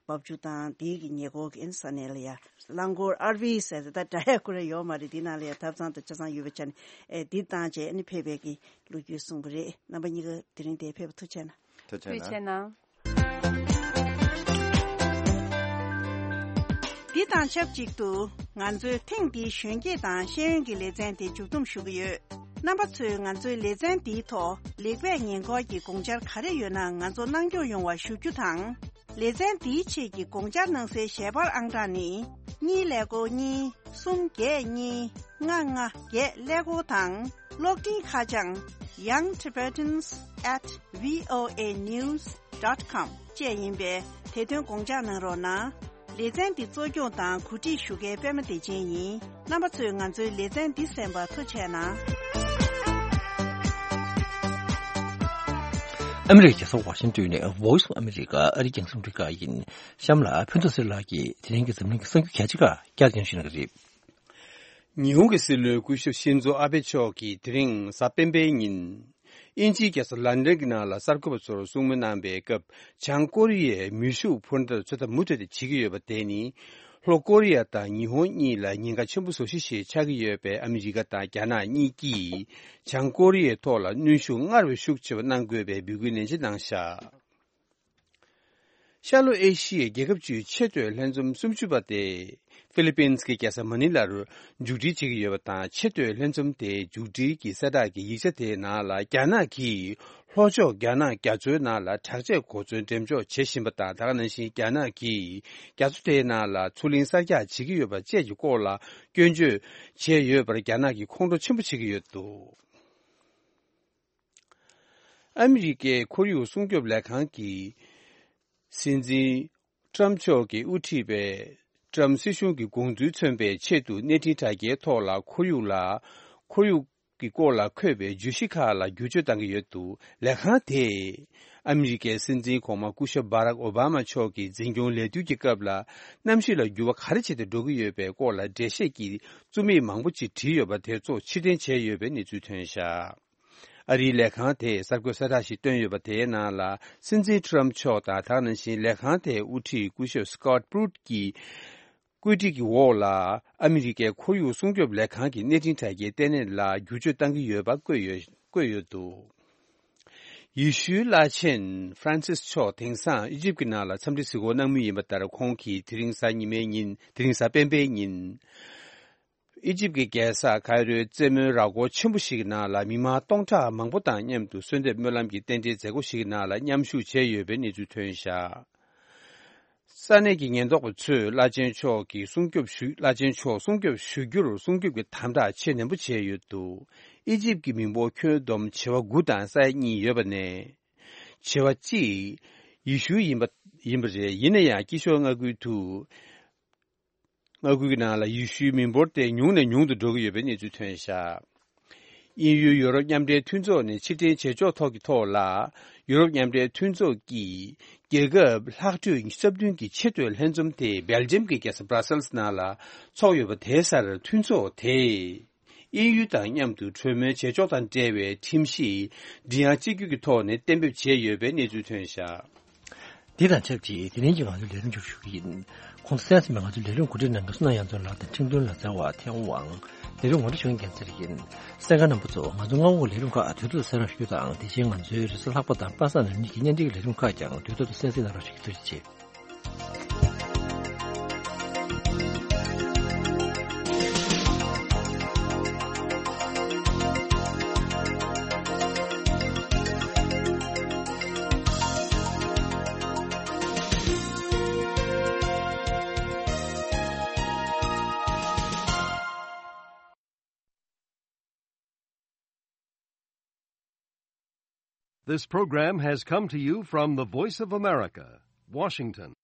འབབ་ཆུ་དང་དེའི་གི་ཉེ་འཁོར་གྱི་ཨ་ནི་ས་གནས་ལ་ཡ་རླངས་འཁོར་ཨར་ཝི་ཟེར་ཏེ་ད་འདྲ་ཡ་ཁོ་ར་ཡོད་མ་རེད། དེའི་ནང་ལ་ཡ་ཐབ་ཚང་དང་ཆ་ཚང་ཡོད་པའི་ཆ་ནས་ཨེ་འདི་བཏང་བྱས་ཨ་ནི་ཕེབས་པའི་གི་ལོ་རྒྱུས་གསུངས་པ་རེད། རྣམ་པ་གཉིས་ཀ་དེ་རིང་འདིར་ཕེབས་པ་ཐུགས་རྗེ་གནང་། ཐུགས་རྗེ་གནང་། འདི་དང་ཆབས་ཅིག་ཏུ་ང་ཚོའི་ཐེངས་འདིའི་གཞོན་སྐྱེས་དང་ཤེས་ཡོན་གྱི་ལེ་ཚན་དེ་མཇུག་བསྡོམས་ཞུ་གི་ཡོད། རྣམ་པ་ཚོས་ང་ཚོའི་ལེ་ཚན་འདིའི་ཐོག་ལེགས་སྤེལ་ཉེས་འགོག་གི་དགོངས་འཆར་ག་རེ་ཡོད་ན་ང་ཚོ་གནང་སྐྱོང་ཡོང་བ་ཞུ་རྒྱུ་དང་། ལེ་ཚན་འདིའི་ཆེད་ཀྱི་དགོངས་འཆར་གནང་སའི་ཞལ་པར་ཨང་གྲངས་ནི། གཉིས་ཀླད་ཀོར་གཉིས། གསུམ་བརྒྱད་གཉིས། ལྔ་ལྔ་བརྒྱད་ཀླད་ཀོར་དང་། གློག་འཕྲིན་ཁ་བྱང་Young Tibetans at V O A news dot com བཅས་ཡིན་པས། དེ་དོན་དགོངས་འཇགས་གནང་རོགས་གནང་། ལེ་ཚན་འདི་གཙོ་སྐྱོང་དང་གོ་སྒྲིག་ཞུ་མཁན་པད་མ་བདེ་ཆེན་ཡིན། རྣམ་པ་ཚོས་ང་ཚོའི་ལེ་ཚན་འདི་གསན་པར་ཐུགས་རྗེ་གནང་། ཨ་མི་རི་ཀའི་རྒྱལ་ས་ཝ་ཤིང་ཏོན་ནས་Voice of America ཨ་རིའི་རྒྱང་སྲིང་རླུང་འཕྲིན་ཁང་ཡིན། གཤམ་ལ་ཕུན་ཚོགས་ཚེ་རིང་ལགས་ཀྱིས་དེ་རིང་གི་འཛམ་གླིང་གི་གསར་འགྱུར་གལ་ཆེ་ཁག་བསྐྱར་སྙན་ཞུ་གནང་གི་རེད། ཉི་ཧོང་གི་སྲིད་བློན་སྐུ་ཞབས་ཤིན་ཛོ་ཨ་བྷེ་མཆོག་གིས་དེ་རིང་གཟའ་སྤེན་པའི་ཉིན། དབྱིན་ཇིའི་རྒྱལ་ས་ལན་ཌན་གྱི་ནང་ལ་གསར་འགོད་པ་ཚོར་གསུང་མོལ་གནང་པའི་སྐབས། བྱང་ཀོ་རི་ཡས་མེ་ཤུགས་འཕུར་མདའ་ཚོད་ལྟ་མུ་མཐུད་དེ་བྱེད་ཀྱི་ཡོད་པ་དེ་ནི། ལྷོ་ཀོ་རི་ཡ་དང་ཉི་ཧོང་གཉིས་ལ་ཉེན་ཁ་ཆེན་པོ་བཟོ་གཞི་ཞིག་ཆགས་ཀྱི་ཡོད་པས། ཨ་མི་རི་ཀ་དང་རྒྱ་ནག་གཉིས་ཀྱིས་བྱང་ཀོ་རི་ཡའི་ཐོག་ལ་གནོན་ཤུགས་སྔར་བས་ཤུགས་ཆེ་བ་གནང་དགོས་པའི་འབོད་སྐུལ་ནན་ཆེ་གནང་བཞག་ཤར་ལྷོ་ཨེ་ཤི་ཡའི་རྒྱལ་ཁབ་བཅུའི་ཆེས་མཐོའི་ལྷན་འཛོམས་སུམ་ཅུ་པ་དེ་ཧྥི་ལི་པིན་གྱི་རྒྱལ་ས་མ་ནི་ལར་མཇུག་སྒྲིལ་བྱེད་ཀྱི་ཡོད་པ་དང་། ཆེས་མཐོའི་ལྷན་འཛོམས་དེའི་མཇུག་སྒྲིལ་གྱི་གསལ་བསྒྲགས་ཀྱི་ཡིག་ཆ་དེའི་ནང་ལ། རྒྱ་ནག་གིས་ལྷོ་ཕྱོགས་རྒྱ་ནག་རྒྱ་མཚོའི་ནང་ལ་དྲག་ཆས་གོ་མཚོན་འགྲེམས་འཇོག་བྱེད་བཞིན་པ་དང་། ད་ག་ནང་བཞིན་རྒྱ་ནག་གིས་རྒྱ་མཚོ་དེའི་ནང་ལ་མཚོ་གླིང་གསར་རྒྱག་བྱེད་ཀྱི་ཡོད་པ་བཅས་ཀྱི་སྐོར་ལ་སྐྱོན་བརྗོད་བྱས་ཡོད་པར་རྒྱ་ནག་གིས་ཁོང་ཁྲོ་ཆེན་པོ་བྱེད་ཀྱི་ཡོད་འདུག་ཨ་མི་རི་ཀའི་ཁོར་ཡུག་སྲུང་སྐྱོབ་ལས་ཁང་གི་སྲིད་འཛིན་ཊམ་མཆོག་གིས་དབུ་ཁྲིད་པའི་ཊམ་སྲིད་གཞུང་གི་དགོངས་ཚུལ་མཚོན་པའི་ཆེད་དུ། གནས་འཕྲིན་དྲ་རྒྱའི་ཐོག་ལ་ཁོར་ཡུག་ལ། ཁོར་ཡུག་གི་སྐོར་ལ་འཁོད་པའི་བརྗོད་གཞི་ཁག་ལ་བསྒྱུར་བཅོས་བཏང་གི་ཡོད་འདུག་ལས་ཁང་དེས་ཨ་མི་རི་ཀའི་སྲིད་འཛིན་གོང་མ་སྐུ་ཞབས་བྷ་རག་ཨོ་བྷ་མ་མཆོག་གི་འཛིན་སྐྱོང་ལས་དུས་ཀྱི་སྐབས་ལ། གནམ་གཤིས་ལ་འགྱུར་བ་ག་རེ་བྱས་ཏེ་འགྲོ་གི་ཡོད་པའི་སྐོར་ལ་འགྲེལ་བཤད་ཀྱི་རྩོམ་ཡིག་མང་པོ་ཅིག་བྲིས་ཡོད་པ་དེ་ཚོ་ཕྱིར་འཐེན་བྱས་ཡོད་པའི་གནས་ཚུལ་ཐོན་བཞག་ཨ་རིའི་ལས་ཁང་དེས་གསར་འགོད་གསལ་བསྒྲགས་ཤིག་བཏོན་ཡོད་པ་དེའི་ནང་ལ། སྲིད་འཛིན་ཊམ་མཆོག་དང་། ད་ག་ནང་བཞིན་ལས་ཁང་དེའི་དབུ་ཁྲིད་སྐུ་ཞབས་སི་ཀོཊ་པུ་རུཊ་ཀྱིས་བཀོད་སྒྲིག་གི་འོག་ལ། ཨ་མི་རི་ཀའི་ཁོར་ཡུག་སྲུང་སྐྱོབ་ལས་ཁང་གི་གནས་འཕྲིན་དྲ་རྒྱའི་ལྟེ་གནས་ལ་བསྒྱུར་བཅོས་བཏང་གི་ཡོད་པ་བཀོད་ཡོད། བཀོད་ཡོད་འདུག་ཡེ་ཤུའི་བླ་ཆེན་ཧྥ་རན་སིས་མཆོག་དེང་སང་ཨི་ཇིབ་ཀྱི་ནང་ལ་འཚམས་འདྲི་གཟིགས་སྐོར་གནང་མུས་ཡིན་པ་ལྟར། ཁོང་གིས་དེ་རིང་གཟའ་ཉི་མའི་ཉིན། དེ་རིང་གཟའ་སྤེན་པའི་ཉིན། ཨི་ཇིབ་ཀྱི་རྒྱལ་ས་ཁའི་རོའི་རྩེད་མོའི་ར་སྐོར་ཆེན་པོ་ཞིག་གི་ནང་ལ། མི་མང་སྟོང་ཕྲག་མང་པོ་དང་མཉམ་དུ་གསོལ་འདེབས་སྨོན་ལམ་གྱི་རྟེན་འབྲེལ་མཛད་སྒོ་ཞིག་གི་ནང་ལ་མཉམ་ཞུགས་བྱས་ཡོད་པའི་གནས་ཚུལ་ཐོན་བཞག་ས་གནས་ཀྱི་ཉེན་རྟོག་པ་ཚོས་བླ་ཆེན་མཆོག་གི་སྲུང་སྐྱོབ་ཞུ། བླ་ཆེན་མཆོག་སྲུང་སྐྱོབ་ཞུ་རྒྱུར་སྲུང་སྐྱོབ་ཀྱི་དམ་དྲག་ཆེས་ནན་པོ་བྱས་ཡོད་འདུག་ཨི་ཇིབ་ཀྱི་མི་འབོར་ཁྱོན་བསྡོམས་བྱེ་བ་དགུ་དང་ས་ཡ་གཉིས་ཡོད་པ་ནས། བྱེ་བ་གཅིག་ཡེ་ཤུ་ཡིན་པ། ཡིན་པ་རེད། ཡིན་ན་ཡང་དཀྱིལ་ཤོག་མངའ་ཁུལ་དུ། མངའ་ཁུལ་གྱི་ནང་ལ་ཡེ་ཤུའི་མི་འབོར་དེ་ཉུང་ནས་ཉུང་དུ་འགྲོ་གི་ཡོད་པའི་གནས་ཚུལ་ཐོན་བཞག་དབྱིན་ཡུལ་ཡོ་རོབ་མཉམ་འབྲེལ་མཐུན་ཚོགས་ནས་ཕྱིར་འཐེན་བྱེད་ཕྱོགས་ཐོག་གི་ཐོག་ལ། ཡོ་རོབ་མཉམ་འབྲེལ་མཐུན་ཚོགས་ཀྱི་རྒྱལ་ཁབ་ལྷག་འཕྲོས་ཉི་ཤུ་རྩ་བདུན་གྱི་ཆེས་མཐོའི་ལྷན་འཛོམས་དེ་སྦེལ་ཇམ་གྱི་རྒྱལ་ས་བྷ་ར་སེལ་སི་ནང་ལ་འཚོགས་ཡོད་པ་དེའི་སར། མཐུན་ཚོགས་དེས་དབྱིན་ཡུལ་དང་མཉམ་དུ་གྲོས་མོལ་བྱེད་ཕྱོགས་དང་འབྲེལ་བའི་ཁྲིམས་གཞི་མགྲིན་དབྱངས་གཅིག་གྱུར་གྱི་ཐོག་ནས་གཏན་འབེབས་བྱས་ཡོད་པའི་གནས་ཚུལ་ཐོན་བཞག་འདི་དང་ཆབས་ཅིག་དེ་རིང་གི་ང་ཚོའི་ལས་རིམ་མཇུག་ཞུ་གི་ཡིན། ཁོང་ཚོ་གསན་གཟིགས་པ་ང་ཚོའི་ལས་རིམ་གོ་སྒྲིག་གནང་མཁན་བསོད་ནམས་དབྱངས་ཚོགས་ལགས་དང་ཁྲིམས་དོན་ལག་རྩལ་བ་ཐེ་ཝང་། ལས་རིམ་ངོ་སྤྲོད་ཞུ་མཁན་རྒྱལ་མཚན་རིག་ཡིན། གསན་མཁན་རྣམ་པ་ཚོ། ང་ཚོ་སྔ་འགོག་གི་ལས་རིམ་ཁག་དུས་ཐོག་ཏུ་གསན་རོགས་ཞུ་དང་། དེ་བཞིན་ང་ཚོའི་རེས་གཟའ་ལྷག་པ་དང་པ་སངས་ཉིན་གཉིས་ཀྱི་བརྙན་འཕྲིན་གྱི་ལས་རིམ་ཁག་ཀྱང་དུས་ཐོག་ཏུ་གསན་གཟིགས་གནང་རོགས་ཞུ་རྒྱུ། ཐུགས་རྗེ་ཆེ། This program has come to you from the Voice of America, Washington.